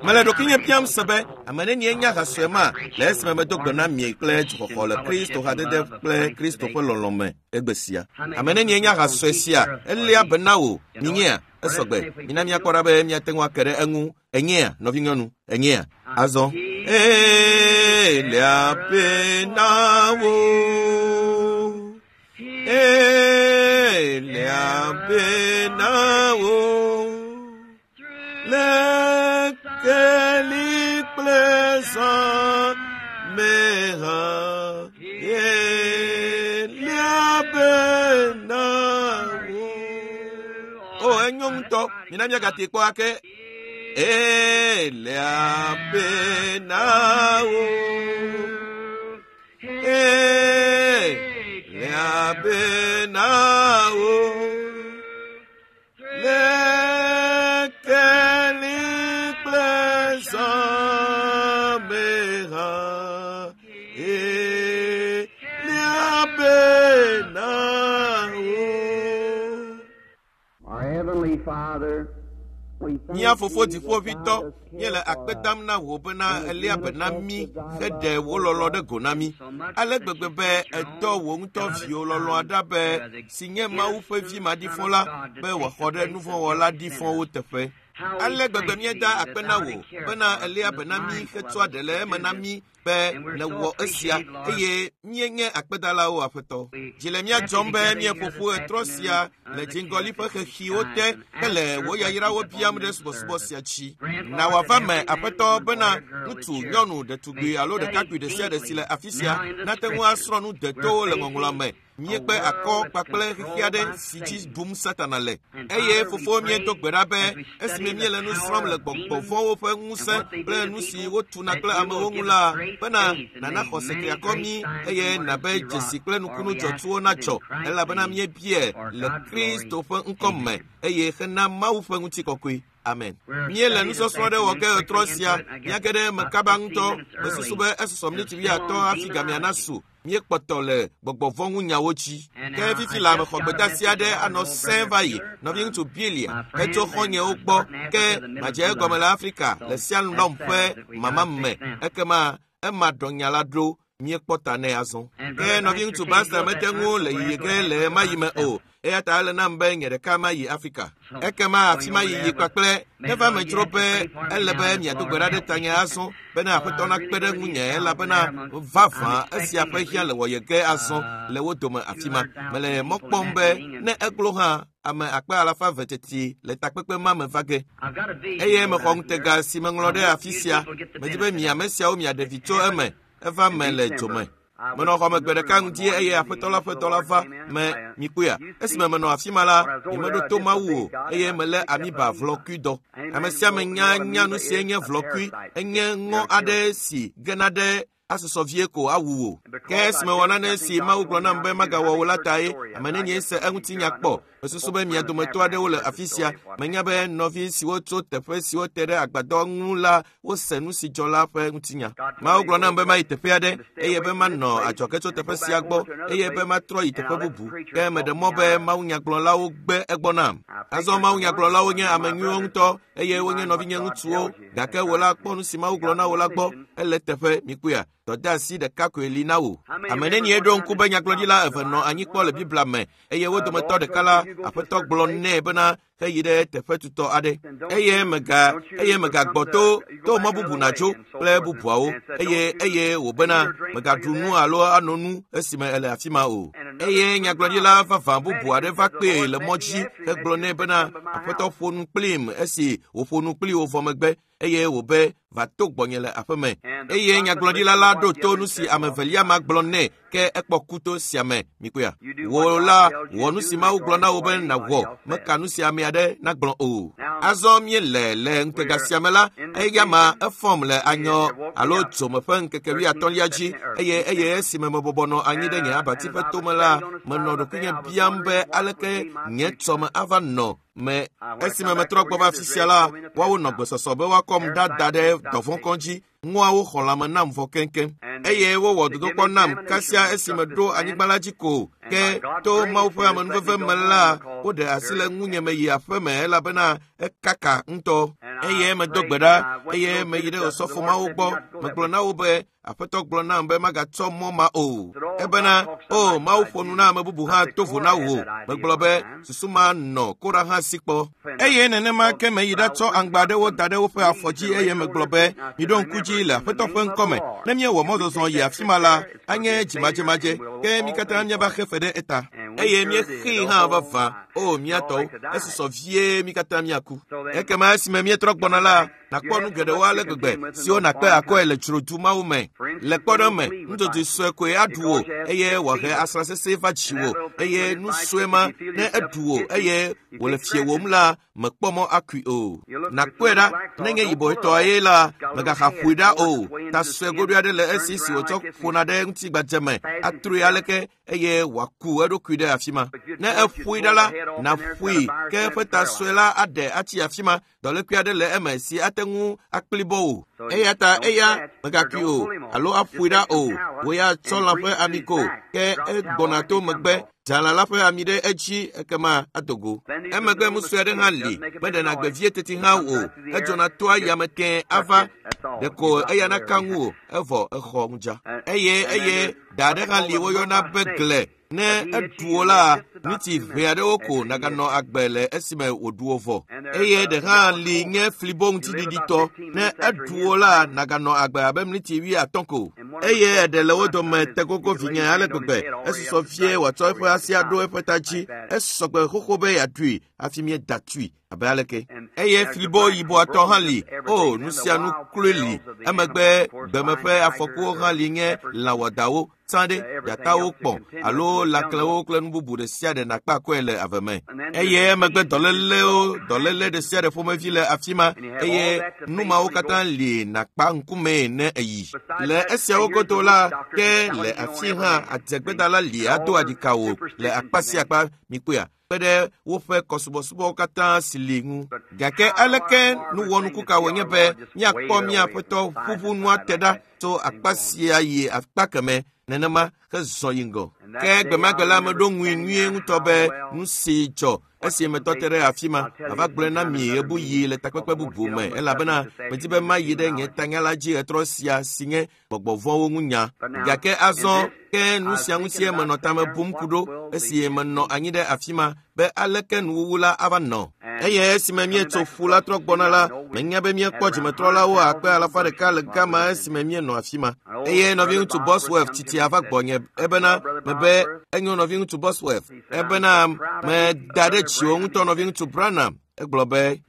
Mele ɖokuinye biam se be ame nenie nye ha sue ma le esime medo gbe na mi kple dzuxɔxɔ le Kristo hadede kple Kristo ƒe lɔlɔ̃ me egbe sia. Ame nenie nye ha sue sia eléa be na wò minyea esɔgbe mina míakpɔ ɖa be míate ŋu ake ɖe eŋu enyea nɔvinyɔnu enyea azɔ eléa be na wò eléa be na wò le keli kple zã me hã eléa be na wò. O enyo ŋutɔ mina míagate kpɔ ake eléa be na wò. Eléa be na wò. Le keli kple zã me hã eléa be na wò. Our Heavenly Father, we thank Mía fofo thee that dziƒoʋĩtɔ, thou dost care míele akpe for dam us. na wò bena eléa be na mí heɖe wò lɔlɔ̃ ɖe go na mí. Ale gbegbe be èdɔ wò ŋutɔ viwò lɔlɔ̃a ɖa be si nye Mawu ƒe vi maɖifɔ la be wòaxɔ ɖe nuvɔ̃wɔla ɖifɔwo teƒe. Ale gbegbe míeda akpe na wò bena eléa be na mí hetsɔa ɖe le eme na mí be nèwɔ esia eye míenye akpedalawo aƒetɔ. Dzi le mía dzɔm be míeƒo ƒu ɣetrɔ sia le dziŋgɔli ƒe xexiwo te hele wò yayrawo biam ɖe subɔsubɔ sia dzi. Na wòava me aƒetɔ bena ŋutsu, nyɔnu, ɖetugbui alo ɖekakpui ɖe sia ɖe si le afi sia nate ŋu asrɔ̃ nu detowo le ŋɔŋlɔa me. Míekpe akɔ kpakple xexe aɖe si dzi ɖum Satana le. Eye fofo míedo gbe ɖa be esime míele nu srɔ̃m le gbɔgbɔ vɔ̃wo ƒe ŋusẽ kple nu si wotuna kple amewo ŋu la, bena nana xɔse triakɔ mí eye nabe dzesi kple nukunu dzɔtsuwo nadzɔ elabena míebie le Kristo ƒe ŋkɔ me eye hena Mawu ƒe ŋutikɔkɔe. Amen. Míele nusɔsrɔ̃ ɖe wɔ ge ɣetrɔ sia míage ɖe eme kaba ŋutɔ. Mesusu be esusɔ miniti wuiatɔ̃ hafi gamea nasu. Míekpɔtɔ le gbɔgbɔ vɔ̃ ŋu nyawo dzi. Ke fifi la mexɔ gbedeasi aɖe anɔ sẽe va yi. Nɔviŋutsu Bilia etso xɔ̃nyewo gbɔ ke madze egɔme le Afrika le Sialɔm ƒe mama me. Ekema ema ɖɔ nya la ɖo míekpɔ ta nɛ azɔ. Ke nɔviŋutsu Baxter mete ŋu le yiyi ge le ɣemaɣi me o. Eya ta ele nam be nye ɖeka mayi Afrika. Ekema afi ma yiyi kpakple neva me dzro be ele be miado gbe ɖa ɖe tanye azɔ bena aƒetɔ nakpe ɖe ŋunye elabena vavã esia ƒe hiã le wɔye ge azɔ le wo dome afi ma. Mele mɔ kpɔm be ne eglo hã ame akpe alafa eve teti le takpekpe ma me va ge. I've got a vision Eye for mexɔ that ŋutega here. si meŋlɔ ɖe afi sia. Medi be mi ame siawo miaɖe vi tso eme. Eva me le dzome. Menɔ xɔme gbe ɖeka ŋdi eye aƒetɔ la ƒe dɔla va me mikpɔea. Esime menɔ afi ma la, nyemeɖo to Mawu o eye melé amiba vlɔkui dɔ. Ame sia ame nya nya nu sie nye vlɔkui. Enye ŋɔ aɖe si gena ɖe asusɔ vie ko awu wò. Ke esime wɔ nane si Mawu gblɔ nam be magawɔ o la tae ame nenie se eŋuti nya kpɔ. Mesusu be mia dometɔ aɖewo le afi sia. Menya be nɔvi siwo tso teƒe siwo te ɖe agbadɔ ŋu la wose nu si dzɔ la ƒe ŋutinya. Mawu gblɔ nam be mayi teƒe aɖe eye be manɔ adzɔge tso teƒe sia gbɔ eye be matrɔ yi teƒe bubu. Ke meɖe mɔ be mawunyagblɔlawo gbe egbɔ nam. Azɔ mawunyagblɔlawo nye ame nyuiwo ŋutɔ eye wonye nɔvinye ŋutsuwo gake wò la kpɔ nu si Mawu gblɔ na wò la gbɔ ele teƒe mikpɔea. Dɔdeasi ɖeka koe li na wò. Ame nenie ɖo ŋku be nyagblɔɖila eve nɔ anyi kpɔ le Biblia me eye wo dometɔ ɖeka la aƒetɔ gblɔ nɛ bena heyi ɖe teƒe tutɔ aɖe eye mega eye megagbɔ to to mɔ bubu nàdzo kple bubuawo eye eye wòbena megaɖu nu alo ano nu esime ele afi ma o. Eye nyagblɔɖila vavã bubu aɖe va kpee le mɔ dzi hegblɔ nɛ bena aƒetɔ ƒo nu kplim esi wòƒo nu kpli wò vɔ megbe eye wòbe va to gbɔnye le aƒeme. Eye nyagblɔɖila la ɖo to nu si ame evelia ma gblɔ nɛ ke ekpɔ kuto sia me mikpɔea. Wò la wɔ nu si Mawu gblɔ na wò be nàwɔ meka nu si ame aɖe nagblɔ o. Azɔ míele le ŋutega sia me la eya ma efɔm le anyɔ alo dzome ƒe ŋkeke wuiatɔ̃lia dzi eye eye esime mebɔbɔ nɔ anyi ɖe nye abati ƒe tome la menɔ ɖokuinye biam be aleke nye tsɔme ava nɔ me esime metrɔ gbɔ va afi sia la woawo nɔ gbesɔsɔ be woakɔm ɖa da ɖe dɔvɔ̃kɔ dzi ŋuawo xɔ lãme nam vɔ keŋkeŋ eye wowɔ dodokpɔ nam kasia esime ɖo anyigba la dzi ko ke to Mawu ƒe amenuveve me la woɖe asi le ŋunye meyi aƒe me elabena ekaka ŋutɔ. Eye medo gbe ɖa, eye meyi ɖe osɔfomawo gbɔ. Megblɔ na wo be Aƒetɔ gblɔ nam be magatsɔ mɔ ma o. Ebena, o Mawu ƒo nu na ame bubu hã to vo na wò. Megblɔ be susu ma nɔ Kora hã si kpɔ. Eye nenema ke meyi ɖatsɔ aŋgba aɖewo da ɖe woƒe afɔ dzi eye megblɔ be, miɖo ŋku dzi le Aƒetɔ ƒe ŋkɔme. Ne míewɔ mɔzɔzɔ yi afi ma la, anye dzimadzemadzé, ke mí katã míava xe fe ɖe eta. Eye míexee hã vavã. O mía tɔwo, esusɔ vie mí katã míaku. Ekema esime míetrɔ gbɔna la, nàkpɔ nu geɖewo ale gbegbe siwo nàkpe akɔe le dzrodu mawo me. Le kpɔɖeŋu me, nudzodzoe sue koe aɖu wò eye wòahe asrã sesẽ va dziwò, eye nu sue ma ne eɖu wò eye wòle fiewòm la, mekpɔ mɔ akui o. Nàkpɔe ɖa, nenye yibɔetɔ ye la, mègaxa ƒoe ɖa o. Ta sue goɖoe aɖe le esi si wòtsɔ ƒona ɖe ŋutigbadze me, atrɔe aleke eye wòaku eɖokui ɖe afi ma. Ne eƒoe ɖa la, nàƒoe ke eƒe ta sue la aɖe atsi afi ma. Dɔlékui aɖe le eme si ate ŋu akplibɔ wò. Eya ta eya mègakui o alo aƒoe ɖa o. Wò ya tsɔ lã ƒe ami ko, ke egbɔna to megbe. Dza lã la ƒe ami ɖe edzi ekema ado go. Emegbe nu sue aɖe hã li, meɖena gbe vie teti hã o. Edzɔna toa yame tẽe ava, ɖeko eya naka ŋuwò evɔ exɔ ŋudza. Eye eye da aɖe hã li woyɔna be gle. Ne eɖu wò la, ŋuti ʋɛ aɖewo ko naganɔ agbe le esime wòɖu wò vɔ. Eye ɖe hã li nye flibo ŋutiɖiɖitɔ. Ne eɖu wò la, naganɔ agbe abe mliti 50 ko. Eye eɖe le wo dome te gogo vinye ale gbegbe. Esusɔ vie wòatsɔ eƒe asi aɖo eƒe ta dzi. Esɔgbe xoxo be yeaɖui hafi míeda tui abe aleke. Eye flibo yibɔatɔ hã li. O, nu sia nu kloe li. Emegbe gbeme ƒe afɔkuwo hã li nye lã wɔdawo. Tsã ɖe, dzatawo kpɔ alo lãklewo kple nu bubu ɖe sia ɖe nàkpe akɔe le ave me. Eye emegbe dɔlélewo, dɔléle ɖe sia ɖe ƒomevi le afi ma eye nu mawo katã li nàkpa ŋkumee ne èyi. Le esiawo godo la, ke le afi hã adzegbedala li ado aɖika wò le akpa sia akpa mikpɔea kpe ɖe woƒe kɔsubɔsubɔwo katã si li ŋu. Gake aleke nuwɔnuku ka wònye be míakpɔ mía Aƒetɔ ʋuʋu nua te ɖa tso akpa sia yi akpa keme nenema hezɔ yi ŋgɔ. Ke gbemagbe la meɖo ŋui nyuie ŋutɔ be nu si dzɔ esi metɔ te ɖe afi ma, mava gblɔe na mi ɣebuɣi le takpekpe bubu me elabena medi be mayi ɖe nye tanya la dzi ɣetrɔ sia si nye gbɔgbɔ vɔ̃wo ŋu nya. Gake azɔ ke nu sia ŋutie menɔ tame bum ku ɖo esi menɔ anyi ɖe afi ma be aleke nuwuwu la ava nɔ. Eye esime míetso ƒu la trɔ gbɔna la, menya be míekpɔ dzimetrɔlawo akpe 150 le gama esime míenɔ afi ma. Eye nɔviŋutsu Bosworth tsitsia va gbɔnye ebena mebe enyo nɔviŋutsu Bosworth ebena meda ɖe dziwò ŋutɔ nɔviŋutsu Branham. Egblɔ be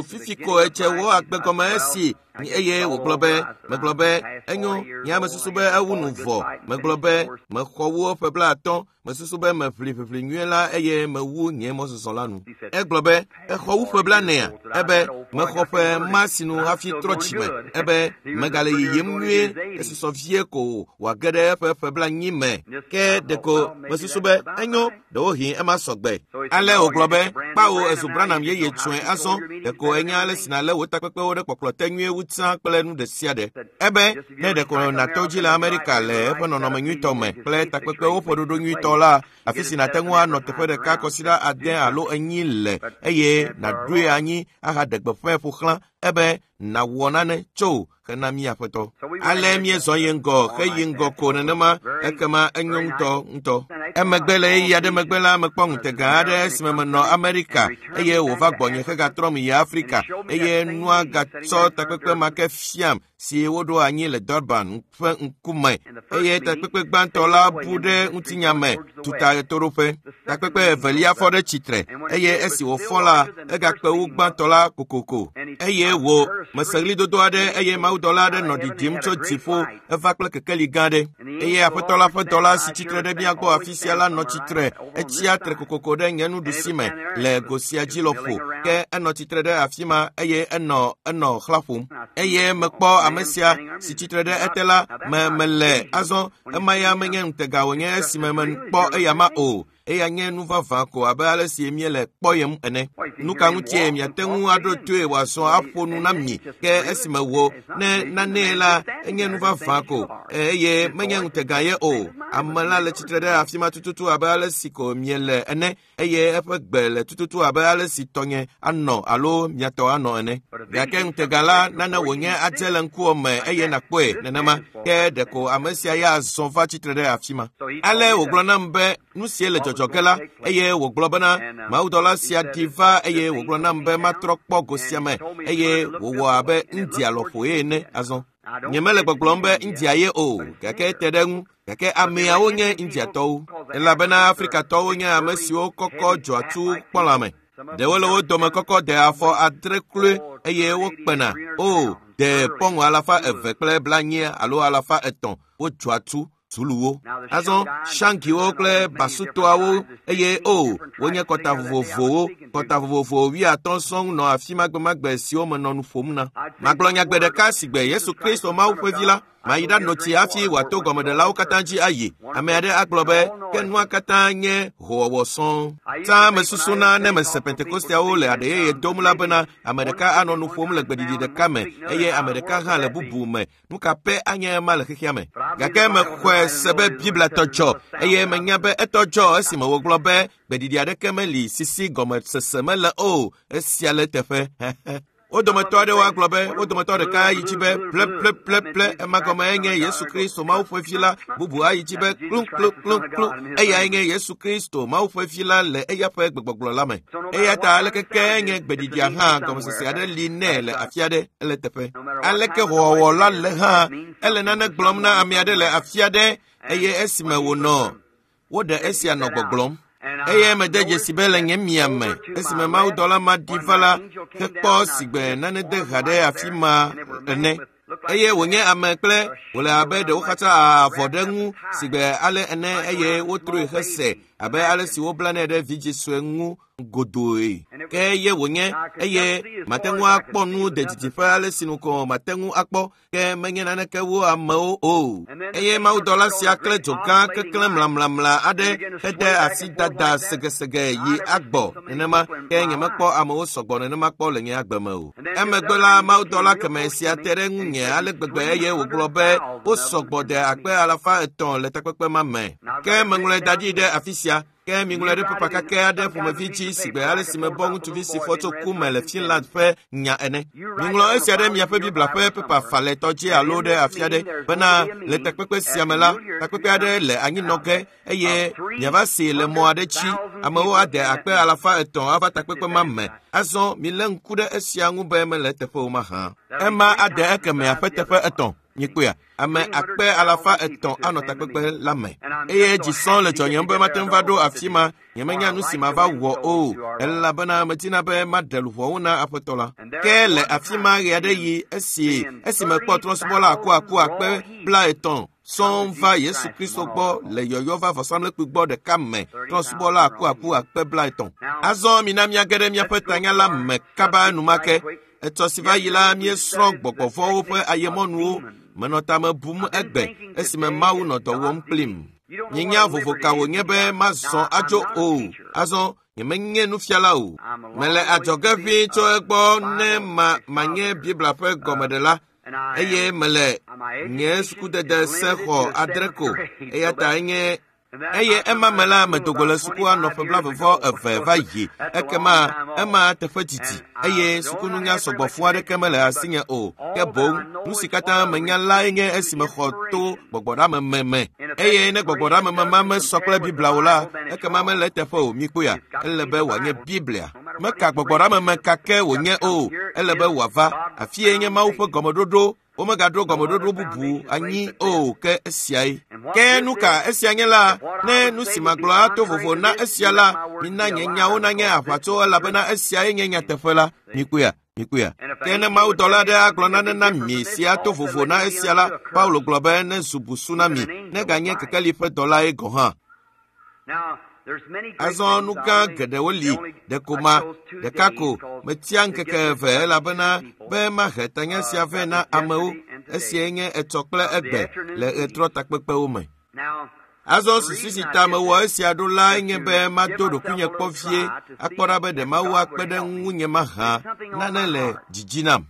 fifi ko etse wò agbe gɔme esi eye wògblɔ be megblɔ be enyo nye ame susu be ewu nu vɔ. Megblɔ be mexɔ wu ƒe 50 mesusu be meʋli ʋiʋli nyuie la eye mewu nye mɔzɔzɔ la nu. Egblɔ be exɔ wu ƒe 40 ebe mexɔ ƒe ma sinu hafi trɔ dzime ebe megale yiyim nyuie esusɔ vie ko wòage ɖe eƒe ƒe 40 me. Ke ɖeko mesusu be enyo ɖewohĩ ema sɔgbe. Ale wògblɔ be kpawo ezu Branham yeye tsɔe azɔ ɖeko enya ale si nàlé wò takpekpewo ɖe kpɔkplɔ te nyuie wu tsã kple nu ɖe sia ɖe. Ebe ne ɖeko nàto dzi le Amerika le eƒe nɔnɔme nyuitɔ me kple takpekpewo ƒe ɖoɖo nyuitɔ la, afi si nàte ŋu anɔ teƒe ɖeka kɔsiɖa 6 alo 4 le eye nàɖoe anyi ahaɖe gbeƒãe ƒo xlã ebe nàwɔ nane tso hena mía Aƒetɔ. Ale míezɔ yi ŋgɔ heyi ŋgɔ ko nenema ekema enyo ŋutɔ ŋutɔ. Emegbe le ɣeyiɣi aɖe megbe la mekpɔ ŋutega aɖe esime menɔ Amerika eye wòva gbɔnye hegatrɔm yi Afrika eye nua gatsɔ takpekpe ma ke fiam si woɖo anyi le Durban ƒe ŋkume eye takpekpe gbãtɔ la bu ɖe ŋutinya me tuta ɣetoɖoƒe. Takpekpe evelia fɔ ɖe tsitre eye esi wòfɔ la egakpe wu gbãtɔ la kokoko eye wò mese ɣlidodo aɖe eye mawudɔla aɖe nɔ ɖiɖim tso dziƒo eva kple kekeli gã aɖe eye Aƒetɔ la ƒe dɔla si tsitre ɖe mía gbɔ afi sia la nɔ tsitre etsia tre kokoko ɖe nye nuɖusi me le go sia dzi lɔƒo ke enɔ tsitre ɖe afi ma eye enɔ xlã ƒom eye mekpɔ ame sia si tsitre ɖe ete la me mele azɔ ema ya menye ŋutega wònye esime mekpɔ eya ma o. Eya nye nu vavã ko abe ale si míele kpɔyem ene. Nu ka ŋutie miate ŋu aɖo toe wòazɔ aƒo nu na mi ke esime wò ne nanee la enye nu vavã ko eye menye ŋutega ye o. Ame la le tsitre ɖe afi ma tututu abe ale si ko miele ene eye eƒe gbe le tututu abe ale si tɔnye anɔ alo miatɔ anɔ ene. Gake ŋutega la nane wònye adze le ŋkuwò me eye nàkpɔe nenema ke ɖeko ame sia ya zɔ va tsitre ɖe afi ma. Ale wògblɔ nam be nu sie le dzɔdzɔ ge la eye wògblɔ bena mawudɔla sia ɖi va eye wògblɔ nam be matrɔ kpɔ go sia me eye wòwɔ abe India lɔƒoe ene azɔ. Nyemele gbɔgblɔm be India ye o gake ete ɖe eŋu gake ameawo nye Indiatɔwo elabena Afrikatɔwo nye ame siwo kɔkɔ dzɔatsu kpɔlame. Ɖewo le wo dome kɔkɔ de afɔ 6 kloe eye wokpena o de pɔŋu 240 alo 300 wodzɔatsu Zuluwo. Azɔ Shankiwo kple Basutoawo eye o wonye kɔta vovovowo kɔta vovovo 50 sɔŋ nɔ afi ma gbemagbe siwo menɔ nu ƒom na. Magblɔ nyagbe ɖeka si gbe Yesu Kristo Mawu ƒe vi la mayi ɖanɔ tsi hafi wòato gɔmeɖelawo katã dzi ayi. Ame aɖe agblɔ be ke nua katã nye howɔwɔ sɔŋ. Tsã mesusuna ne mese Pentekosteawo le aɖe yeye dom la bena ame ɖeka anɔ nu ƒom le gbeɖiɖi ɖeka me eye ame ɖeka hã le bubu me. Nu ka pɛ anye ema le xexea me? Gake mexɔe se be Biblia tɔ dzɔ eye menya be etɔ dzɔ esime wògblɔ be gbeɖiɖi aɖeke meli sisi gɔmesese mele o. Esia le teƒe. Wo dometɔ aɖewo agblɔ be wo dometɔ ɖeka yi dzi be ple ema gɔme enye Yesu Kristo Mawu ƒe vi la, bubu ayi dzi be klu eyae nye Yesu Kristo Mawu ƒe vi la le eya ƒe gbegbɔgblɔ la me. Eya ta aleke ke nye gbeɖiɖia hã gɔmesese aɖe li nɛ le afi aɖe ele teƒe. Aleke howɔwɔ la le hã ele nane gblɔm na ame aɖe le afi aɖe eye esime wònɔ woɖe esia nɔ gbɔgblɔm. Eye mede dzesi be le nye mia me esime mawudɔla ma ɖi va la hekpɔ sigbe nane de ha ɖe afi ma ene eye wònye ame kple wòle abe ɖewo katã avɔ ɖe ŋu sigbe ale ene eye wotrɔe hese abe ale si woblanɛ ɖe vidzĩ sue ŋu godoe. Ke ye wònye eye mate ŋu akpɔ nu de didiƒe ale si nu ko mate ŋu akpɔ ke menye naneke wo amewo o. Eye mawudɔla sia kple dzo gã keklẽ mlamlamla aɖe hede asi dada segesege yi agbɔ nenema ke nyemekpɔ amewo sɔgbɔ nenema kpɔ le nye agbe me o. Emegbe la mawudɔla keme sia te ɖe ŋunye ale gbegbe eye wògblɔ be wosɔgbɔ de 300,000 le takpekpe ma me. Ke meŋlɔe da ɖi ɖe afi sia. Ke miŋlɔe ɖe pepa kakɛ aɖe ƒomevi dzi sigbe ale si mebɔ ŋutsuvi si fɔ tso ku me le Finland ƒe nya ene. Miŋlɔ esia ɖe miaƒe Biblia ƒe pepa falɛtɔ dzi alo ɖe afi aɖe bena le takpekpe sia me la, takpekpe aɖe le anyinɔ ge eye miava see le mɔ aɖe dzi. Amewo ade 300,000 ava takpekpe ma me. Azɔ milé ŋku ɖe esia ŋu be mele eteƒe o mahã. Ema ade ekemea ƒe teƒe 3. Mikpɔea, ame 300,000 anɔ takpekpe la me. Eye dzi sɔŋ le dzɔnyem be mate ŋu va ɖo afi ma. Nyemenya nu si mava wɔ o, elabena medina be maɖe luʋɔwo na Aƒetɔ la. Ke le afi ma ɣe aɖe yi esi mekpɔ trɔ̃subɔla akuaku 30 sɔŋ va Yesu Kristo gbɔ le yɔyɔ va vɔsamlekpui gbɔ ɖeka me trɔ̃subɔla akuaku 30. Azɔ mina míage ɖe míaƒe tanya la me kaba enumake. Etsɔ si va yi la míesrɔ̃ gbɔgbɔvɔ̃wo ƒe ayemɔnuwo. Menɔ tame bum egbe esime Mawu nɔ dɔ wɔm kplim. Nyenya vovo ka wònye be mazɔ adzo o. Azɔ nyemenye nufiala o. Mele adzɔge ʋĩi tso egbɔ ne manye Biblia ƒe gɔmeɖela eye mele nye sukudede se xɔ 6 ko eya ta enye eye ema me la medogo le sukua nɔ ƒe 22 va yi ekema ema teƒe didi eye sukununya sɔgbɔ fũ aɖeke mele asinye o ke boŋ nu si katã menya lae nye esime xɔ to gbɔgbɔɖameme me eye ne gbɔgbɔɖameme ma mesɔ kple Biblia o la ekema mele eteƒe o. Mikpɔea, ele be wòanye Biblia. Meka gbɔgbɔɖameme kake wònye o, ele be wòava. Afie nye Mawu ƒe gɔmeɖoɖo. Womegaɖo gɔmeɖoɖo bubu anyi o ke esiae. Ke nu ka esia nye la, ne nu si magblɔ ato vovo na esia la, mina nye nyawo nanye aʋatso elabena esiae nye nyateƒe la. Mikpɔea, mikpɔea. Ke ne mawudɔla aɖe agblɔ nane na mi si ato vovo na esia la, Paulo gblɔ be ne zu busu na mi, neganye kekeli ƒe dɔlae gɔ̃ hã. Azɔ nu gã geɖewo li ɖeko ma ɖeka ko metia ŋkeke 2 elabena be mahe tanya sia vɛ na amewo. Esiae nye etsɔ kple egbe le ɣetrɔ takpekpewo me. Azɔ susu si ta mewɔ esia ɖo lae nye be mado ɖokuinye kpɔ vie akpɔ ɖa be ɖe Mawu akpe ɖe ŋunye mahã nane le dzidzi nam.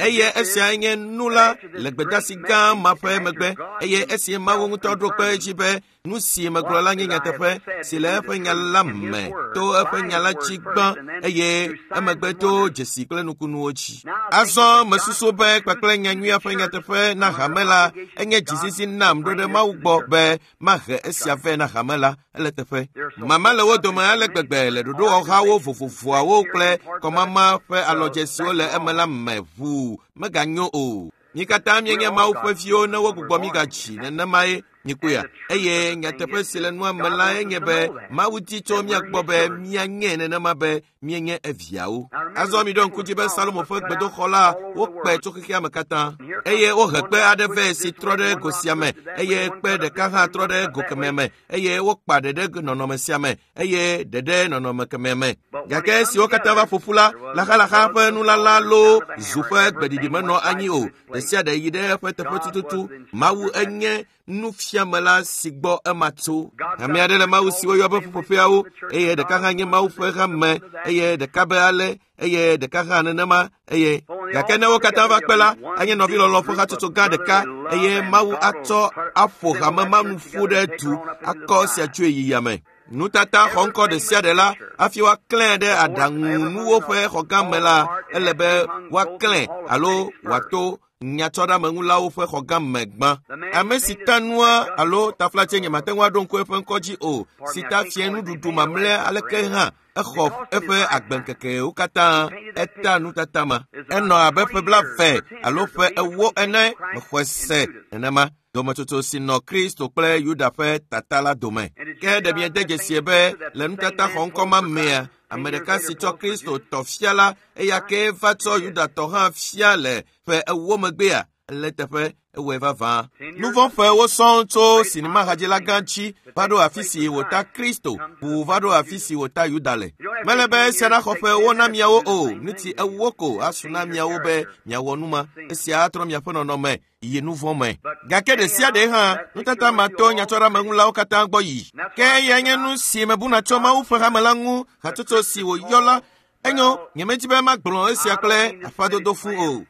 Eye esiae nye nu la le gbedeasi gã ma ƒe megbe eye esi Mawu ŋutɔ ɖo kpe edzi be nu si megblɔ la nye nyateƒe si le eƒe nya la me to eƒe nya la dzi gbã eye emegbe to dzesi kple nukunuwo dzi. Azɔ mesusu be kpakple nyanyuia ƒe nyateƒe na hame la enye dzizizi nam ɖo ɖe Mawu gbɔ be mahe esia vɛ na hame la ele teƒe. Mama le wo dome ale gbegbe le ɖoɖowɔhawo vovovoawo kple kɔmama ƒe alɔdze siwo le eme la me ʋuu meganyo o. Mi katã míenye Mawu ƒe viwo ne wogbugbɔ mi gadzi nenemae mikpɔea. Eye nyateƒe si le nua me lae nye be Mawu di tso mía gbɔ be míanye nenema be míenye eviawo. Azɔ miɖo ŋku dzi be Salomo ƒe gbedoxɔ la wokpe tso xexea me katã eye wohe kpe aɖe vɛ si trɔ ɖe go sia me eye kpe ɖeka hã trɔ ɖe go kemɛ me eye wokpa ɖe ɖe nɔnɔme sia me eye ɖe ɖe nɔnɔme kemɛ me. Gake esi wo katã va ƒoƒu la, laxalaxa ƒe nulala loo zu ƒe gbeɖiɖi menɔ anyi o. Ɖe sia ɖe yi ɖe eƒe teƒe tututu. Mawu enye nufiamela si gbɔ ema tso. Ame aɖe le Mawu si woyɔ be ƒuƒoƒeawo eye ɖeka hã nye Mawu ƒe hame eye ɖeka be ale eye ɖeka hã nenema eye gake ne wo katã va kpe la anye nɔvilɔlɔ̃ ƒe hatsotso gã ɖeka eye Mawu atsɔ aƒo hame ma nu ƒu ɖe du akɔ esia tsoe yi yame. Nutata xɔ ŋkɔ ɖe sia ɖe la hafi woaklãe ɖe aɖaŋunuwo ƒe xɔgã me la ele be woaklãe alo wòato nyatsɔɖameŋulawo ƒe xɔgã me gbã. Ame si ta nua alo taflatse nyemate ŋu aɖo ŋku eƒe ŋkɔ dzi o si ta fie nuɖuɖu mamlɛa aleke hã exɔ eƒe agbeŋkekewo katã eta nutata ma. Enɔ abe ƒe 20 alo ƒe 40 ene mexɔe se nenema. Dometsotso si nɔ Kristo kple Yuda ƒe tata la dome. Ke ɖe miede dzesie be le nutata xɔŋkɔ ma mea, ame ɖeka si tsɔ Kristo tɔ fia la, eya kee va tsɔ Yuda tɔ hã fia le ƒe 40 megbea? Le teƒe ewɔe vavã. Nu vɔ̃ ƒewo sɔŋ tso sinimahadzila gã dzi va ɖo afi si wòta Kristo ʋuu va ɖo afi si wòta Yuda le. Mele be esia naxɔ ƒe 40 na miawo o, ŋuti 40 ko asu na miawo be miawɔ nu ma. Esia atrɔ miaƒe nɔnɔme yi nu vɔ̃ me. Gake ɖe sia ɖe hã nutata ma to nyatsɔɖameŋulawo katã gbɔ yi. Ke eyae nye nu si mebuna tso Mawu ƒe hame la ŋu hatsotso si wòyɔ la. Enyo, nyemedi be magblɔ esia kple aƒadodo fũ o.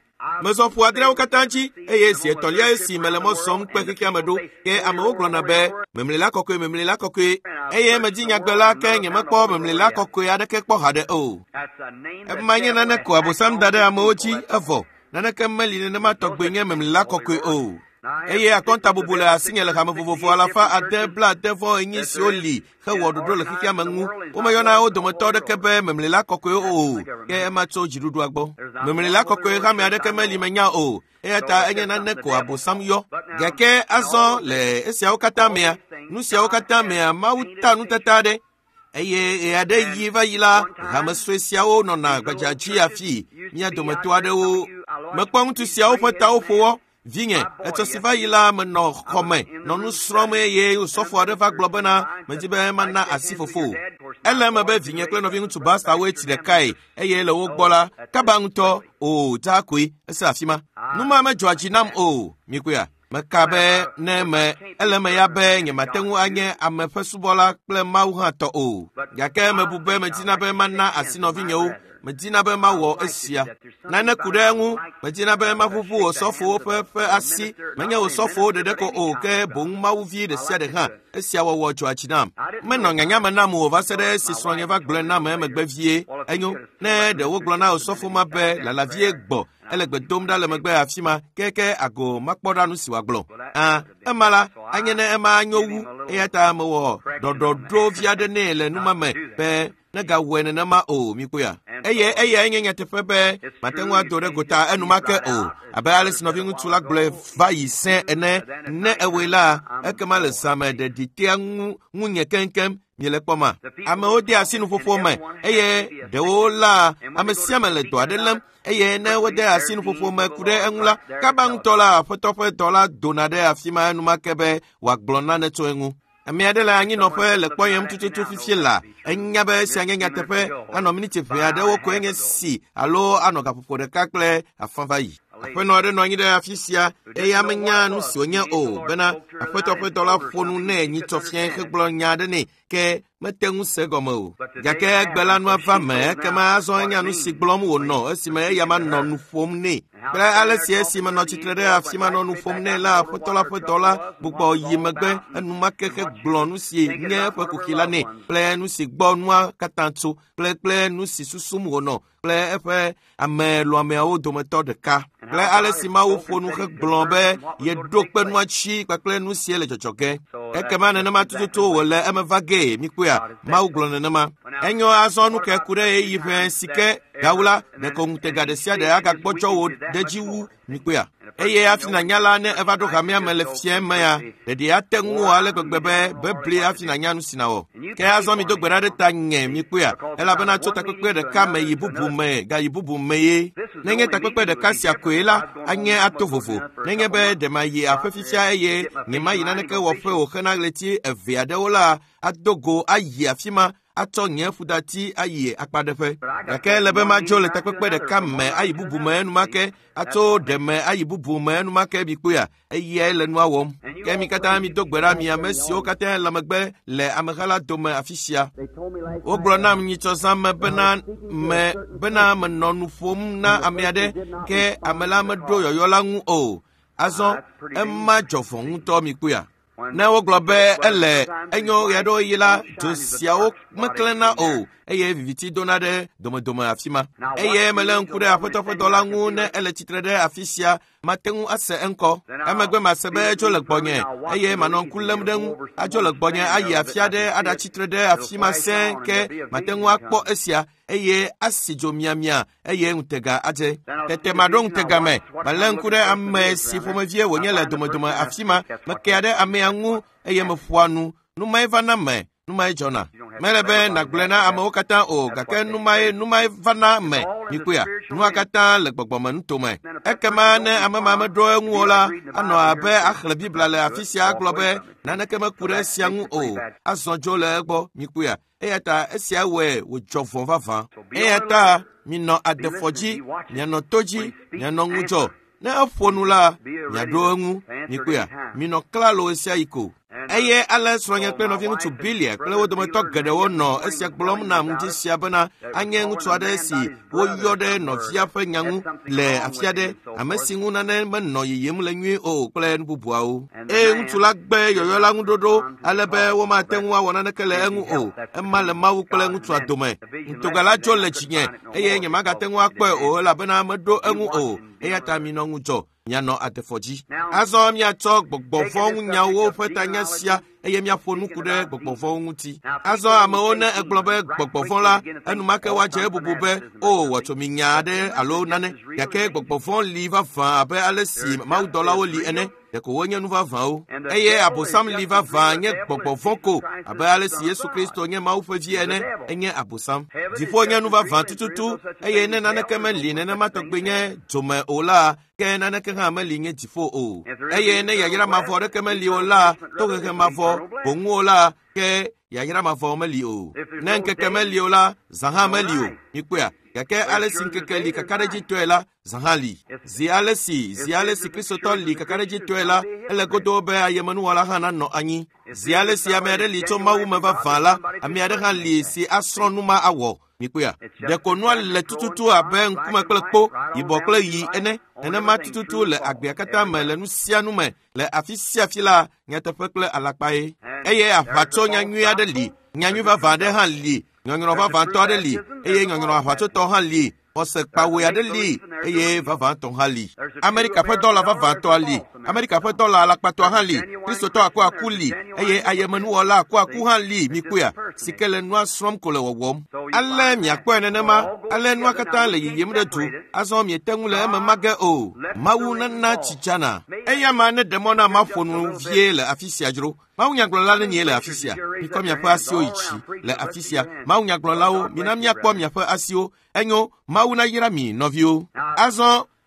Mezɔ ƒu 6 katã dzi eye zi etɔ̃lia esi mele mɔ zɔm kpe xexea me ɖo. Ke amewo gblɔna be memlila kɔkɔe, memlila kɔkɔe eye medzi nyagbe la ke nyemekpɔ memlila kɔkɔe aɖeke kpɔ haɖe o. Ema nye nane ko Abosam da ɖe amewo dzi evɔ. Naneke meli nenema tɔgbe nye memlila kɔkɔe o. Eye akɔntabubu le asinye le hame vovovo 684 siwo li hewɔ ɖoɖo le xexea me ŋu. Womeyɔna wo dometɔ aɖeke be memlila kɔkɔe o, ke ema tso dziɖuɖua gbɔ. Memlila kɔkɔe hame aɖeke meli menya o, eya ta enye nane ko Abosam yɔ. Gake azɔ le esiawo katã mea, nu siawo katã mea, Mawu ta nutata aɖe. Eye ɣe aɖe yi va yi la, hame sue siawo nɔna gbadza dzi afii. Mía dometɔ aɖewo mekpɔ ŋutsu siawo ƒe tawo ƒo wɔ. Vinye, etsɔ si va yi la menɔ xɔme nɔ nu srɔ̃m eye osɔfo aɖe va gblɔ bena medzi be mana asi fofo. Ele eme be vinye kple nɔviŋutsu Bastawoe tsi ɖekae eye le wo gbɔ la, kaba ŋutɔ o dzaa koe ese afi ma. Nu ma medzɔa dzi nam o, mikpɔea. Meka be ne me ele eme ya be nyemate ŋu anye ame ƒe subɔla kple Mawu hã tɔ o. Gake mebu be medina be mana asi nɔvinyewo. Medina be mawɔ esia. Nane ku ɖe eŋu. Medina be maʋuʋu osɔfowo ƒe asi. Menye osɔfowo ɖeɖe ko o, ke boŋ Mawuvi ɖe sia ɖe hã. Esia wɔwɔ dzɔa dzi nam. Menɔ nyanya me nam o va se ɖe esi srɔ̃nye va gblɔe nam emegbe vie. Enyo, ne ɖe wogblɔ na osɔfo ma be lalavie gbɔ ele gbe dom ɖa le megbe afi ma keke ago makpɔ ɖa nu si wòagblɔ. Ema la, anye ne ema anyo wu eya ta mewɔ ɖɔɖɔɖo vi aɖe nɛ le numa me be negawɔe nenema o, mikpɔea. Eye eyae nye nyateƒe be mate ŋu ado ɖe gota enumake o, abe ale si nɔviŋutsu la gblɔe va yi sẽ ene. Ne ewɔe la, ekema le zã me ɖeɖi tea ŋunye keŋkeŋ. Miele kpɔma? Amewo de asi nuƒoƒo me eye ɖewo la ame sia ame le dɔ aɖe lém eye ne wode asi nuƒoƒo me ku ɖe eŋu la, kaba ŋutɔ la aƒetɔ ƒe dɔ la dona ɖe afi ma enumake be wòagblɔ nane tso eŋu. Ame aɖe le anyinɔƒe le kpɔyem tututu fifie la, enya be esia nye nyateƒe anɔ miniti ʋɛ aɖewo koe nye si alo anɔ gaƒoƒo ɖeka kple afã va yi. Aƒenɔ aɖe nɔ anyi ɖe afi sia eye amenya nu si wònye o bena aƒetɔ ƒe dɔ la ƒo nu nɛ nyitsɔ fiẽ hegblɔ nya aɖe nɛ. Ke mete ŋu se gɔme o. Gake egbe la nua va me ekema azɔ enya nu si gblɔm wònɔ esime eya manɔ nu ƒom nɛ. Kple ale si esi menɔ tsitre ɖe afi ma nɔ nu ƒom nɛ la, aƒetɔ la ƒe dɔla gbugbɔ yi megbe enumake hegblɔ nu si nye eƒe kuxi la nɛ kple nu si gbɔ nua katã tso kple nu si susum wònɔ kple eƒe ame lɔameawo dometɔ ɖeka. Kple ale si Mawu ƒo nu hegblɔ be yeɖo kpe nua dzi kpakple nu sie le dzɔdzɔ ge. Ekema nenema tututu wòle eme va gee, mikpɔea, Mawu gblɔ nenema. Enyo azɔ nu ke ku ɖe ɣeyiɣi ʋɛ si ke gawu la, ɖeko ŋutega ɖe sia ɖe agagbɔdzɔ wò ɖe dzi wu, mikpɔea. Eye hafi nànya la, ne eva ɖo hamea me le fiẽ mea, ɖeɖi ate ŋu wò ale gbegbe be bebli hafi nànya nu si nàwɔ. Ke azɔ mido gbe ɖa ɖe ta nye, mikpɔea, elabena tso takpekpe ɖeka me yi bubu me gayi bubu me ye. Nenye takpekpe ɖeka sia koe la, anye ato vovo. Nenye be ɖe mayi aƒe fifia eye nyemayi naneke wɔƒe o hena ɣleti eve aɖewo la, ado go ayi afi ma atsɔ nye ƒudati ayi akpaɖeƒe. Gake ele be madzo le takpekpe ɖeka me ayi bubu me enumake, atso ɖe me ayi bubu me enumake mikpɔea, eyae le nua wɔm. Ke mi katã mido gbe ɖa mi ame siwo katã le megbe le ameha la dome afi sia. Wogblɔ nam nyitsɔ zã me bena menɔ nu ƒom na ame aɖe ke ame la meɖo yɔyɔ la ŋu o. Azɔ ema dzɔ vɔ̃ ŋutɔ mikpɔea. Ne wogblɔ be ele enyo ɣeaɖewoɣi la, dzo siawo meklẽna o eye viviti dona ɖe domedome afi ma. Eye melé ŋku ɖe aƒetɔ ƒe dɔla ŋu ne ele tsitre ɖe afi sia, mate ŋu ase eŋkɔ. Emegbe mase be edzo le gbɔnye eye manɔ ŋku lém ɖe ŋu. Adzo le gbɔnye ayi afi aɖe aɖatsitre ɖe afi ma sẽe ke mate ŋu akpɔ esia eye asi dzo miamia eye ŋutega adze. Tete maɖo ŋutega me, malé ŋku ɖe ame si ƒomevie wònye le domedome afi ma, mekea ɖe amea ŋu eye meƒoa nu. Nu mae vana me, nu mae dzɔna. Mele be nàgblɔe na amewo katã o, gake nu mae vana me, mikpɔea, nua katã le gbɔgbɔme nutome. Ekema ne ame ma meɖo eŋu o la, anɔ abe axlẽ Biblia le afi sia agblɔ be naneke meku ɖe esia ŋu o, azɔ dzo le egbɔ, mikpɔea. Eya ta esia wɔe wòdzɔ vɔ̃ vavã. Eya ta minɔ adefɔ dzi, mianɔ to dzi, mianɔ ŋudzɔ. Ne eƒo nu la, miaɖo eŋu, mikpɔea, minɔ klalo ɣe sia ɣi ko. Eye ale srɔ̃nye kple nɔviŋutsu Bilia kple wo dometɔ geɖewo nɔ esia gblɔm nam ŋdi sia bena anye ŋutsu aɖe si woyɔ ɖe nɔvia ƒe nya ŋu le afi aɖe, ame si ŋu nane menɔ yiyim le nyuie o kple nu bubuawo. Eye ŋutsu la gbe yɔyɔ la ŋu ɖoɖo ale be womate ŋu awɔ naneke le eŋu o. Ema le Mawu kple ŋutsua dome. Ŋutega la dzo le dzinye eye nyemagate ŋu akpɔe o elabena meɖo eŋu o. Eya ta minɔ ŋudzɔ, mianɔ adefɔ dzi. Azɔ miatsɔ gbɔgbɔvɔ̃ ŋunyawo ƒe tanya sia eye miaƒo nu ku ɖe gbɔgbɔvɔ̃wo ŋuti. Azɔ amewo ne egblɔ be gbɔgbɔvɔ̃ la, enumake woadze ebubu be o wɔtso mi nya aɖe alo nane. Gake gbɔgbɔvɔ̃ li vavã abe ale si mawudɔlawo li ene. Ɖeko wonye nu vavãwo. Eye Abosam li vavã nye gbɔgbɔvɔ̃ ko abe ale si Yesu Kristo nye Mawu ƒe vi ene, enye Abosam. Dziƒo nye nu vavã tututu eye ne naneke meli nenema tɔgbi nye dzome o la, ke naneke hã meli nye dziƒo o. Eye ne yayra mavɔ aɖeke meli o la, tohehe mavɔ boŋu o la, ke yayra mavɔ meli o. Ne ŋkeke meli o la, zã hã meli o. Mikpɔea, gake ale si ŋkeke li kakaɖedzitɔe la, zã hã li. Zi ale si Kristotɔ li kakaɖedzitɔe la, ele godoo be ayemenuwɔla hã nanɔ anyi. Zi ale si ame aɖe li tso Mawu me vavã la, ame aɖe hã li si asrɔ̃ nu ma awɔ. Mikpɔea, ɖeko nua le tututu abe ŋkume kple kpo, yibɔ kple ɣi ene. Nenema tututu le agbea katã me le nu sia nu me, le afi sia afi la, nyateƒe kple alakpae. Eye aʋatso nyanyui aɖe li, nyanyui vavã aɖe hã li, nyɔnyrɔ vavãtɔ aɖe li, eye nyɔnyrɔ aʋatsotɔ hã li. Xɔse kpawoe aɖe li eye vavãtɔ hã li. Amerika ƒe dɔla vavãtɔa li, Amerika ƒe dɔla alakpatɔa hã li, Kristotɔ akuaku li eye ayemenuwɔla akuaku hã li. Mikpɔea, si ke le nua srɔ̃m ko le wɔwɔm. Ale miakpɔe nenema, ale nua katã le yiyim ɖe du. Azɔ miete ŋu le eme mage o. Mawu nana tsi dzana. Eya ma ne ɖe mɔ na maƒo nu vie le afi sia dzro. Mawu nyagblɔla nenye le afi sia. Mikɔ miaƒe asiwo yi dzi le afi sia. Mawu nyagblɔlawo, mina míakpɔ miaƒe asiwo. Enyo, Mawu nayra mi, nɔviwo.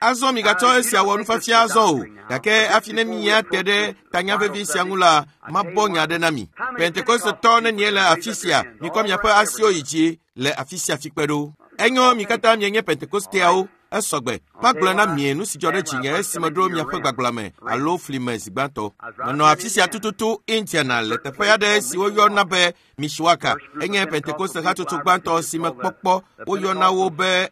Azɔ migatsɔ esia wɔ nufiafia azɔ o. Gake hafi ne míate ɖe tanya vevi sia ŋu la, mabɔ nya aɖe na mi. Pentekostetɔ nenye le afi sia, mikɔ miaƒe asiwo yi dzi le afi sia fi kpe ɖo. Enyo, mi katã mienye Pentekosteawo. Esɔgbe. Magblɔe na mie nu si dzɔ ɖe dzinye esime ɖo miaƒe gbagbla me alo fli me zi gbãtɔ. Menɔ afi sia tututu Indiana le teƒe aɖe si woyɔna be Mishwaka. Enye Pentekoste hatsotso gbãtɔ si me kpɔkpɔ woyɔna wo be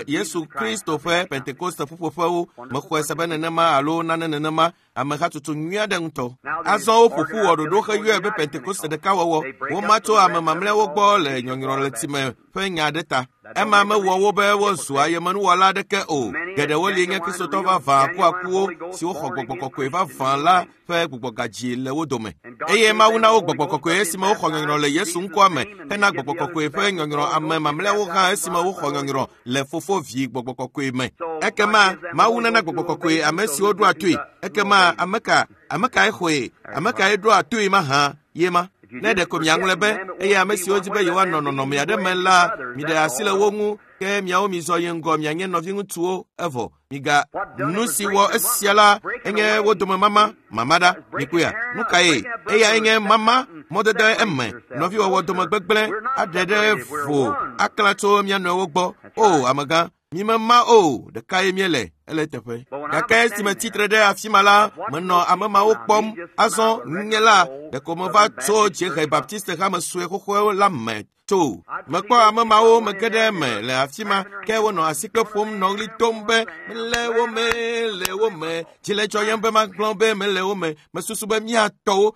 Yesu Kristo ƒe Pentekoste ƒuƒoƒewo. Mexɔe se be nenema alo nane nenema. Ame hatsotso nyui aɖe ŋutɔ. Azɔ woƒo ƒu wɔ ɖoɖo heyɔe be Pentekoste ɖekawɔwɔ. Woma tso ame mamlɛawo gbɔ le nyɔnyrɔletsime ƒe nya aɖe ta. Ema mewɔ wo be wozu ayemenuwɔla aɖeke o. Geɖewo li nye Kristotɔ vavã akuakuwo siwo xɔ gbɔgbɔ kɔkɔe vavã la ƒe gbugbɔgadzi le wo dome. Eye Mawu na wo gbɔgbɔ kɔkɔe esime woxɔ nyɔnyrɔ le Yesu ŋkɔa me hena gbɔgbɔ kɔkɔe ƒe nyɔnyrɔ ame mamlɛawo hã esime woxɔ nyɔnyrɔ le Fofo, Vi, gbɔgbɔ kɔkɔe me. Ekema Mawu nana gbɔgbɔ kɔkɔe ame siwo ɖoa toe. Ekema ame ka ame kae xɔe? Ame kae ɖoa toe mahã ye ma? Ne ɖeko miaŋlɔe be eye ame siwo di be yewoanɔ nɔnɔme aɖe me la, miɖe asi le wo ŋu ke miawo mizɔ yi ŋgɔ mianye nɔviŋutsuwo evɔ miga nu si wɔ esia la enye wo dome mama mama ɖa mikpɔea nu kae eya enye mama mɔdede eme nɔviwɔwɔ dome gbegblẽ aɖe ɖe vo aklã tso mia nɔewo gbɔ o amegã mimema o ɖekae míele ele teƒe. Gake esime tsitre ɖe afi ma la, menɔ ame mawo kpɔm. Azɔ nye la, ɖeko meva tso dziehe Baptiste hame sue xoxoe la me tso. Mekpɔ ame mawo mege ɖe eme le afi ma, ke wonɔ asikpe ƒom nɔ ɣli dom be mele wo me, le wo me. Dzi le dzɔyem be magblɔ be mele wo me. Mesusu be míatɔwo.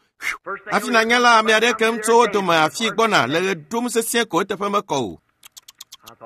Hafi nanya la, ame aɖe kem tso wo dome afi gbɔna le ɣe ɖum sesĩe ko eteƒe mekɔ o.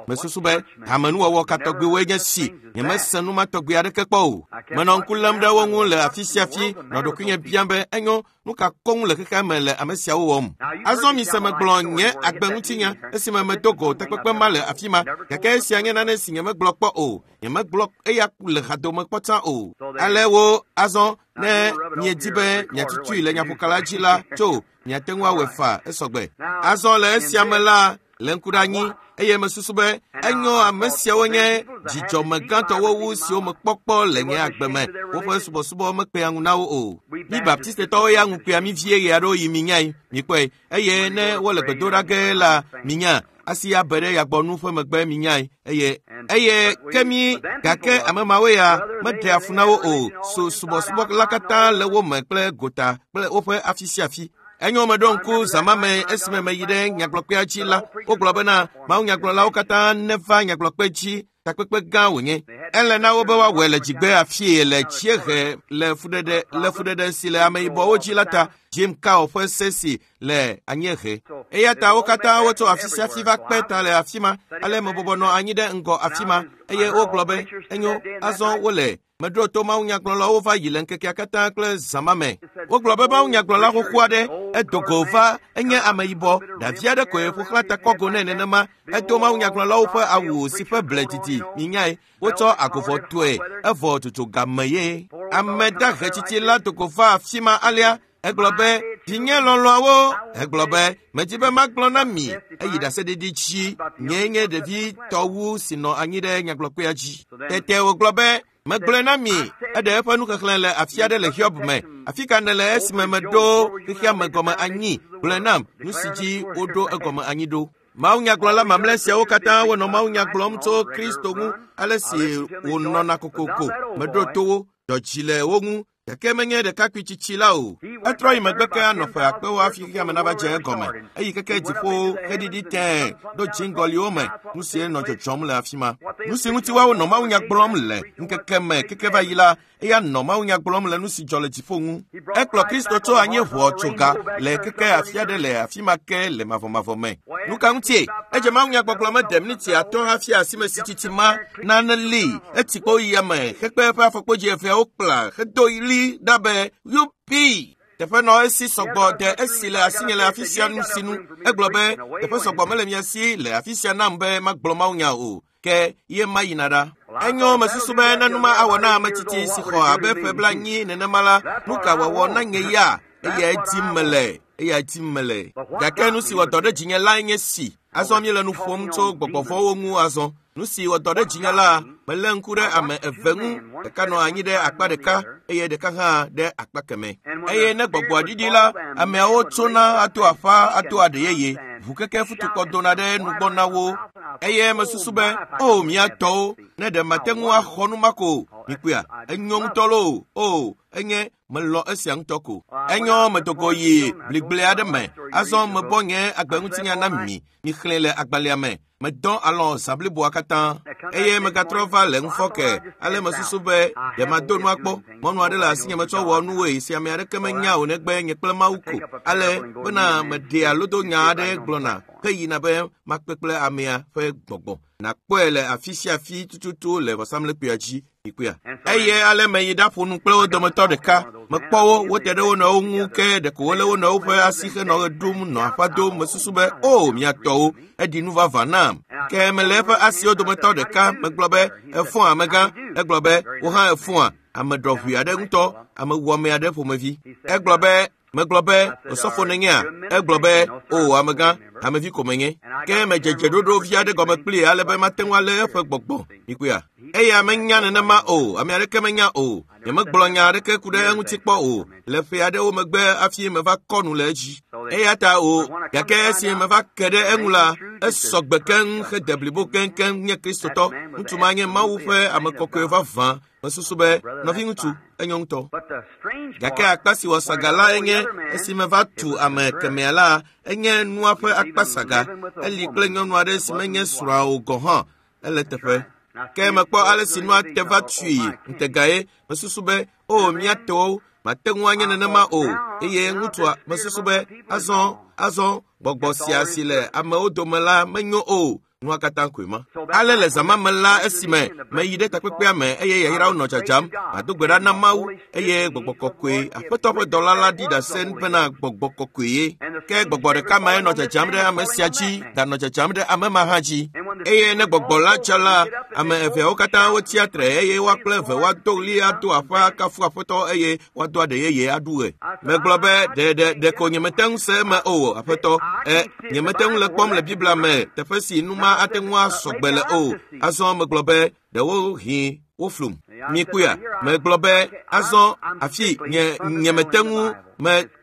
Mesusu be hamenuwɔwɔ ka tɔgbiwoe nye si nyemese nu ma tɔgbi aɖeke kpɔ o. Menɔ ŋku lém ɖe wo ŋu le afi sia afi nɔ ɖokuinye biam be enyo nu ka koŋ le xexea me le ame siawo wɔm. Azɔ mise megblɔ nye agbeŋutinya esime medo go takpekpe ma le afi ma gake esia nye nane si nyemegblɔ kpɔ o. Nyemegblɔ eya le hadome kpɔ tsã o. Ale wo azɔ ne miedi be miatutui le nyaƒokala dzi la tso miate ŋu awɔe faa esɔgbe. Azɔ le esia me la le ŋku ɖe anyi eye mesusu be enyo ame siawo nye dzidzɔme gãtɔwo wu siwo mekpɔkpɔ le nye agbe me. Woƒe subɔsubɔ mekpea ŋu na wo o. Mi Baptistetɔwo ya ŋu kpea mi vie ɣe aɖewo yi minyae mikpɔe eye ne wole gbedoɖa ge la minya asi abe ɖe yagbɔnu ƒe megbe minyae eye eye ke mi gake ame mawo ya meɖea fu na wo o. So subɔsubɔ la katã le wo me kple gota kple woƒe afi sia afi. Enyo meɖo ŋku zã me esime meyi ɖe nyagblɔkpea dzi la, wogblɔ bena mawunyagblɔlawo katã neva nyagblɔkpe dzi takpekpe gã wònye. Ele na wo be woawɔe le dzigbe afie le dziehe le fuɖeɖe si le ameyibɔwo dzi la ta Jim Cow ƒe se si le anyiehe. Eya ta wo katã wotso afi sia afi va kpe ta le afi ma ale mebɔbɔ nɔ anyi ɖe ŋgɔ afi ma eye wogblɔ be enyo azɔ wole meɖo to mawunyagblɔlawo va yi le ŋkekea katã kple zã me. Wogblɔ be mawunyagblɔla xoxo aɖe edo go va enye ameyibɔ ɖevi aɖe koe ƒo xlã ta kɔgo nɛ nenema edo mawunyagblɔlawo ƒe awu si ƒe ble didi minyae wotsɔ agovɔ toe evɔ dzodzo game ye. Ame dahe tsitsi la do go va afi ma alea egblɔ be vinye lɔlɔ̃awo egblɔ be medi be magblɔ na mi eyi ɖaseɖiɖi dzi nyee nye ɖevitɔ wu si nɔ anyi ɖe nyagblɔkpea dzi. Tete wògblɔ be megblɔe na mi eɖe eƒe nuxexlẽ le afi aɖe le Hiob me. Afi ka nèle esime meɖo xexea me gɔme anyi? Gblɔe nam nu si dzi woɖo egɔme anyi ɖo. Mawunyagblɔla mamlɛ siawo katã wonɔ mawunya gblɔm tso Kristo ŋu ale si wònɔna kokoko. Meɖo to wo, dzɔ dzi le wo ŋu gake menye ɖekakpui tsitsi la o. Etrɔ yi megbe ke anɔ ƒe akpewo hafi xexea me nava dze egɔme. Eyi keke dziƒo heɖiɖi tẽe ɖo dziŋgɔliwo me nu si nɔ dzɔdzɔm le afi ma. Nu si ŋuti woawo nɔ mawunya gblɔm le ŋkeke me keke va yi la, eya nɔ mawunya gblɔm le nu si dzɔ le dziƒo ŋu. Ekplɔ Kristo tso anyi ʋɔ tso ga le keke afi aɖe le afi ma ke le mavɔmavɔ me. Nu ka ŋutie? Edze mawunyagbɔgblɔ mede miniti atɔ̃ hafi asime si tsitsi ma nane li etsi kpo yi ame hekpe eƒe afɔkpodzi eveawo kpla hedo ɣli ɖa be yupi. Teƒe nɔ esi sɔgbɔ de esi le asinye le afi sia nu si nu. Egblɔ be teƒe sɔgbɔ mele mia si le afi sia nam be magblɔ mawunya o. Ke ye ma yina ɖa. Enyo mesusu be ne nu ma awɔ na ame tsitsi si xɔ abe ƒe blaenyi nenema la, nu ka wòawɔ na nye ya? Eyae dim mele. Eyae dim mele. Gake nu si wɔ dɔ ɖe dzinye lae nye si. Azɔ míele nu ƒom tso gbɔgbɔvɔ̃wo ŋu azɔ. Nu si wɔ dɔ ɖe dzinye la, melé ŋku ɖe ame eve ŋu. Ɖeka nɔ anyi ɖe akpa ɖeka eye ɖeka hã ɖe akpa kemɛ. Eye ne gbɔgbɔa ɖiɖi la, ameawo tsona ato aƒa ato aɖe yeye. Ʋukeke futukpɔ dona ɖe nugbɔ na wo eye mesusu be o mía tɔwo ne ɖe mate ŋu axɔ nu ma ko mikpɔa enyo ŋutɔ loo o enye melɔ esia ŋutɔ ko. Enyo medogo yi bligble aɖe me azɔ mebɔ nye agbeŋutinya na mi mixlẽ le agbalẽa me medɔ alɔ zã bliboa katã eye megatrɔ va le ŋufɔke ale mesusu be ɖe mado nua kpɔ mɔnu aɖe le asinye metsɔ wɔ nuwoe si ame aɖeke menya o negbe nye kple Mawu ko ale bena meɖea lodonya aɖe gblɔna heyina be makpe kple amea ƒe gbɔgbɔ nakpɔe le afi sia afi tututu le vɔsamlekpuia dzi mikpɔea. Eye ale meyi ɖaƒo nu kple wo dometɔ ɖeka mekpɔ wo wote ɖe wo nɔewo ŋu ke ɖeko wolé wo nɔewo ƒe asi henɔ ɣe ɖum nɔ aƒa dom mesusu be o mia tɔwo eɖi nu vavã nam ke mele eƒe asiwo dometɔ ɖeka megblɔ be efɔa amegã egblɔ be wo hã efɔa ame ɖɔʋui aɖe ŋutɔ ame wɔame aɖe ƒomevi egblɔ be megblɔ be osɔfo nenyea egblɔ be o amegã amevi ko menye ke medze dzeɖoɖo vi aɖe gɔme kplii ale be mate ŋu alé eƒe gbɔgbɔ mikpɔea eya menya nenema o ame aɖeke menya o nyemegblɔ nya aɖeke ku ɖe eŋuti kpɔ o le ƒe aɖewo megbe hafi meva kɔ nu le edzi eya ta o gake esi meva ke ɖe eŋu la esɔ gbe keŋ hede blibo keŋkeŋ nye kristotɔ ŋutsu ma nye Mawu ƒe ame kɔkɔe vavã mesusu be nɔviŋutsu enyo ŋutɔ gake akpa si wɔ saga la enye esi meva tu ame kemɛa la enye nua ƒe akpa saga eli kple nyɔnu aɖe si menye srɔ̃a o gɔ̃ hã ele teƒe ke mekpɔ ale si nua te va tui ŋutegae mesusu be o mía tɔwo mate ŋu anye nenema o eye ŋutsua mesusu be azɔ gbɔgbɔ sia si le amewo dome la menyo o nua katã koe ma. Ale le zã ma me la esime meyi ɖe takpekpea me eye yayrawo nɔ dzadzam mado gbe ɖa na Mawu eye gbɔgbɔ kɔkɔe aƒetɔ ƒe dɔla la ɖi ɖase bena gbɔgbɔ kɔkɔe ye ke gbɔgbɔ ɖeka mae nɔ dzadzam ɖe ame sia dzi ganɔ dzadzam ɖe ame ma hã dzi eye ne gbɔgbɔ la tsa la ame eveawo katã wotsia tre eye woa kple eve woado ɣli ado aƒe akafu aƒetɔ eye woado aɖe yeye aɖu ɣe. Megblɔ be ɖeko nyemete ŋu se eme o aƒetɔ nyemete ŋu le kpɔm le Biblia me teƒe si nu ma ate ŋu asɔ gbe le o. Azɔ megblɔ be ɖewohĩ woflum. Mikpɔea megblɔ be azɔ afi nyemete ŋu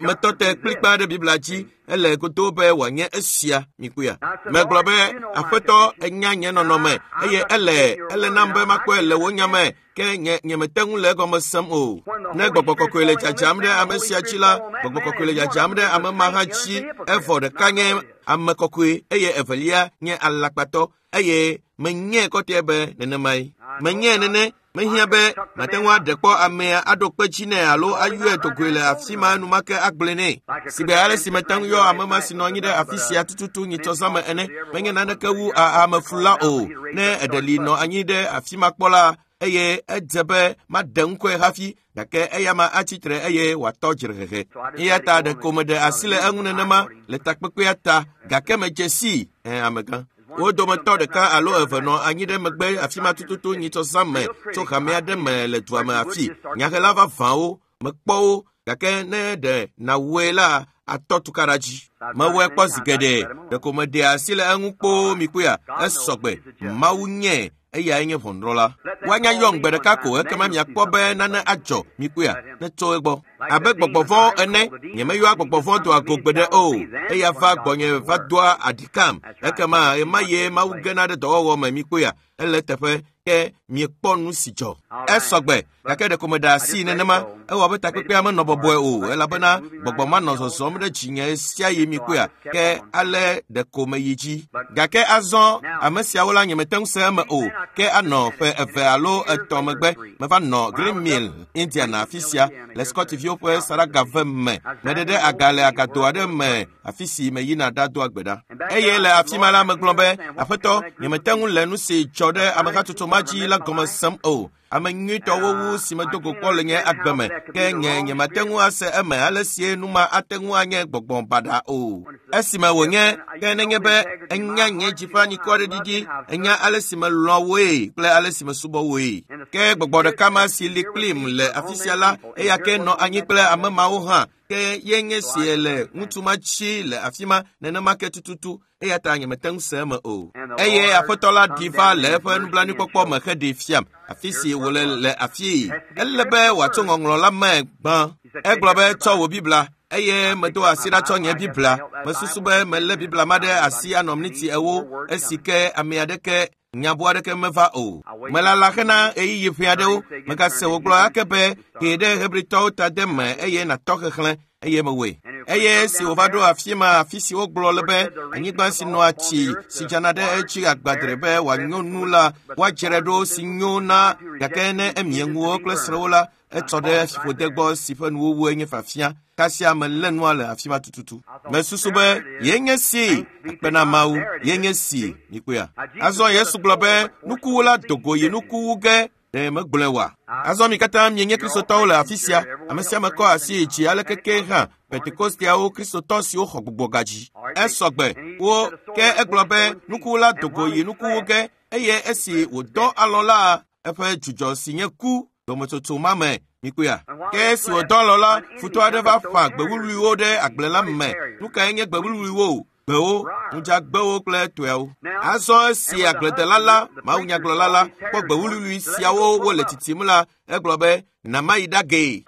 metɔ te kplikpa ɖe Biblia dzi ele godo be wòanye esia mikpɔea. Megblɔ be aƒetɔ enya nye nɔnɔme eye ele nam be makpɔe le wò nya me ke nyemete ŋu le egɔme sem o. Ne gbɔgbɔ kɔkɔe le dzadzam ɖe ame sia dzi la gbɔgbɔ kɔkɔe le dzadzam ɖe ame ma hã dzi evɔ ɖeka nye ame kɔkɔe eye evelia nye alakpatɔ eye menyae kɔtɛe be nenemae. Menyae nene mehiã be mate ŋu aɖe kpɔ amea aɖo kpe dzi nɛ alo ayɔe dogoe le afi ma enumake agblɔe nɛ. Sigbe ale si mete ŋu yɔ ame ma si nɔ anyi ɖe afi sia tututu nyitsɔzãme ene menye naneke wu ameflula o. Ne eɖe li nɔ anyi ɖe afi ma kpɔ la eye edze be maɖe ŋkɔe hafi gake eya ma atsi tre eye wòatɔ dzrehehe. Eya ta ɖeko meɖe asi le eŋu nenema le takpekpea ta gake medze sii amegã. Wo dometɔ ɖeka alo eve nɔ anyi ɖe megbe afi ma tututu nyitsɔzãme tso hame aɖe me le dua me afi. Nyahela vavãwo mekpɔ wo gake ne ɖe nawɔe la atɔ tukaɖa dzi. Mewɔe kpɔ zi geɖe ɖeko meɖe asi le eŋu kpoo mikpɔea esɔgbe. Mawu nye eyae nye ʋɔnudrɔ̃la. Woanya yɔm gbe ɖeka ko ekema miakpɔ be nane adzɔ mikpɔea netso egbɔ. Abe gbɔgbɔ vɔ̃ ene nyemeyɔa gbɔgbɔ vɔ̃ doa go gbeɖe o eya va gbɔnye va doa aɖikam ekema ɣemaɣie Mawu gena ɖe dɔwɔwɔ me mikpɔea ele teƒe ke miekpɔ nu si dzɔ. Esɔgbe gake ɖeko meɖe asi nenema ewɔ abe takpekpea menɔ bɔbɔe o elabena gbɔgbɔ ma nɔ zɔzɔm ɖe dzinye sia yi mikpɔea ke ale ɖeko meyi dzi. Gake azɔ ame siawo la nyemete ŋu se eme o ke anɔ ƒe eve alo etɔ̃ megbe meva nɔ Green Mill, Indiana afi sia le Scottviwo ƒe saɖagave me. Meɖe ɖe aga le agado aɖe me afi si meyina ɖadoa gbe ɖa. Eye le afi ma la megblɔ be aƒetɔ nyemete ŋu le nu si dzɔ ɖe amehatsotso ma dzi la gɔme sem o. Ame nyuitɔwo wu si medo go kpɔ le nye agbe me ke nye nyemate ŋu ase eme ale sie nu ma ate ŋu anye gbɔgbɔ baɖa o. Esime wònye ke nenye be enya nye dzi ƒe anyikɔ ɖiɖi enya ale si melɔ̃ woe kple ale si mesubɔ woe. Ke gbɔgbɔ ɖeka ma si li kplim le afi sia la eya ke nɔ anyi kple ame mawo hã ke ye nye sie le ŋutsu ma tsi le afi ma nenema ke tututu eya ta nyemete ŋu se eme o. Eye aƒetɔ la ɖi va le eƒe nublanuikpɔkpɔ me heɖee fiam afi si wòle le afii. Ele be wòatso ŋɔŋlɔ la me gbã. Egblɔ be tsɔ wò Biblia. Eye medo asi ɖa tsɔ nye Biblia. Mesusu be melé Biblia ma ɖe asi anɔ miniti 40 esi ke ame aɖeke nyabu aɖeke meva o. Melala hena ɣeyiɣi ƒe aɖewo. Megase wògblɔ ake be hee ɖe Hebritɔwo ta de me eye nàtɔ xexlẽ eye mewɔe. Eye esi wòva ɖo afi ma afi si wogblɔ le be anyigba si nɔa tsi si dzana ɖe edzi agbadre be wòanyo nu la, woadzrae ɖo si nyo na gake ne emie ŋuwo kple srẽwo la, etsɔ ɖe fiƒode gbɔ si ƒe nuwuwue nye fafia. Kasia melé nua le afi ma tututu. Mesusu be ye nye si akpe na Mawu, ye nye si mikpɔea. Azɔ Yesu gblɔ be nukuwula do go yi nuku wu ge ɖe megblɔe wa. Azɔ mi katã mienye Kristotɔwo le afi sia. Ame sia ame kɔ asi yi dzi aleke ke hã Pentekosteawo Kristotɔ siwo xɔ gbɔgbɔ gadzi. Esɔgbe wo ke egblɔ be nukuwula do go yi nuku wu ge eye esi wòdɔ alɔ la eƒe dzudzɔ si nye ku dometsotso ma me mikpɔea. Ke esi wòdɔ alɔ la, futɔ aɖe va ƒã gbe wuwluiwo ɖe agble la me. Nu kae nye gbe wuwluiwo? Gbewo, ŋudzagbewo kple toeawo. Azɔ esi agbledela la, mawunyagblɔla la, kpɔ gbe wuwlui siawo wole tsitsim la, egblɔ be na mayi ɖagee.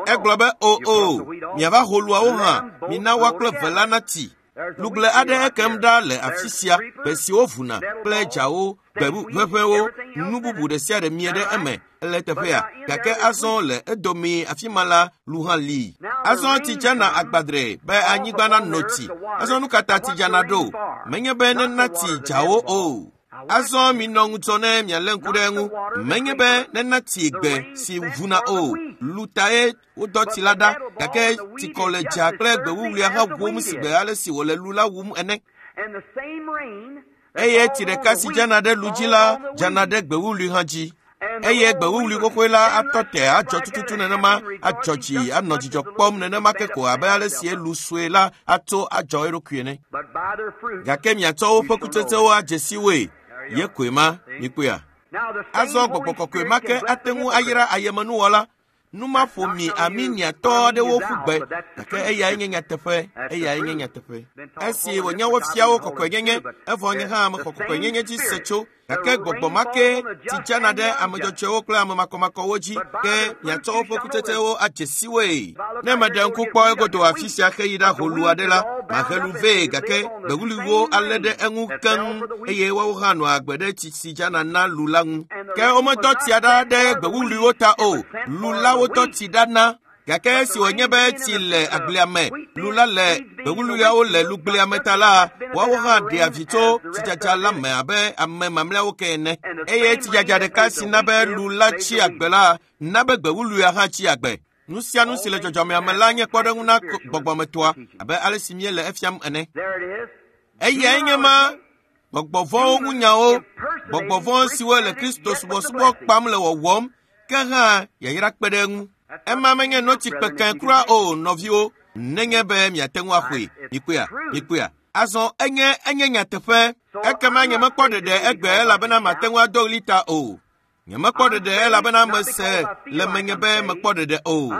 Egblɔ be o o, miava ho luawo hã, mina woa kple ve la natsi. Lugble aɖe ekem ɖa le afi sia, gbe siwo vuna kple dzawo, gbe ʋeʋẽwo, nu bubu ɖe sia ɖe mie ɖe eme ele teƒea. Gake azɔ le edomee afi ma la, lu hã li. Azɔ tsi dzana agbadre be anyigba nanɔ tsi. Azɔ nu ka ta tsi dzana ɖo? Menye be nena tsi dzawo o. Azɔ minɔ ŋudzɔ ne mialé ŋku ɖe eŋu. Menye be nena tsi gbe si vuna o. Lu tae wodɔ tsi la ɖa gake tsikɔ le dza kple gbe wuwluia hã wum si gbe ale si wòle lu la wum ene. Eye tsi ɖeka si dzana ɖe lu dzi la dzana ɖe gbe wuwlui hã dzi. Eye gbe wuwlui xoxoe la atɔ te adzɔ tututu nenema, adzɔ dzi anɔ dzidzɔ kpɔm nenema ke ko abe ale si lu sue la atso adzɔ eɖokui ene. Gake miatsɔ woƒe kutsetsewo adze si woe. Ye koe ma, mikpɔea. Azɔ gbɔgbɔ kɔkɔe ma ke ate ŋu ayra ayemenuwɔla. Nu ma ƒo mi Armeniatɔ aɖewo ƒu gbe, gake eyae nye nyateƒe, eyae nye nyateƒe. Esi wònye wofia wo kɔkɔenyenye, evɔ nye hã mexɔ kɔkɔenyenye dzi se tso, gake gbɔgbɔ ma ke tsi dzana ɖe ame dzɔdzɔewo kple ame makɔmakɔwo dzi, ke miatsɔ woƒe kutsetsewo adze si woe. Ne meɖe ŋku kpɔ egodo afi sia heyi ɖa ho lu aɖe la, mahe lu vɛ gake gbewuliwo alé ɖe eŋu keŋ eye woawo hã nɔa agbe ɖe tsi si dzana na lu la ŋu. Ke womedɔ tsia ɖa ɖe gbewuwluiwo ta o, lu la wodɔ tsi ɖa na. Gake esi wònye be tsi le agblea me, lu la le gbewuluiawo le lugblea me ta la, woawo hã ɖea vi tso tsidzadza la me abe ame mamlɛawo ke ene. Eye tsidzadza ɖeka si na be lu la tsi agbe la, na be gbewuluia hã tsi agbe. Nu sia nu si le dzɔdzɔmea me la nye kpɔɖeŋu na gbɔgbɔmetɔa abe ale si míele efiam ene. Eyae nye ma gbɔgbɔvɔ̃wo ŋu nyawo, gbɔgbɔvɔ̃ siwo le Kristo subɔsubɔ kpam le wɔwɔm, ke hã yayra kpe ɖe eŋu. Ema menye notsi kpekẽ kura o, nɔviwo, nenye be miate ŋu axɔe. Mikpɔea, mikpɔea. Azɔ enye enye nyateƒe. Ekema nyemekpɔ ɖeɖe egbe elabena mate ŋu ado ɣli ta o. Nyemekpɔ ɖeɖe elabena mese le menye be mekpɔ ɖeɖe o.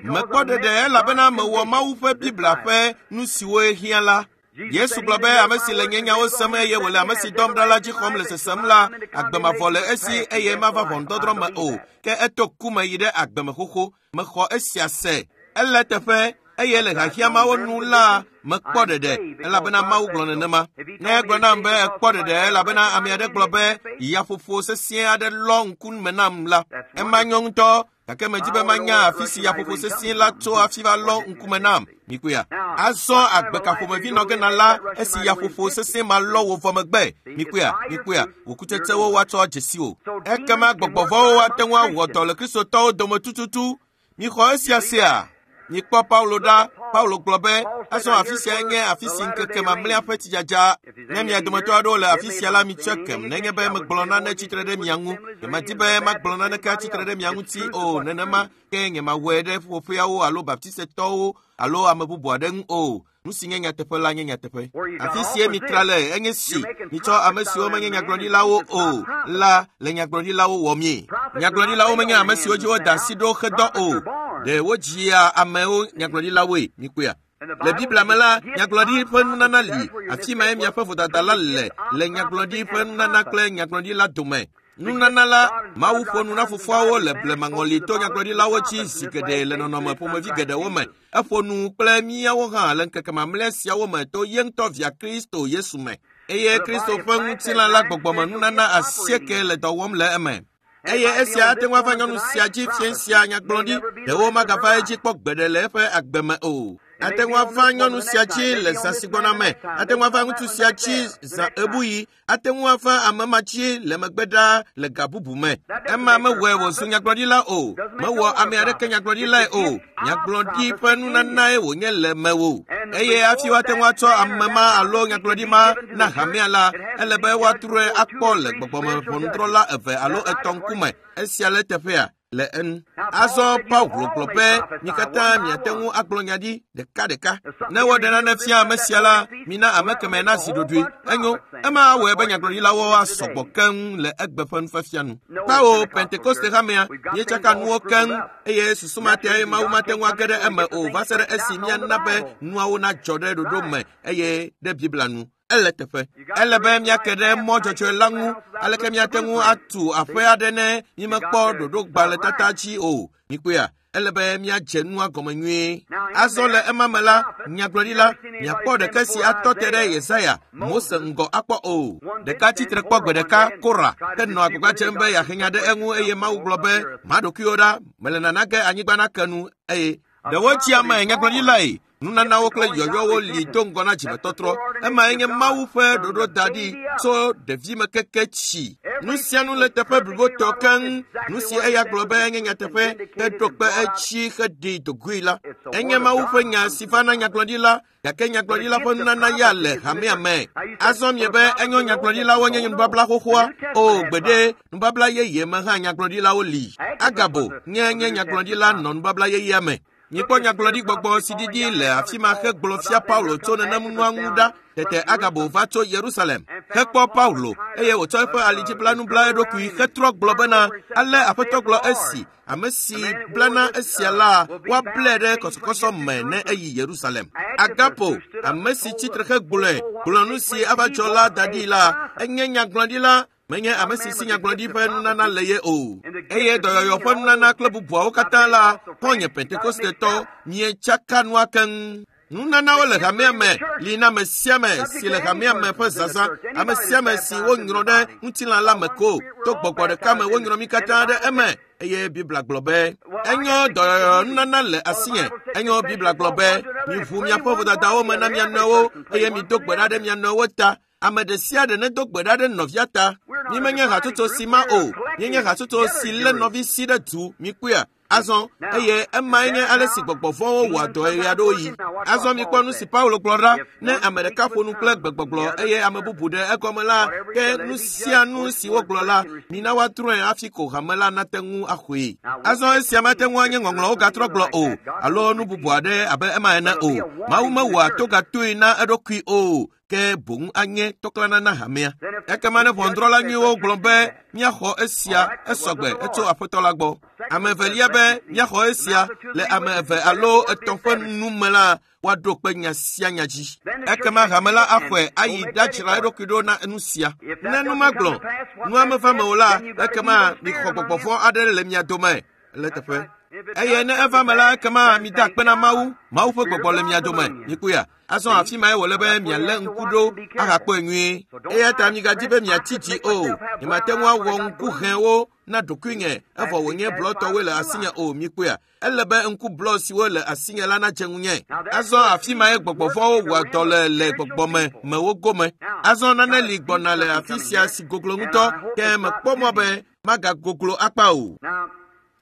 Mekpɔ ɖeɖe elabena mewɔ Mawu ƒe Biblia ƒe nu siwo hiã la. Yesu gblɔ be ame si le nye nyawo sem eye wòle ame si dɔm ɖa la dzi xɔm le sesem la, agbe mavɔ le esi eye mava ʋɔnudɔdrɔ̃ me o, ke eto ku me yi ɖe agbe me xoxo. Mexɔ esia se. Ele eteƒe eye le xaxia mawo nu la mekpɔ ɖeɖe elabena Mawu gblɔ nenema. Ne egblɔ nam be ekpɔ ɖeɖe elabena ame aɖe gblɔ be yaƒoƒo sesĩe aɖe lɔ ŋku me nam la, ema nyo ŋutɔ gake medzi be manya afi si yaƒoƒo sesĩe la tso hafi va lɔ ŋkume nam. Mikpɔea? Azɔ agbe ka ƒomevi nɔ ge na la esi yaƒoƒo sesĩe ma lɔ wò vɔ megbe. Mikpɔea? Mikpɔea? Wò kutsetsewo woatsɔ adze si wò. Ekema gbɔgbɔvɔ̃wo ate ŋu awɔ dɔ le Kristotɔwo dome tututu. Mixɔ esia sea? Mikpɔ Paulo ɖa. Paulo gblɔ be, azɔ afi sia nye afi si ŋkeke mamlɛa ƒe tsidzadza. Ne mia dometɔ aɖewo le afi sia la, mitsɔe kem. Nenye be megblɔ nane tsitre ɖe mia ŋu, nyemedi be magblɔ naneke atsitre ɖe mia ŋuti o. Nenema ke nyemawɔe ɖe ƒuƒoƒeawo alo baptisetɔwo alo ame bubu aɖe ŋu o. Nu si nye nyateƒe la nye nyateƒe. Afi sie mitra le enye si mitsɔ ame siwo menye nyagblɔɖilawo o la le nyagblɔɖilawo wɔmie. Nyagblɔɖilawo menye ame siwo dzi woda asi ɖo hedɔ o. Ɖe wodzia amewo nyagblɔɖilawoe, mikpɔea? Le Biblia me la, nyagblɔɖi ƒe nunana li. Afi mae miaƒe vodada la le le nyagblɔɖi ƒe nunana kple nyagblɔɖila dome. Nunana la, Mawu ƒo nu na fofoawo le blemaŋɔli to nyagblɔɖilawo dzi zi geɖe le nɔnɔme ƒomevi geɖewo me. Eƒo nu kple míawo hã le ŋkeke mamlɛ siawo me to ye ŋutɔ via Kristo Yesu me. Eye Kristo ƒe ŋutilã la gbɔgbɔme nunana 8 le dɔ wɔm le eme. Eye esia ate ŋu ava nyɔnu sia dzi fie sia nyagblɔɖi, ɖewo magava edzi kpɔ gbeɖe le eƒe agbe me o. Ate ŋu ava nyɔnu sia dzi le zã si gbɔna me, ate ŋu ava ŋutsu sia dzi zã ebuyi, ate ŋu ava ame ma dzi le megbe ɖaa le ga bubu me. Ema mewɔe wòzu nyagblɔɖila o, mewɔ ame aɖeke nyagblɔɖilae o. Nyagblɔɖi ƒe nunanae wònye le mewò. Eye hafi woate ŋu atsɔ ame ma alo nyagblɔɖi ma na hamea la, ele be woatrɔe akpɔ le gbɔgbɔme ʋɔnudrɔ̃la 2 alo 3 ŋkume. Esia le teƒea le enu. Azɔ Paulo gblɔ be mi katã miate ŋu agblɔ nya ɖi ɖekaɖeka. Ne woɖe nane fia ame sia la, mina ame kemɛ nazi ɖoɖoe. Enyo, ema awɔe be nyagblɔɖilawo asɔgbɔ keŋ le egbe ƒe nufiafia nu. Kpawo Pentekoste hamea, míetsaka nuwo keŋ eye susu ma tae Mawu mate ŋu age ɖe eme o va se ɖe esi míana be nuawo nadzɔ ɖe ɖoɖo me eye ɖe Biblia nu. Ele teƒe. Ele be míake ɖe mɔ dzɔdzɔe la ŋu. Aleke míate ŋu atu aƒe aɖe ne mímekpɔ ɖoɖogbalẽtata dzi o? Mikpɔea? Ele be míadze nua gɔme nyuie. Azɔ le ema me la, nyagblɔɖila, miakpɔ ɖeke si atɔ te ɖe Yesaya, Mose ŋgɔ akpɔ o. Ɖeka tsitre kpɔ gbe ɖeka, Kora, ke nɔ agbagba dzem be yeahe nya ɖe eŋu eye Mawu gblɔ be, ma ɖokuiwò ɖa, mele nana ge anyigba nake nu eye ɖewo tsi ame nyagblɔɖilae. Nunanawo kple yɔyɔwo li do ŋgɔ na dzimetɔtrɔ. Emae nye Mawu ƒe ɖoɖo da ɖi tso ɖevime keke tsi. Nu sia nu le teƒe blibotɔ keŋ. Nu si eya gblɔ be enye nyateƒe heɖo kpe edzi heɖi dogoe la, enye Mawu ƒe nya si va na nyagblɔɖila, gake nyagblɔɖila ƒe nunana ya le hamea me. Azɔ miebe enyo nyagblɔɖilawo nye nubabla xoxoa? O, gbeɖe, nubabla yeye me hã nyagblɔɖilawo li. Agabo nye nyagblɔɖila nɔ nubabla yeyea me. Mikpɔ nyagblɔɖigbɔgbɔ si didi le afi ma hegblɔ fia Paulo tso nenem nua ŋu ɖa. Tete Agabo va tso Yerusalem hekpɔ Paulo eye wòtsɔ eƒe alidziblanu bla eɖokui hetrɔ gblɔ bena, ale Aƒetɔ gblɔ esi, ame si blana esia la, woablae ɖe kɔsɔkɔsɔ me ne eyi Yerusalem. Agapo, ame si tsitre hegblɔe, gblɔ nu si ava dzɔ la da ɖi la, enye nyagblɔɖila. Menye ame si si nyagblɔɖi ƒe nunana le ye o. Eye dɔyɔyɔ ƒe nunana kple bubuawo katã la, xɔ̃nye Pentekostetɔ, mietsaka nua keŋ. Nunanawo le hamea me li na ame sia ame si le hamea me ƒe zazã, ame sia ame si wonyrɔ ɖe ŋutilã la me ko. To gbɔgbɔ ɖeka me wonyrɔ mí katã ɖe eme. Eye Biblia gblɔ be, enyo dɔyɔyɔ nunana le asinye. Enyo Biblia gblɔ be, miʋu miaƒe vodadawo me na mia nɔewo eye mido gbe ɖa ɖe mia nɔewo ta. Ame ɖe sia ɖe nedo gbe ɖa ɖe nɔvia ta. Mímenye hatsotso si ma o. Míenye hatsotso si lé nɔvi si ɖe du. Mikpɔea? Azɔ, eye emae nye ale si gbɔgbɔ vɔ̃wo wɔa dɔe ɣeaɖewoɣi. Azɔ mikpɔ nu si Paulo gblɔ ɖa. Ne ame ɖeka ƒo nu kple gbegbɔgblɔ eye ame bubu ɖe egɔme la, ke nu sia nu si wogblɔ la, mina woatrɔe hafi ko hame la nate ŋu axɔe. Azɔ esia mate ŋu anye ŋɔŋlɔwo gatrɔ gblɔ o, alo nu bubu aɖe abe ema ene o. Mawu mewɔa togatoe na eɖokui o. Ke boŋ anye tɔklana na hamea. Ekema ne ʋɔnudrɔ̃la nyuiwo gblɔ be míaxɔ esia esɔgbe etso Aƒetɔ la gbɔ. Ame evelia be míaxɔ esia le ame eve alo etɔ̃ ƒe nu me la, woaɖo kpe nya sia nya dzi. Ekema hame la axɔe ayi ɖadzra eɖokui ɖo na nu sia. Ne nu ma gblɔ, nua meva me o la, ekema mixɔ gbɔgbɔ vɔ̃ aɖe le mia dome le teƒe. Eye ne eva me la, ekema mida akpe na Mawu. Mawu ƒe gbɔgbɔ le mia dome. Mikpɔea? Azɔ afi mae wòle be mialé ŋku ɖo ahakpɔe nyuie. Eya ta migadi be miatsi dzi o. Nyemate ŋu awɔ ŋku hɛwo na ɖokuinye evɔ wònye blɔtɔwoe le asinye o. Mikpɔea? Ele be ŋku blɔ siwo le asinye la nadze ŋunye. Azɔ afi mae gbɔgbɔ vɔ̃wo wɔa dɔ le le gbɔgbɔme mewo gome. Azɔ nane li gbɔna le afi sia si goglo ŋutɔ, ke mekpɔ mɔ be magagoglo akpa o.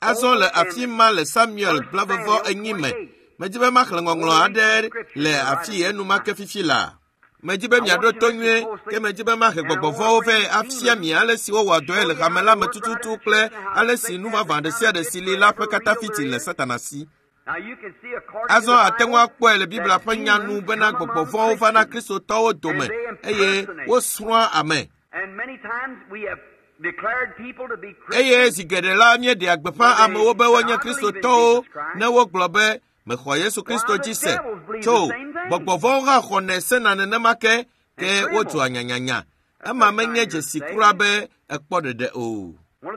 Azɔ le afi ma le Samuel 44 me, medi be maxlẽ ŋɔŋlɔ aɖe le afi enumake fifi la. Medi be miaɖo to nyuie, ke medi be mahe gbɔgbɔ vɔ̃wo vɛ afia mi ale si wowɔa dɔe le hame la me tututu kple ale si nu vavã ɖe sia ɖe si li la ƒe katafiti le Satana si. Azɔ ate ŋu akpɔe le Biblia ƒe nya nu bena gbɔgbɔ vɔ̃wo vana Kristotɔwo dome eye wosrɔ̃a ame. Eye zi geɖe la míeɖea gbeƒã amewo be wonye Kristotɔwo ne wogblɔ be mexɔ Yesu Kristo dzi se. Tso gbɔgbɔ vɔ̃wo hã xɔnɛ sena nenema ke, ke wodzɔa nyanyanya. Ema menye dzesi kura be ekpɔ ɖeɖe o.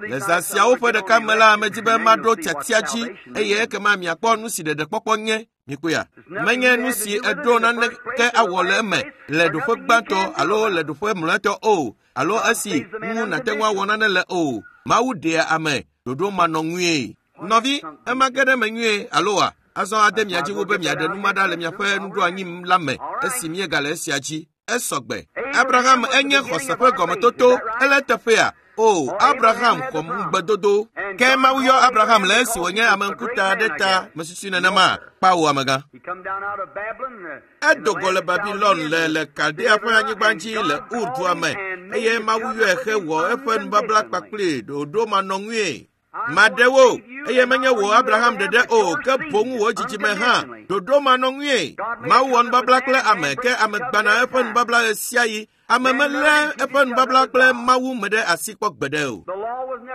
Le zã siawo ƒe ɖeka me la, medi be maɖo tiatia dzi eye ekema miakpɔ nu si ɖeɖekpɔkpɔ nye. Mikpɔea? Menye nu si eɖo naneke awɔ le eme le ɖoƒe gbãtɔ alo le ɖoƒe mlɔetɔ o, alo esi ŋu nàte ŋu awɔ nane le o. Mawu ɖea ame ɖoɖo manɔŋui. Nɔvi, ema ge ɖe eme nyuie alo wa? Azɔ ade mia dzi wu be miaɖe nu ma ɖa le miaƒe nuɖoanyi la me esi míegale esia dzi. Esɔgbe. Abraham enye xɔse ƒe gɔmetoto. Ele teƒea. O, Abraham xɔ ŋugbedodo. Ke Mawu yɔ Abraham le esi wònye ame ŋkuta aɖe ta. Mesusui nenema? Kpawo amegã. Edo go le Babilon le Kaldea ƒe anyigba dzi le Ur dua me eye Mawu yɔe hewɔ eƒe nubabla kpakpli ɖoɖo manɔŋui. Maɖe wo, eye menye wò Abraham ɖeɖe o, ke boŋ wò dzidzime hã. Ɖoɖo manɔŋui. Mawu wɔ nubabla kple ame, ke ame gbana eƒe nubabla ɣe sia ɣi. Ame melé eƒe nubabla kple Mawu me ɖe asi kpɔ gbeɖe o.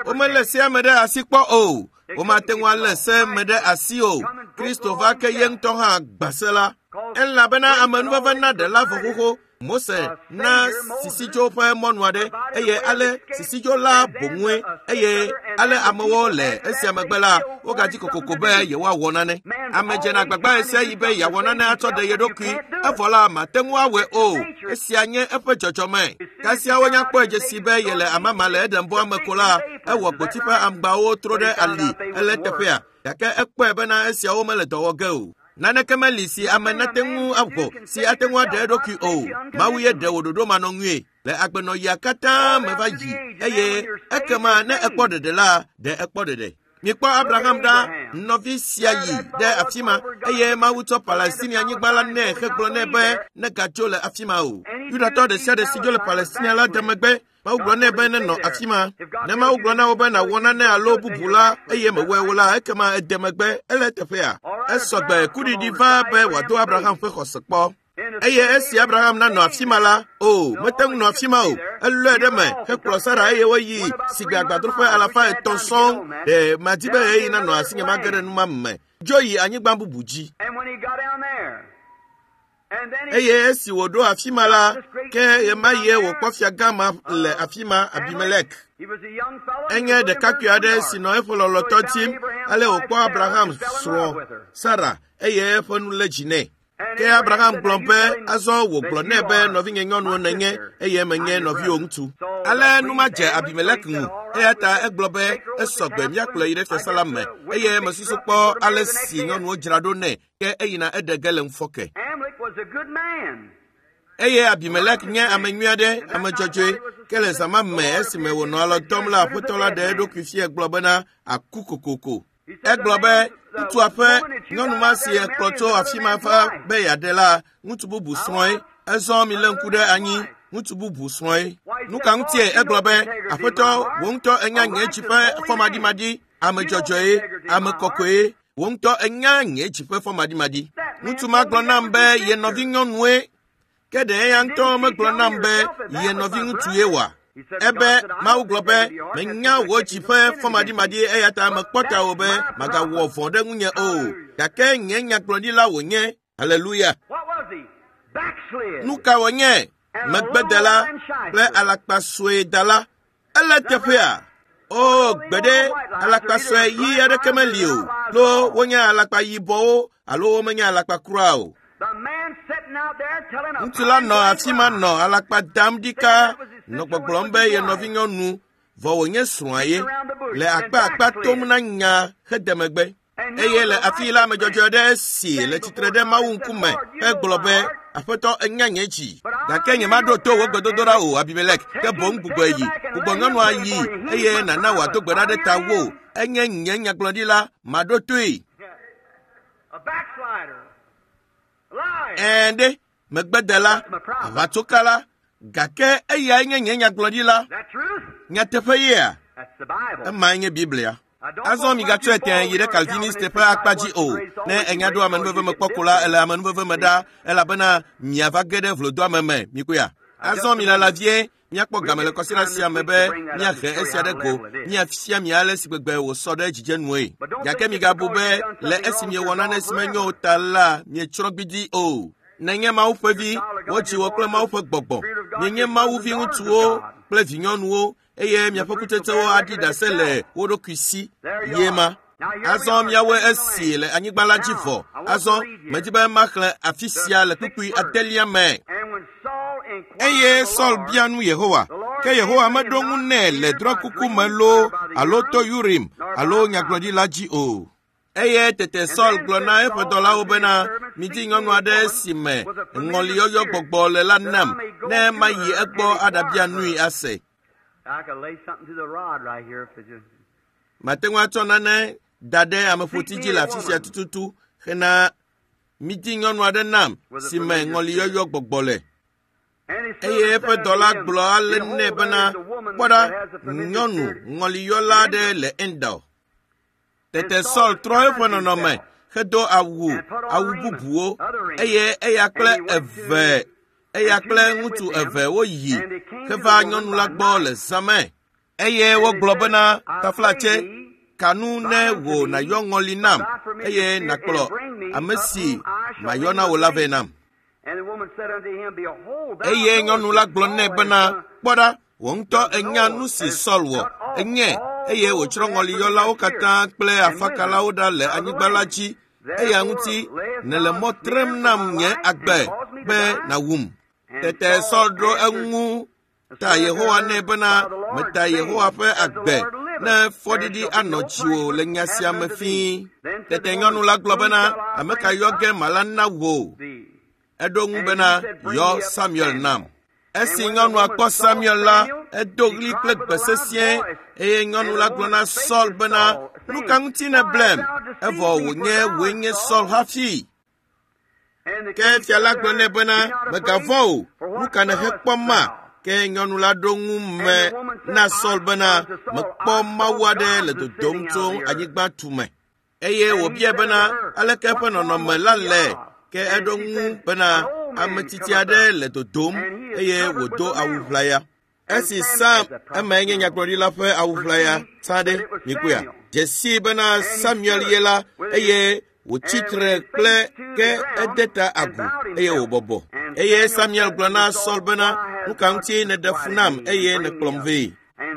Womelé sea me ɖe asi kpɔ o. Womate ŋu alé se me ɖe asi o. Kristo va ke ye ŋutɔ hã gbã se la. Elabena amenuveve na ɖela vɔ xoxo. Mose na sisidzo ƒe mɔnu aɖe eye ale sisidzo la boŋue eye ale amewo le esia megbe la wogadzi kokoko be yewoawɔ nane. Ame dzena agbagba ɣe sia ɣi be yeawɔ nane atsɔ ɖe ye ɖokui, evɔ la mate ŋu awɔe o. Esia nye eƒe dzɔdzɔme. Kasia wonya kpɔe dzesi be yele amama le Edenbɔa me ko la, ewɔ gboti ƒe aŋgbawo tro ɖe ali ele teƒea, gake ekpɔe bena esiawo mele dɔ wɔ ge o. Naneke meli si ame nate ŋu awɔ si ate ŋu aɖe eɖokui o. Mawu ye ɖe wò ɖoɖo manɔŋui le agbenɔɣia katã me va yi eye ekema ne ekpɔ ɖeɖe la, ɖe ekpɔ ɖeɖe. Mikpɔ Abraham ɖa, nɔvi sia yi ɖe afi ma eye Mawu tsɔ Palestinia anyigba la nɛ hegblɔ nɛ be negatso le afi ma o. Yudatɔ ɖe sia ɖe si dzo le Palestinia la de megbe. Mawu gblɔ nɛ be nenɔ afi ma. Ne Mawu gblɔ na wò be nàwɔ nane alo bubu la eye mewɔe o la, ekema ede megbe. Ele teƒea. Esɔgbe kuɖiɖi va be wòado Abraham ƒe xɔse kpɔ. Eye esi Abraham nanɔ afi ma la, o, mete ŋu nɔ afi ma o. Elɔe ɖe me hekplɔ Sara eye woyi sigbe agbadroƒe 300 sɔŋ. Ɖe madi be ɣeyiɣi nanɔ asinye mage ɖe nu ma me. Dzo yi anyigba bubu dzi. Eye esi wòɖo afi ma la, ke ɣemaɣie wòkpɔ fiagã ma le afi ma, Abimelek. Enye ɖekakpui aɖe si nɔ eƒe lɔlɔ̃tɔ dim, ale wòkpɔ Abraham srɔ̃ Sara eye eƒe nu lé dzi nɛ. Ke Abraham gblɔ be, azɔ wògblɔ nɛ be nɔvinye nyɔnuwo nènye eye menye nɔviwò ŋutsu. Ale nu ma dze Abimelek ŋu, eya ta egblɔ be esɔgbe míakplɔe yi ɖe fiasã la me eye mesusu kpɔ ale si nyɔnuwo dzra ɖo nɛ ke eyina eɖe ge le ŋufɔke. Eye Abimelek nye ame nyui aɖe, ame dzɔdzɔe, ke le zã ma me esime wònɔ alɔ dɔm la, aƒetɔ la ɖe eɖokui fia gblɔ bena aku kokoko. Egblɔ be ŋutsua ƒe nyɔnu ma si ekplɔ tso afi ma va be yeaɖe la, ŋutsu bubu srɔ̃e. Ezɔ milé ŋku ɖe anyi, ŋutsu bubu srɔ̃e. Nu ka ŋutie egblɔ be, aƒetɔ, wò ŋutɔ enya nye dzi ƒe fɔmaɖimaɖi, ame dzɔdzɔe, ame kɔkɔe, wò ŋutɔ enya nye dzi ƒe fɔmaɖimaɖi. Ŋutsu ma gblɔ nam be ye nɔvi nyɔnue, ke ɖe eya ŋutɔ megblɔ nam be ye nɔvi ŋutsue wòa? Ebe Mawu gblɔ be menya wò dzi ƒe fɔmaɖimaɖi eya ta mekpɔ ta wò be magawɔ vɔ̃ ɖe ŋunye o. Gake nye nyagblɔɖila wònye. Haleluya. Nu ka wònye? Megbedela kple alakpasuedala. Ele teƒea. O, gbeɖe alakpasue ɣi aɖeke meli o. Lo wonye alakpa yibɔwo alo womenye alakpa kura o. Ŋutsu la nɔ afi ma nɔ alakpa dam ɖika nɔ gbɔgblɔm be ye nɔvinyɔnu vɔ wònye srɔ̃a ye le akpa akpa tom na nya hede megbe. Eye le afi la ame dzɔdzɔe aɖe si le tsitre ɖe Mawu ŋkume hegblɔ be, Aƒetɔ, enya nye dzi, gake nyemaɖo to wò gbedodoɖa o, Abimelek, ke boŋ gbugbɔe yi. Gbugbɔ nyɔnua yi eye nàna wòado gbe ɖa ɖe ta wò. Enye nye nyagblɔɖila, maɖo toe. Ɛ̃ ɖe, megbedela, aʋatsokala, gake eyae nye nye nyagblɔɖila. Nyateƒe yea? Emae nye Biblia. Azɔ migatsɔe tẽ yi ɖe Calviniste ƒe akpa dzi o. Ne enya ɖo amenuveve me kpɔ ko la, ele amenuveve me ɖa, elabena miava ge ɖe vlodoame me. Mikpɔea? Azɔ milala vie, míakpɔ game le kɔsiɖa sia me be míahe esia ɖe go, míafia mi ale si gbegbe wòsɔ ɖe dzidzenue. Gake migabu be le esi miewɔ nane si menyo o ta la, mietsrɔ̃ gbidi o. Nenye Mawu ƒe vi, wodzi wò kple Mawu ƒe gbɔgbɔ. Mienye Mawu viŋutsuwo kple vinyɔnuwo eye miaƒe kutsetsewo aɖi ɖase le wo ɖokui si. Ye ma. Azɔ miawoe esi le anyigba la dzi vɔ. Azɔ medi be maxlẽ afi sia le kpukpui adelia me. Eye Saul bia nu Yehowa, ke Yehowa meɖo ŋu nɛ le drɔ̃ekuku me loo alo to Urim alo nyagblɔɖila dzi o. Eye tete Saul gblɔ na eƒe dɔlawo bena, midi nyɔnu aɖe si me ŋɔliyɔyɔ gbɔgbɔ le la nam, ne mayi egbɔ aɖabia nui ase. Mate ŋu atsɔ nane da ɖe ameƒoti dzi le afi sia tututu hena midi nyɔnu aɖe nam si me ŋɔliyɔyɔ gbɔgbɔ le. Eye eƒe dɔla gblɔ ale nɛ bena, kpɔ ɖa, nyɔnu ŋɔliyɔla aɖe le Endor. Tete Saul trɔ eƒe nɔnɔme hedo awu bubuwo eye eya kple ŋutsu eve woyi heva nyɔnu la gbɔ le zã me. Eye wogblɔ bena, taflatse, ka nu ne wò nàyɔ ŋɔli nam eye nàkplɔ ame si mayɔ na wò la vɛ nam. Eye nyɔnu la gblɔ nɛ bena, kpɔ ɖa, wò ŋutɔ ènya nu si Saul wɔ, enye eye wòtsrɔ̃ ŋɔliyɔlawo katã kple afakalawo ɖa le anyigba la dzi. Eya ŋuti nèle mɔ trem nam nye agbe be nàwum. Tete Saul ɖo eŋu ta Yehowa nɛ bena, meta Yehowa ƒe agbe ne fɔɖiɖi anɔ dziwò le nya sia me fĩi. Tete nyɔnu la gblɔ bena, ame ka yɔ ge mala na wò? Eɖo ŋu bena, yɔ Samuel nam. Esi nyɔnua kpɔ Samuel la, edo ɣli kple gbe sesĩe eye nyɔnu la gblɔ na Saul bena, nu ka ŋuti nèblem? Evɔ wònye wòe nye Saul hafi. Ke fia la gblɔ nɛ bena, mègavɔ̃ o, nu ka nèhekpɔ ma? Ke nyɔnu la ɖo ŋu me na Saul bena, mekpɔ Mawu aɖe le dodom tso anyigba tume. Eye wòbiae bena, aleke eƒe nɔnɔme la le? Ke eɖo ŋu bena, ame tsitsi aɖe le dodom eye wòdo awu ʋlaya. Esi Sam emae nye nyagblɔɖila ƒe awu ʋlaya tsã ɖe, mikpɔea? Dze sii bena Samuel ye la eye wòtsi tre kple ke ede ta agu eye wòbɔbɔ. Eye Samuel gblɔ na Saul bena, nu ka ŋuti nèɖe fu nam eye nèkplɔm vɛ?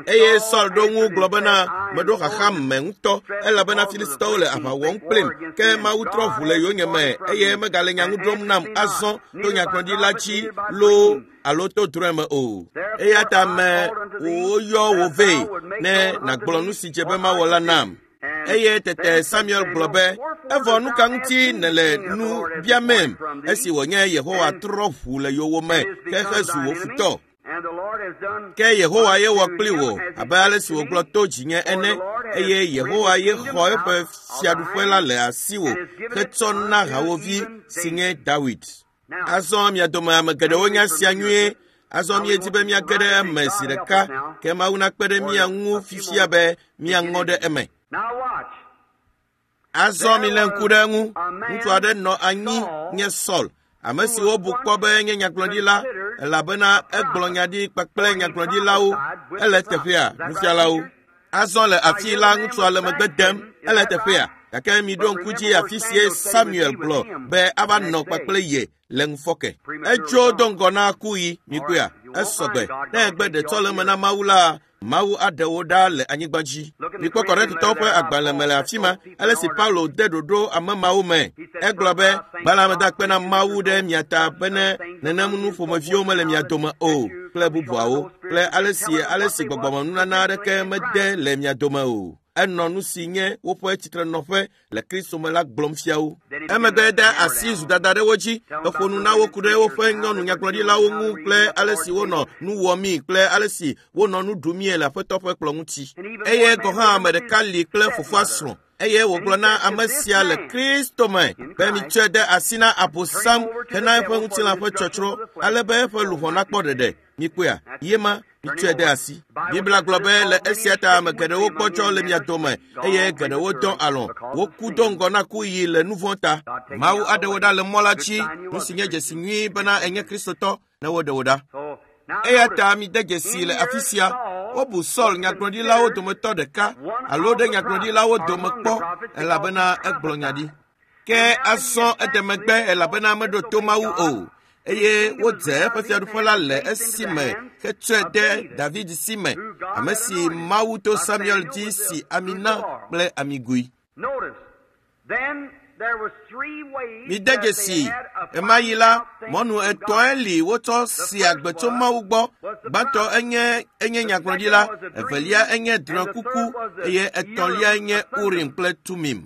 Eye Saul ɖo ŋu gblɔ bena, meɖo xaxa me ŋutɔ elabena Filistitɔwo le aʋa wɔm kplim, ke Mawu trɔ ʋu le yonyeme eye megale nya ŋu ɖom nam azɔ to nyagblɔɖila dzi loo alo to drɔ̃e me o. Eya ta me woyɔ wò vɛ ne nàgblɔ nu si dze be mawɔ la nam. Eye tete Samuel gblɔ be, evɔ nu ka ŋuti nèle nu biamem esi wònye Yehowa trɔ ʋu le yowòme hehe zu wò futɔ? Ke Yehowa ye wɔ kpli wò abe ale si wògblɔ to dzinye ene, eye Yehowa ye xɔ eƒe fiaɖuƒe la le asiwò hetsɔ na hawòvi si nye Dawid. Azɔ mia dome ame geɖewo nya sia nyuie. Azɔ míedi be míage ɖe eme zi ɖeka, ke Mawu nakpe ɖe mía ŋu fifia be míaŋɔ ɖe eme. Azɔ milé ŋku ɖe eŋu. Ŋutsu aɖe nɔ anyi nye Saul, ame si wobu kpɔ be nye nyagblɔɖila elabena egblɔ nya ɖi kpakple nyagblɔɖilawo. Ele teƒea, nufialawo. Azɔ le afi la ŋutsua le megbe dem, ele teƒea. Gake miɖo ŋku dzi afi sie Samuel gblɔ be ava nɔ kpakple ye le ŋufɔke. Etso do ŋgɔ na kuɣi, mikpɔea, esɔgbe. Ne egbe ɖetsɔleme na Mawu la, Mawu aɖe wo ɖa le anyigba dzi. Mikpɔ Korintotɔwo ƒe agbalẽ me le afi ma, ale si Paulo de ɖoɖo ame mawo me. Egblɔ be, gbã meda akpe na Mawu ɖe mia ta bene nenem nu ƒomeviwo mele mia dome o kple bubuawo, kple ale si gbɔgbɔmenunana aɖeke mede le mia dome o. Enɔ nu si nye woƒe tsitrenɔƒe le Kristo me la gblɔm fia wo. Emegbe de asi zudada ɖe wo dzi, eƒo nu na wo ku ɖe woƒe nyɔnu nyagblɔɖilawo ŋu kple ale si wonɔ nu wɔmii kple ale si wonɔ nu ɖumie le Aƒetɔ ƒe kplɔ̃ ŋuti. Eye gɔ̃ hã ame ɖeka li kple fofoa srɔ̃ eye wògblɔ na ame sia le Kristo me be mitsɔe de asi na Abosam hena eƒe ŋutilã ƒe tsɔtsrɔ̃ ale be eƒe luʋɔ nakpɔ ɖeɖe. Mikpɔea? Ye ma, mitsɔe de asi. Biblia gblɔ be le esia ta ame geɖewo gbɔdzɔ le mia dome eye geɖewo dɔ alɔ̃. Woku do ŋgɔ na kuɣi le nu vɔ̃ ta. Mawu aɖe wo ɖa le mɔ la dzi, nu si nye dzesi nyui bena enye Kristotɔ ne woɖe wo ɖa. Eya ta mide dzesi le afi sia, wobu Saul nyagblɔɖilawo dometɔ ɖeka alo ɖe nyagblɔɖilawo dome kpɔ elabena egblɔ nya ɖi. Ke azɔ ede megbe elabena meɖo to Mawu o. eye wodze eƒe fiaɖuƒe la le esime hetsɔe de David si me, ame si Mawu to Samuel dzi si ami na kple amigui. Mide dzesi, ɣemaɣi la, mɔnu etɔ̃e li wotsɔ si agbe tso Mawu gbɔ. Gbãtɔ enye nyagblɔɖila, evelia enye drɔ̃ekuku eye etɔ̃lia enye Urim kple Tumim.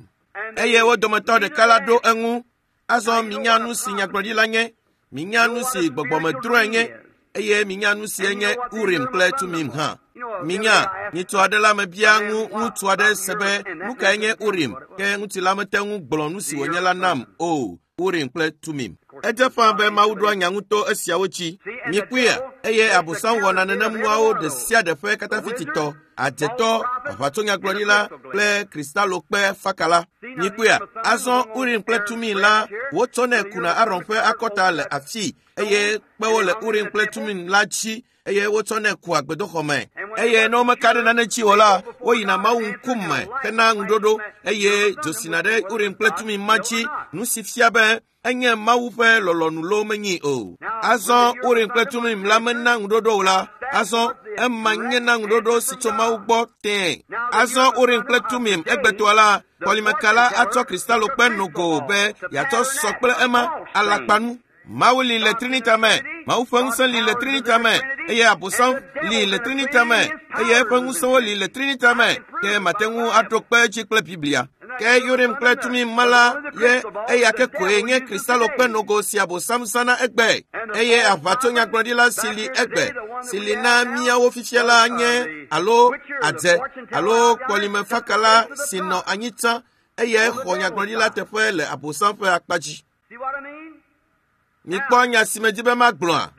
Eye wo dometɔ ɖeka la ɖo eŋu. Azɔ minya nu si nyagblɔɖila nye, minya nu si gbɔgbɔmedrɔ̃e nye, eye minya nu si enye Urim kple Tumim hã. Minya, nyitsu aɖe la mebia ŋu ŋutsu aɖe se be nu kae nye Urim, ke ŋutsu la mete ŋu gblɔ nu si wònye la nam o. Urim kple Tumim. Edze ƒã be Mawu ɖoa nya ŋu to esiawo dzi. Mikpɔea, eye Abosam wɔna nenem nuawo ɖe sia ɖe ƒe katafititɔ, adzetɔ, aʋatsonyagblɔɖila kple kristalokpe fakala. Mikpɔea, azɔ Urim kple Tumim la wotsɔnɛ kuna Aron ƒe akɔta le afii eye kpewo le Urim kple Tumim la dzi eye wotsɔnɛ kua gbedoxɔ me. Eye ne womeka ɖe nane dzi o la, woyina Mawu ŋkume hena ŋuɖoɖo eye dzo sina ɖe Urim kple Tumim ma dzi, nu si fia be enye Mawu ƒe lɔlɔ̃nu loo menyi o. Azɔ Urim kple Tumim la mena ŋuɖoɖo o la, azɔ ema nye na ŋuɖoɖo si tso Mawu gbɔ tẽe. Azɔ Urim kple Tumim egbetɔa la, kɔlimeka la atsɔ kristalokpe nogo be yeatsɔ sɔ kple ema alakpanu. Mawu li le Trinita me, Mawu ƒe ŋusẽ li le Trinita me, eye Abosam li le Trinita me, eye eƒe ŋusẽwo li le Trinita me, ke mate ŋu aɖo kpe edzi kple Biblia. Ke Urim kple Tumim ma la ye eya ke koe nye kristalokpe nogo si Abosam zãna egbe, eye aʋatsonyagblɔɖila si li egbe, si li na míawo fifia la nye alo adze alo kpɔlimefakala si nɔ anyi tsã, eye xɔ nyagblɔɖila teƒe le Abosam ƒe akpa dzi. Mikpɔ nya si medzi be magblɔa?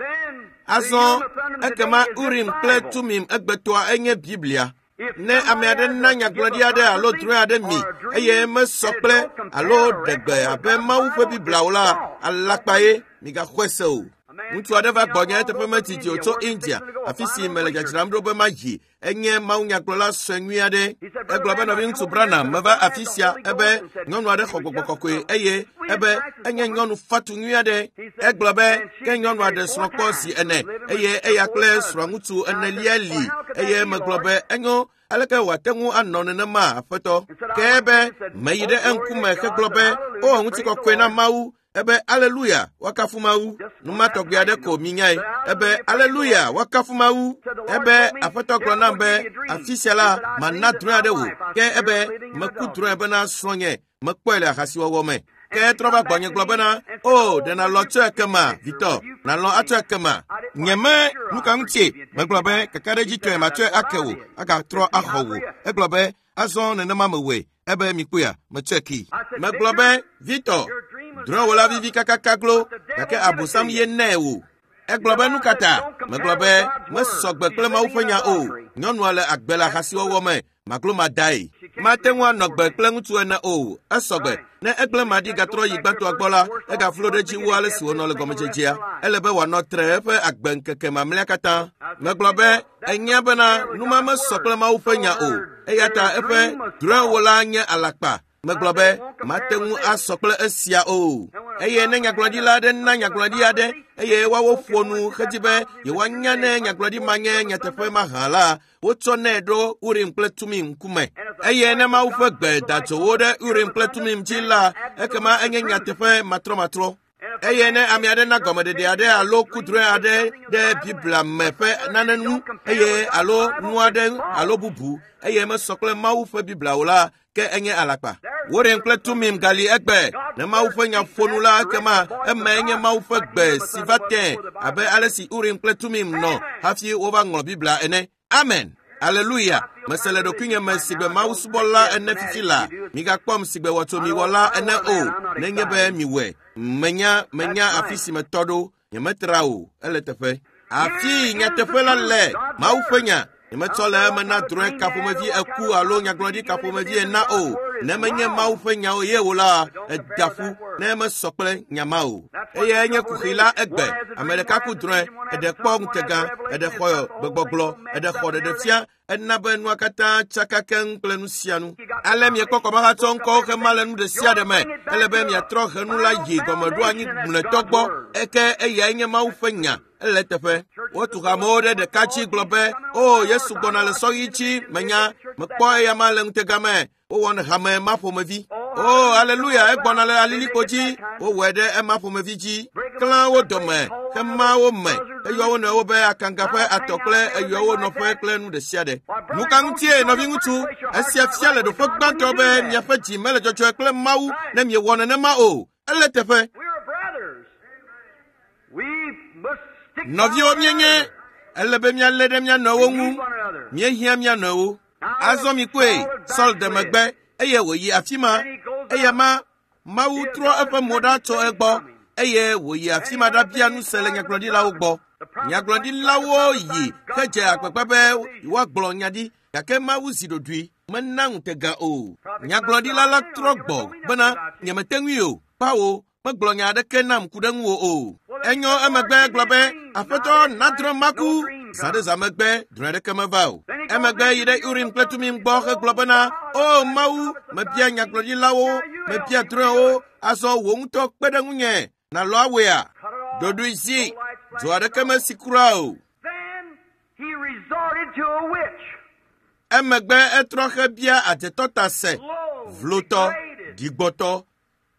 Azɔ ekema Urim kple Tumim egbetɔa enye Biblia. Ne ame aɖe na nyagblɔɖi aɖe alo drɔ̃e aɖe mi eye mesɔ kple alo ɖe gbe abe Mawu ƒe Biblia o la, alakpa ye, migaxɔe se o. Ŋutsu aɖe va gbɔnye eteƒe medidi o tso India, afi si mele dzadzram ɖo be mayi. Enye mawunyagblɔla sue nyui aɖe. Egblɔ be nɔviŋutsu Branham meva afi sia ebe nyɔnu aɖe xɔ gbɔgbɔ kɔkɔe eye ebe enye nyɔnu fatu nyui aɖe. Egblɔ be ke nyɔnu aɖe srɔ̃ kpɔ zi ene eye eya kple srɔ̃ŋutsu enelia li eye megblɔ be enyo aleke wòate ŋu anɔ nenema aƒetɔ. Ke ebe meyi ɖe eŋkume hegblɔ be o ŋutikɔkɔe na Mawu. Ebe aleluya, woakafu Mawu. Numa tɔgbi aɖe ko minyae. Ebe aleluya, woakafu Mawu. Ebe aƒetɔ gblɔ nam be afi sia la mana drɔ̃e aɖe wò. Ke ebe meku drɔ̃e bena srɔ̃nye mekpɔe le ahasiwɔwɔ me. Ke etrɔ va gbɔnye gblɔ bena o ɖe nàlɔ̃ tsɔe kema vitɔ, nàlɔ̃ atsɔe kema. Nyeme nu ka ŋutie? Megblɔ be kakaɖedzitɔe matsɔe ake wò, agatrɔ axɔ wò. Egblɔ be azɔ nenema mewɔe. Ebe mikpɔea, metsɔe kee. Megblɔ be Victor, drɔ̃ewò la vivi kakaka glo, gake Abosam ye nɛ wò. Egblɔ be nu ka ta? Megblɔ be mesɔ gbe kple Mawu ƒe nya o. Nyɔnua le agbe le ahasiwɔwɔ me, maglomadae. Mate ŋu anɔ gbe kple ŋutsu ene o. Esɔ gbe. Ne egblẽ maɖi gatrɔ yi gbãtɔa gbɔ la, egaflo ɖe edzi wu ale si wònɔ le gɔmedzedzea. Ele be wòanɔ tre eƒe agbe ŋkeke mamlɛa katã. Megblɔ be enya bena numa mesɔ kple Mawu ƒe nya o. Eya ta eƒe drɔ̃ewò la nye alakpa. Megblɔ be mate ŋu asɔ kple esia o. Eye ne nyagblɔɖila aɖe na nyagblɔɖi aɖe eye woawo ƒo nu hedi be yewoanya ne nyagblɔɖi ma nye nyateƒe mahã la, wotsɔnɛ ɖo Urim kple Tumim ŋkume. Eye ne Mawu ƒe gbe da dzo wo ɖe Urim kple Tumim dzi la, ekema enye nyateƒe matrɔmatrɔ. Eye ne ame aɖe na gɔmeɖeɖe aɖe alo kudrɔ̃e aɖe ɖe Biblia me ƒe nane ŋu eye alo nu aɖe alo bubu eye mesɔ kple Mawu ƒe Biblia o la, ke enye alakpa. Urim kple Tumim gali egbe. Ne Mawu ƒe nya ƒo nu la, ekema emae nye Mawu ƒe gbe si va tẽ abe ale si Urim kple Tumim nɔ hafi wova ŋlɔ Biblia ene. Amen. Aleluya. Mese le ɖokuinye me si gbe Mawu subɔla ene fifi la. Migakpɔm si gbe wɔtsomiwɔla ene o, nenye be miwɔe. Menya afi si metɔ ɖo. Nyemetra o, ele teƒe. Afi nyateƒe la le Mawu ƒe nya. Nyemetsɔ le eme na drɔ̃e ka ƒomevi eku alo nyagblɔɖi ka ƒomevi ena o. Ne menye Mawu ƒe nyawo ye o la, eda ƒu ne mesɔ kple nya ma o. Eye enye kuxi la egbe. Ame ɖeka ku drɔ̃e, eɖe kpɔ ŋutega, eɖe xɔ gbegbɔgblɔ, eɖe xɔ ɖeɖefia, ena be nua katã tsaka keŋ kple nu sia nu. Ale miekpɔ kɔmahatsɔ ŋkɔwo hema le nu ɖe sia ɖe me. Ele be miatrɔ henu la yi gɔmeɖoanyi mlɔetɔ gbɔ eke eyae nye Mawu ƒe nya. Ele teƒe. Wotu hamewo ɖe ɖeka dzi gblɔ be, "O, Yesu gbɔna le sɔɣi dzi, menya, mekpɔ eya ma le ŋutega me." Wowɔ hame ma ƒomevi. O, aleluya, egbɔna le alilikpo dzi. Wowɔe ɖe ema ƒomevi dzi. Klã wo dome, hema wo me, eyɔ wo nɔewo be akanga ƒe atɔ kple eyɔ wo nɔƒe kple nu ɖe sia ɖe. Nu ka ŋutie, nɔviŋutsu? Esia fia le ɖoƒe gbãtɔ be miaƒe dzi mele dzɔdzɔe kple Mawu ne miewɔ nenema o. Ele teƒe. Nɔviwo míenye, ele be míalé ɖe mía nɔewo ŋu. Míehiã mía nɔewo. Azɔ mikpɔe, Saul de megbe eye wòyi afi ma. Eya ma, Mawu trɔ eƒe mo ɖa tso egbɔ eye wòyi afi ma ɖabia nu se le nyagblɔɖilawo gbɔ. Nyagblɔɖilawo yi hedze agbagba be yewoagblɔ nya ɖi gake Mawu zi ɖoɖoe mena ŋutega o. Nyagblɔɖila la trɔ gbɔ bena nyemete ŋui o. Kpawo megblɔ nya aɖeke nam ku ɖe ŋuwò o. Enyo emegbe gblɔ be, Aƒetɔ nadrɔ̃ maku. Zã ɖe zã megbe, drɔ̃e aɖeke meva o. Emegbe yi ɖe Urim kple Tumim gbɔ hegblɔ bena, O Mawu, mebia nyagblɔɖilawo, mebia drɔ̃ewo, azɔ wò ŋutɔ kpe ɖe ŋunye, nàlɔ awɔea? Ɖoɖoe zi, dzo aɖeke mesi kura o. Emegbe etrɔ hebia adzetɔ ta se, vlotɔ, ɖigbɔtɔ,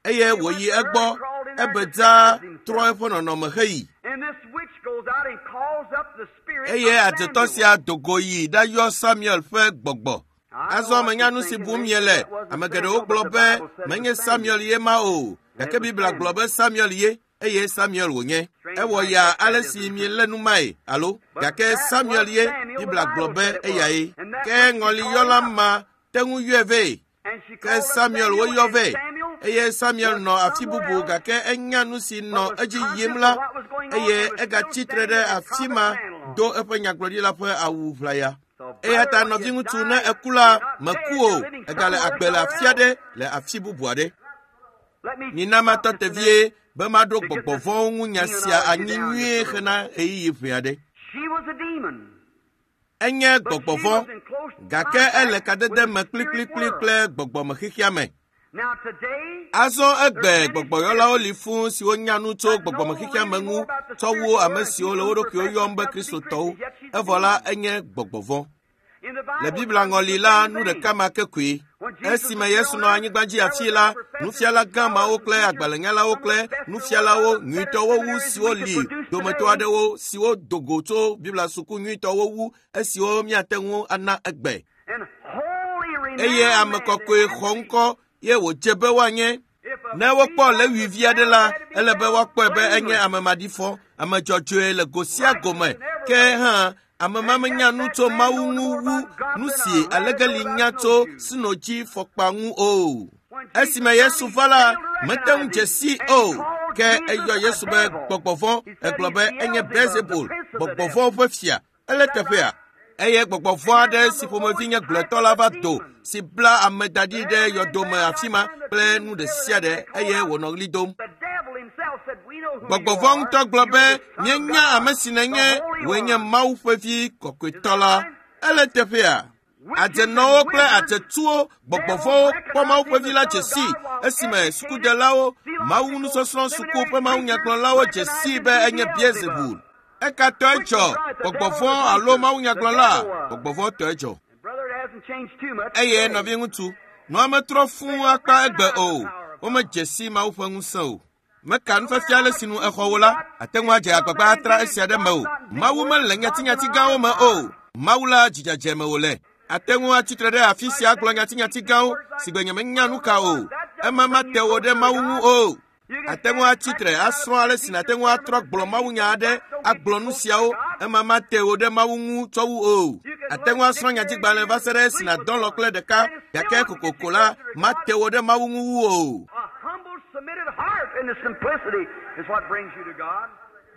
eye wòyi egbɔ ebedza trɔ eƒe nɔnɔme heyi. Eye adzetɔ sia do go yi ɖayɔ Samuel ƒe gbɔgbɔ. Azɔ menya nu si bum miele. Ame geɖewo gblɔ be menye Samuel ye ma o, gake Biblia gblɔ be Samuel ye eye Samuel wònye. Ewɔ ya ale si mielé nu mae alo gake Samuel ye Biblia gblɔ be eyae. Ke ŋɔliyɔla ma te ŋu yɔe vɛ. Ke Samuel woyɔ vɛ eye Samuel nɔ afi bubu gake enya nu si nɔ edzi yim la eye egatsi tre ɖe afi ma do eƒe nyagblɔɖila ƒe awu ʋlaya. Eya ta nɔviŋutsu ne eku la meku o, egale agbe le afi aɖe le afi bubu aɖe. Mina matɔ te vie be maɖo gbɔgbɔ vɔ̃wo ŋu nya sia anyi nyuie hena ɣeyiɣi ʋɛ aɖe. Enye gbɔgbɔ vɔ̃ gake ele kadede me kplikplikpli kple gbɔgbɔmexexea me. Azɔ egbe gbɔgbɔyɔlawo li fũu siwo nya nu tso gbɔgbɔmexexea me ŋu tsɔ wu ame siwo le wo ɖokuiwo yɔm be Kristotɔwo. Evɔ la enye gbɔgbɔ vɔ̃. Le Biblia ŋɔli la, nu ɖeka ma ke koe. Esime Yesu nɔ anyigba dzi afii la, nufiala gã mawo kple agbalẽnyalawo kple nufialawo nyuitɔwo wu siwo li dometɔ aɖewo siwo do go tso Biblia suku nyuitɔwo wu esiwo míate ŋu ana egbe. Eye ame kɔkɔe xɔ ŋkɔ ye wòdze be woanye. Ne wokpɔ Lewi vi aɖe la, ele be woakpɔe be enye ame maɖifɔ, ame dzɔdzɔe le go sia go me. Ke hã ame ma menya nu tso Mawu ŋu wu nu si alegeli nya tso sinodzi fɔkpa ŋu o. Esime Yesu va la, mete ŋu dze sii o. Ke eyɔ Yesu be gbɔgbɔ vɔ̃, egblɔ be enye Beelzebul, gbɔgbɔ vɔ̃wo ƒe fia. Ele teƒea. Eye gbɔgbɔ vɔ̃ aɖe si ƒomevi nye gblɔetɔ la va do, si bla ame da ɖi ɖe yɔdome afi ma kple nu ɖe sia ɖe eye wònɔ ɣli dom. Gbɔgbɔ vɔ̃ ŋutɔ gblɔ be, míenya ame si nènye, wòe nye Mawu ƒe vi kɔkɔetɔ la. Ele teƒea. Adzenɔwo kple adzetuwo, gbɔgbɔ vɔ̃wo kpɔ Mawu ƒe vi la dze sii esime sukudelawo, Mawu nusɔsrɔ̃ suku ƒe mawunyagblɔlawo dze sii be enye Beelzebul. Eka tɔe dzɔ, gbɔgbɔ vɔ̃ alo mawunyagblɔla? Gbɔgbɔ vɔ̃ tɔe dzɔ. Eye nɔviŋutsu, nua metrɔ fũu akpa egbe o. Womedze si Mawu ƒe ŋusẽ o. Meka nufiafia ale si nu exɔ wo la, ate ŋu adze agbagba atra esia ɖe me o. Mawu mele nyatinyati gãwo me o. Mawu la dzidzedze me wòle. Ate ŋu atsitre ɖe afi sia agblɔ nyatinyati gãwo si gbe nyemenya nu ka o. Ema mate wò ɖe Mawu ŋu o. Ate ŋu atsitre asrɔ̃ ale si nàte ŋu atrɔ gblɔ mawunya aɖe agblɔ nu siawo. Ema mate wò ɖe Mawu ŋu tsɔ wu o. Ate ŋu asrɔ̃ nyadzigbalẽ va se ɖe esi nàdɔ lɔ kple ɖeka gake kokoko la mate wò ɖe Mawu ŋu wu o.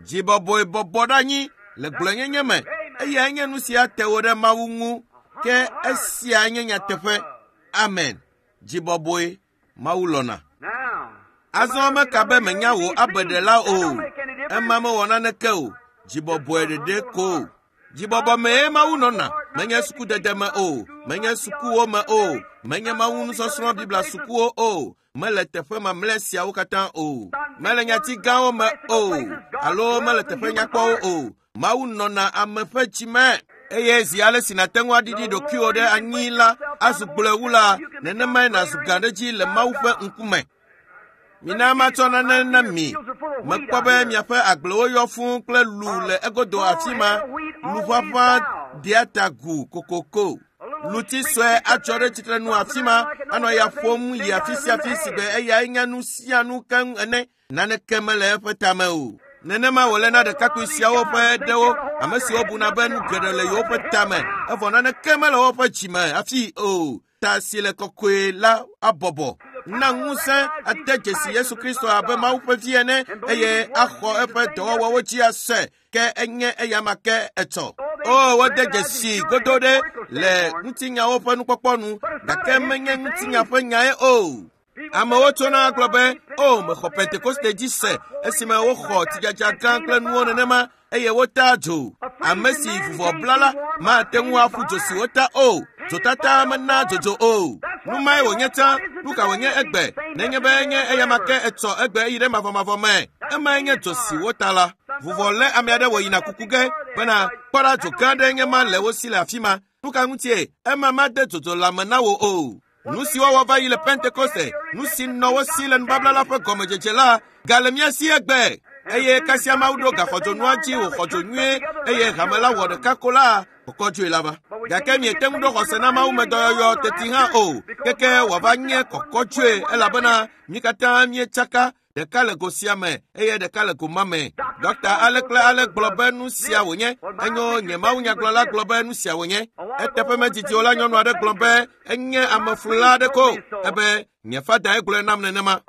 Dzibɔbɔe bɔbɔ ɖe anyi le gblɔenyenye me. Eyae nye nu si ate wò ɖe Mawu ŋu, ke esia nye nyateƒe. Amen. Dzibɔbɔe Mawu lɔ̃na. Azɔ meka be menya wò abeɖela o. Ema mewɔ naneke o. Dzibɔbɔe ɖeɖe ko. Dzibɔbɔ mee Mawu nɔna. Menye sukudede me o. Menye sukuwo me o. Menye Mawu nusɔsrɔ̃ Biblia sukuwo o. Mele teƒe mamlɛ siawo katã o. Mele nyati gãwo me o. Alo mele teƒe nyakpɔwo o. Mawu nɔna ame ƒe dzi me. Eye zi ale si nàte ŋu aɖiɖi ɖokuiwò ɖe anyi la azu gblɔe wu la, nenemae nàzu gã ɖe dzi le Mawu ƒe ŋkume. Mina matsɔ nane na mi. Mekpɔ be miaƒe agblewo yɔ fũu kple lu le egodo afi ma. Lu ƒaƒã dea ta gu kokoko. Luti sue atsɔ ɖe tsitrenu afi ma anɔ ya ƒom yi afi sia afi si be eyae nye nu sia nu keŋ ene. Naneke mele eƒe tame o. Nenema wòle na ɖekakpui siawo ƒe ɖewo, ame siwo buna be nu geɖe le yewoƒe tame, evɔ naneke mele woƒe dzime hafi o. Ta si le kɔkɔe la abɔbɔ. Na ŋusẽ ade dzesi Yesu Kristo abe Mawu ƒe vi ene eye axɔ eƒe dɔwɔwɔwo dzi ase ke enye eyama ke etsɔ. O, wode dzesi godo ɖe le ŋutinyawo ƒe nukpɔkpɔ nu, gake menye ŋutinya ƒe nyae o. Amewo tsona gblɔ be, o, mexɔ Pentekoste dzi se esime woxɔ tsidzadza gã kple nuwo nenema eye wota dzo. Ame si vuvɔ bla la mate ŋu aƒu dzo si wota o. Dzotata mena dzodzo o. Nu mae wònye tsã, nu ka wònye egbe, nenye be enye eyama ke etsɔ egbe yi ɖe mavɔmavɔ me. Emae nye dzo si wota la. Vuvɔ lé ame aɖe wòyina kuku ge bena kpɔ ɖa dzo gã aɖe nye ma le wo si le afi ma. Nu ka ŋutie ema made dzodzo lãme na wò o? Nu si wɔwɔ va yi le Pentekoste, nu si nɔ wo si le nubabla la ƒe gɔmedzedze la, gale mía si egbe. Eye kasia Mawu ɖo gaxɔdzonua dzi wòxɔ dzo nyuie eye hame la wɔ ɖeka ko la, kɔkɔdzoe la va. Gake miete ŋu ɖo xɔse na Mawu me dɔyɔyɔ teti hã o, keke wòava nye kɔkɔdzoe elabena mí katã míetsaka ɖeka le go sia me eye ɖeka le go ma me. Dɔkta ale kple ale gblɔ be nu sia wònye. Enyo nye mawunyagblɔla gblɔ be nu sia wònye. Eteƒe medidi o la nyɔnu aɖe gblɔ be enye ameflula aɖe ko. Ebe nye fadae gblɔe nam nenema.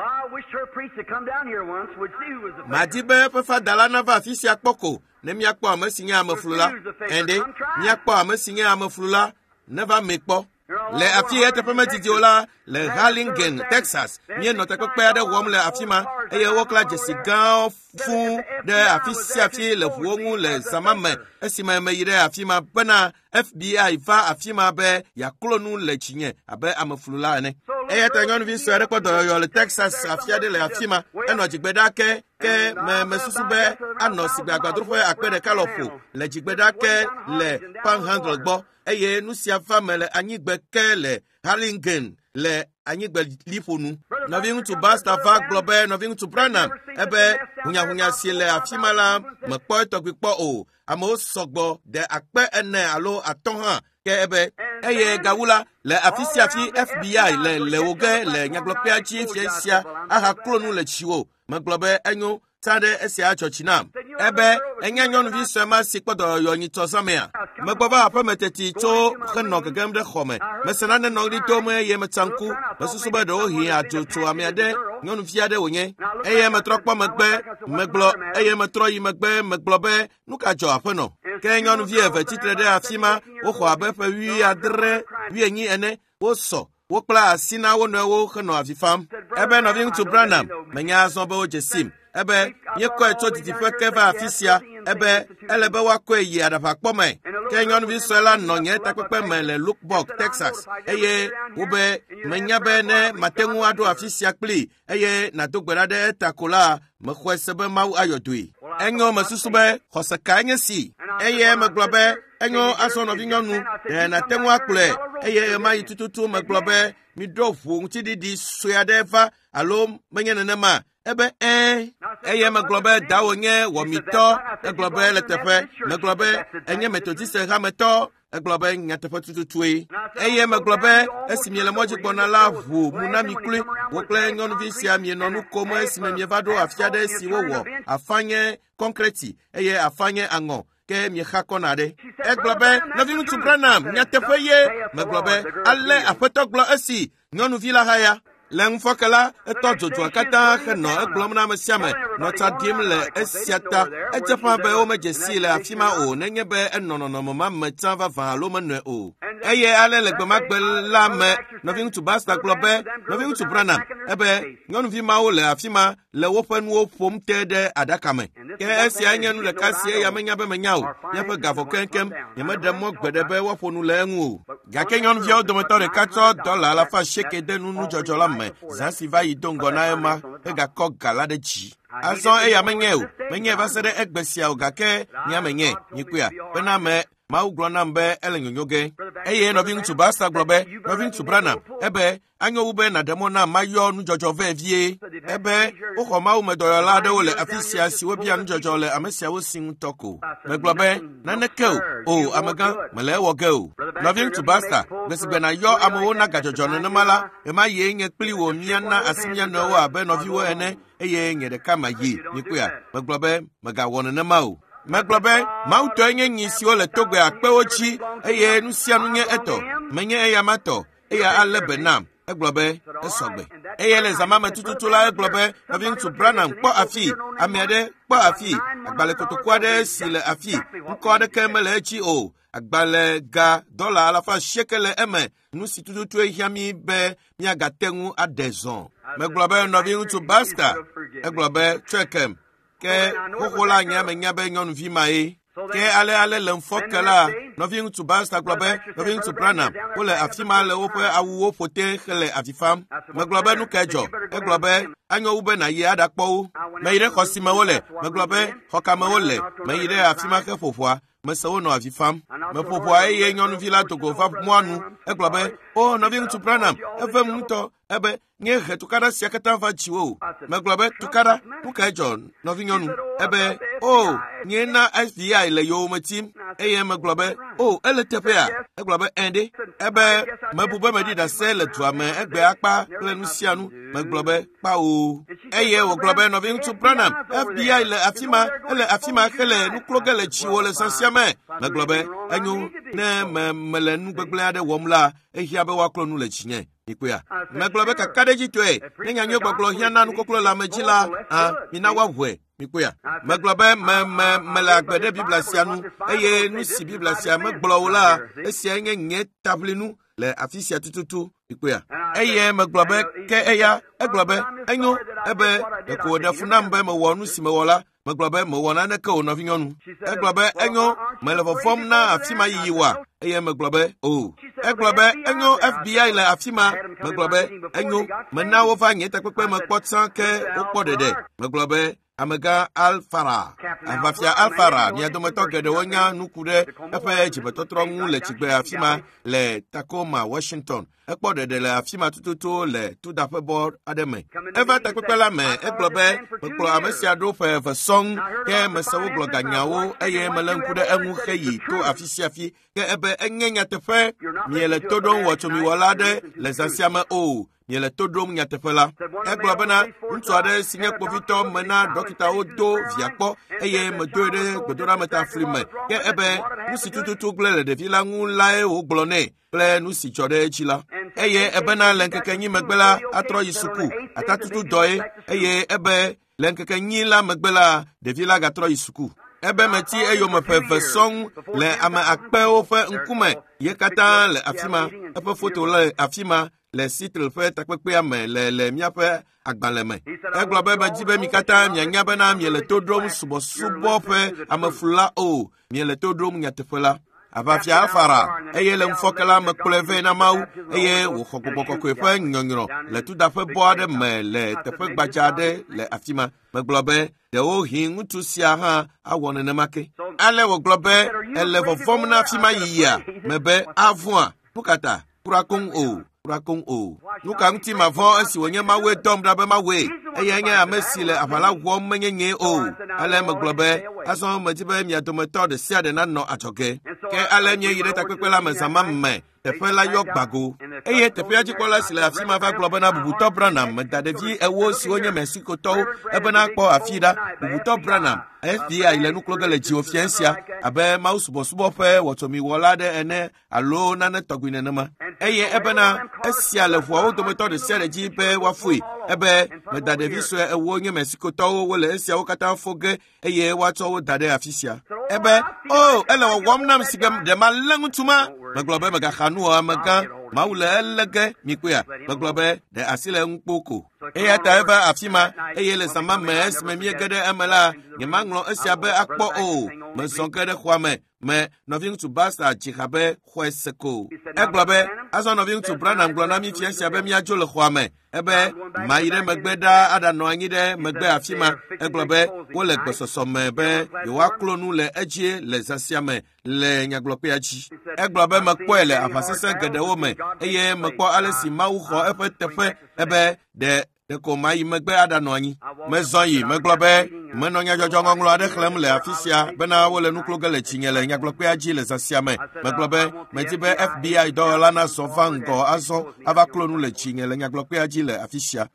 Madi be eƒe fada la nava afi sia kpɔ ko ne míakpɔ ame si nye ameflula. Ɛnde, míakpɔ ame si nye ameflula neva mee kpɔ. Le afi ya teƒe medidi o la, le Harlingen, Texas, míenɔ takpekpe aɖe wɔm le afi ma eye woklã dzesi gãwo fũu ɖe afi sia afi le ʋuwo ŋu le zã ma me esime meyi ɖe afi ma bena FBI va afi ma be yeaklo nu le dzinye abe ameflula ene. Eya ta nyɔnuvi sue aɖe kpɔ dɔyɔyɔ le Texas afi aɖe le afi ma. Enɔ dzigbe ɖa ke ke me mesusu be anɔ sigbe agbadroƒe akpe ɖeka lɔƒo le dzigbe ɖa ke le Panhandle gbɔ eye nu sia va me le anyigbe ke le Harlingen le anyigbe liƒo nu. Nɔviŋutsu Baxter va gblɔ be nɔviŋutsu Branham ebe hunyahunya si le afi ma la mekpɔ etɔgbi kpɔ o. Amewo sɔgbɔ de akpe ene alo atɔ̃ hã ke ebe eye gawu la le afi sia afi FBI le le wo ge le nyagblɔkpea dzi fia sia ahaklo nu le tsiwo. Megblɔ be enyo tsa ɖe esia adzɔ dzi nam. Ebe enye nyɔnuvi sue ma si kpɔ dɔyɔyɔ nyitsɔ zãmea. Megbɔ va aƒeme teti tso henɔ gegem ɖe xɔ me. Mese nane nɔ ɣli dom eye metsa ŋku. Mesusu be ɖewohĩ adzo tso ame aɖe, nyɔnuvi aɖe wònye. Eye metrɔ kpɔ megbe, megblɔ eye metrɔ yi megbe megblɔ be nu ka dzɔ aƒenɔ. Ke nyɔnuvi eve tsitre ɖe afi ma, woxɔ abe ƒe 70, 80 ene. Wosɔ, wokpla asi na wo nɔewo henɔ avi fam. Ebe nɔviŋutsu Branham, menya azɔ be wodze sim. Ebe míekɔe tso didiƒe ke va afi sia. Ebe ele be woakɔe yi aɖaʋakpɔ me. Ke nyɔnuvi sue la nɔ nye takpekpe me le Lubbock, Texas. Eye wobe menya be ne mate ŋu aɖo afi sia kplii eye nàdo gbe ɖa ɖe eta ko la, mexɔe se be Mawu ayɔ dɔe. Enyo mesusu be xɔse kae nye si. Eye megblɔ be enyo azɔ nɔvinyɔnu, ɖe nàte ŋu akplɔe. Eye ɣemaɣi tututu megblɔ be miɖo ʋu ŋutiɖiɖi sue aɖe va alo menye nenema. Ebe ɛ̃. Eye megblɔ be dawò nye wɔmitɔ. Egblɔ be le teƒe. Megblɔ be enye Methodiste hametɔ. Egblɔ be nyateƒe tututue. Eye megblɔ be esi miele mɔdzi gbɔna la ʋu mu na mi kloe. Wò kple nyɔnuvi sia mienɔ nu kom esime mieva ɖo afi aɖe si wowɔ afa nye kɔnkreti eye afa nye aŋɔ ke miexa kɔna ɖe. Egblɔ be nɔviŋutsu Branham nyateƒe ye. Megblɔ be ale aƒetɔ gblɔ esi nyɔnuvi la haya. Le ŋufɔke la, etɔ dzodzua katã henɔ egblɔm na ame sia ame nɔ tsa ɖim le esia ta. Edze ƒã be womedze sii le afi ma o nenye be enɔ nɔnɔme ma me tsã vavã alo menɔe o. Eye ale le gbemagbe la me, nɔviŋutsu Baxter gblɔ be, nɔviŋutsu Branham, ebe nyɔnuvi mawo le afi ma le woƒe nuwo ƒom te ɖe aɖaka me. Ke esia nye nu ɖeka si eya menya be menya o. Míaƒe ga vɔ keŋkeŋ. Nyemeɖe mɔ gbeɖe be woaƒo nu le eŋu o. Gake nyɔnuviawo dometɔ ɖeka tsɔ $80 de nu nudzɔdzɔ la me zã si va yi do ŋgɔ na ema hegakɔ ga la ɖe dzi. Azɔ eya menye o. Menye va se ɖe egbe sia o gake nye menye. Mikpɔea? Bena me Mawu gblɔ nam be ele nyonyo ge. Eye nɔviŋutsu Baxter gblɔ be, nɔviŋutsu Branham, ebe anyo wu be nàɖe mɔ nam mayɔ nudzɔdzɔ vɛ vie. Ebe woxɔ mawumedɔyɔla aɖewo le afi sia siwo bia nudzɔdzɔ le ame siawo si ŋutɔ ko. Megblɔ be, naneke o, o amegã, mele ewɔ ge o. Nɔviŋutsu Baxter, gbe si gbe nàyɔ amewo na gadzɔdzɔ nenema la, ɣemaɣie nye kpli wò míana asi mía nɔewo abe nɔviwo ene eye nye ɖeka mayi. Mikpɔea? Megblɔ be, mègawɔ nenema o. Megblɔ be, Mawu tɔe nye nyi siwo le togbe akpewo dzi eye nu sia nu nye etɔ. Menye eya ma tɔ. Eya alé be nam. Egblɔ be, esɔgbe. Eye le zã ma me tututu la, egblɔ be, nɔviŋutsu Branham, kpɔ afi, ame aɖe, kpɔ afi, agbalẽ kotoku aɖe si le afi, ŋkɔ aɖeke mele edzi o. Agbalẽ ga $800 le eme. Nu si tututue hiã mí be míagate ŋu aɖe zɔ. Megblɔ be, nɔviŋutsu Baxter, egblɔ be, tsɔe kem. Ke xoxo la nye menya be nyɔnuvi ma ye. Ke ale ale le ŋufɔke la, nɔviŋutsu Baxter gblɔ be, nɔviŋutsu Branham, wole afi ma le woƒe awuwo ƒo te hele avi fam. Megblɔ be nu kae dzɔ? Egblɔ be, anyo wu be nàyi aɖakpɔ wo. Meyi ɖe xɔ si me wole. Megblɔ be, xɔ ka me wole? Meyi ɖe afi ma heƒo ʋɔa. Mese wonɔ avi fam. Meƒo ʋɔa eye nyɔnuvi la do go va mɔa nu. Egblɔ be, o nɔviŋutsu Branham, evem ŋutɔ. Ebe, nye he tukaɖa sia katã va dziwò o. Megblɔ be, tukaɖa, nu kae dzɔ, nɔvinyɔnu? Ebe, o, nye na FBI le yowòme tim. Eye megblɔ be, o, ele teƒea? Egblɔ be, ẽ ɖe. Ebe, mebu be meɖi ɖase le dua me egbe akpa kple nu sia nu. Megblɔ be, kpao. Eye wògblɔ be, nɔviŋutsu Branham, FBI le afi ma, ele afi ma hele nu klo ge le dziwò le zã sia me. Megblɔ be, enyo, ne me mele nu gbegblẽ aɖe wɔm la, ehiã be woaklo nu le dzinye. Mikpɔea? Megblɔ be kakaɖedzitɔe, ne nyanyuigbɔgblɔ hiã na nukoklo le ame dzi la, hã, mina woaʋɔe. Mikpɔea? Megblɔ be me me mele agbe ɖe Biblia sia nu eye nu si Biblia sia megblɔ o la, esiae nye nye taʋlinu le afi sia tututu. Mikpɔea? Eye megblɔ be ke eya, egblɔ be enyo, ebe ɖeko wòɖe fu nam be mewɔ nu si mewɔ la. Megblɔ be mewɔ naneke o nɔvinyɔnu. Egblɔ be enyo, mele vɔvɔ̃m na afi ma yiyi oa? Eye megblɔ be o. Egblɔ be enyo, FBI le afi ma. Megblɔ be enyo, mena wova nye takpekpe me kpɔ tsã ke wokpɔ ɖeɖe. Megblɔ be amegã Alfara, aʋafia Alfara, mia dometɔ geɖewo nya nu ku ɖe eƒe dzimetɔtrɔ ŋu le tsigbe afi ma le Tacoma, Washington. Ekpɔ ɖeɖe le afi ma tututu le tudaƒebɔ aɖe me. Eva takpekpe la me, egblɔ be, mekplɔ ame sia ɖo ƒe eve sɔŋ, ke mese wogblɔ ganyawo eye melé ŋku ɖe eŋu heyi to afi sia afi. Ke ebe enye nyateƒe, miele to ɖom wɔtsomiwɔla aɖe le zã sia me o. Miele to ɖom nyateƒe la. Egblɔ bena, ŋutsu aɖe si nye kpovitɔ mena dɔkitawo do via kpɔ eye medoe ɖe gbedoɖametafli me. Ke ebe nu si tututu gblẽ le ɖevi la ŋu lae wògblɔ nɛ kple nu si dzɔ ɖe edzi la. Eye ebena le ŋkeke enyi megbe la, atrɔ yi suku, atatutu dɔe eye ebe le ŋkeke enyi la megbe la, ɖevi la gatrɔ yi suku. Ebe meti eyome ƒe eve sɔŋ le ame akpewo ƒe ŋkume ye katã le afi ma. Eƒe foto le afi ma le Seattle ƒe takpekpea me le le míaƒe agbalẽ me. Egblɔ be medi be mi katã mianya bena miele to ɖom subɔsubɔ ƒe ameflula o, miele to ɖom nyateƒe la. Aʋafia Alfara eye le ŋufɔke la mekplɔe vɛ na Mawu eye wòxɔ gbɔgbɔ kɔkɔe ƒe nyɔnyrɔ le tudaƒebɔ aɖe me le teƒe gbadza aɖe le afi ma. Megblɔ be ɖewohĩ ŋutsu sia hã awɔ nenema ke. Ale wògblɔ be ele vɔvɔ̃m na afi ma yiyia? Mebe avɔ̃a? Nu ka ta? Kura koŋ o. Kura koŋ o. Nu ka ŋuti mavɔ̃ esi wònye Mawue dɔm ɖa be mawɔe? Eyae nye ame si le aʋa la wɔm menye nyee o. Ale megblɔ be, azɔ medi be mia dometɔ ɖe sia ɖe nanɔ adzɔge. Ke ale míeyi ɖe takpekpe la me zã ma me. Teƒe la yɔ gbago. Eye teƒea dzikpɔla si le afi ma va gblɔ bena Bubutɔ Branham meda ɖevi 4 siwo nye Mexicotɔwo ebena kpɔ afi ɖa. Bubutɔ Branham, FBI le nu klo ge le dziwò fia sia abe Mawu subɔsubɔ ƒe wɔtsomiwɔla aɖe ene alo nane tɔgbi nenema. Eye ebena esia le ʋuawo dometɔ ɖe sia ɖe dzi be woafoe. Ebe meda ɖevi sue 4 nye Mexicotɔwo wole esiawo katã fo ge eye woatsɔ wo da ɖe afi sia. Ebe, o, ele wɔwɔm nam si ke ɖe malé ŋutsu ma. Megblɔ be megaxa nu o amegã, Mawu le elé ge, mikpɔea. Megblɔ be ɖe asi le eŋu kpo ko. Eya ta eva afi ma, eye le zã ma me esime míege ɖe eme la, nyemaŋlɔ esia be akpɔ o. Mezɔ ge ɖe xɔa me, me nɔviŋutsu Baxter dzi ha be xɔe se ko. Egblɔ be, azɔ nɔviŋutsu Branham gblɔ na mí fia sia be míadzo le xɔa me. Ebe, mayi ɖe megbe ɖaa aɖanɔ anyi ɖe megbe afi ma. Egblɔ be, wole gbesɔsɔ me be yewoaklo nu le edzie le zã sia me le nyagblɔkpea dzi. Egblɔ be mekpɔe le aʋa sesẽ geɖewo me eye mekpɔ ale si Mawu xɔ eƒe teƒe. Ebe, ɖe ɖeko mayi megbe aɖanɔ anyi. Mezɔ yi, megblɔ be, menɔ nyadzɔdzɔ ŋɔŋlɔ aɖe xlẽm le afi sia bena wole nu klo ge le dzinye le nyagblɔkpea dzi le zã sia me. Megblɔ be, medi be FBI dɔwɔla nazɔ va ŋgɔ azɔ ava klo nu le dzinye le nyagblɔkpea dzi le afi sia.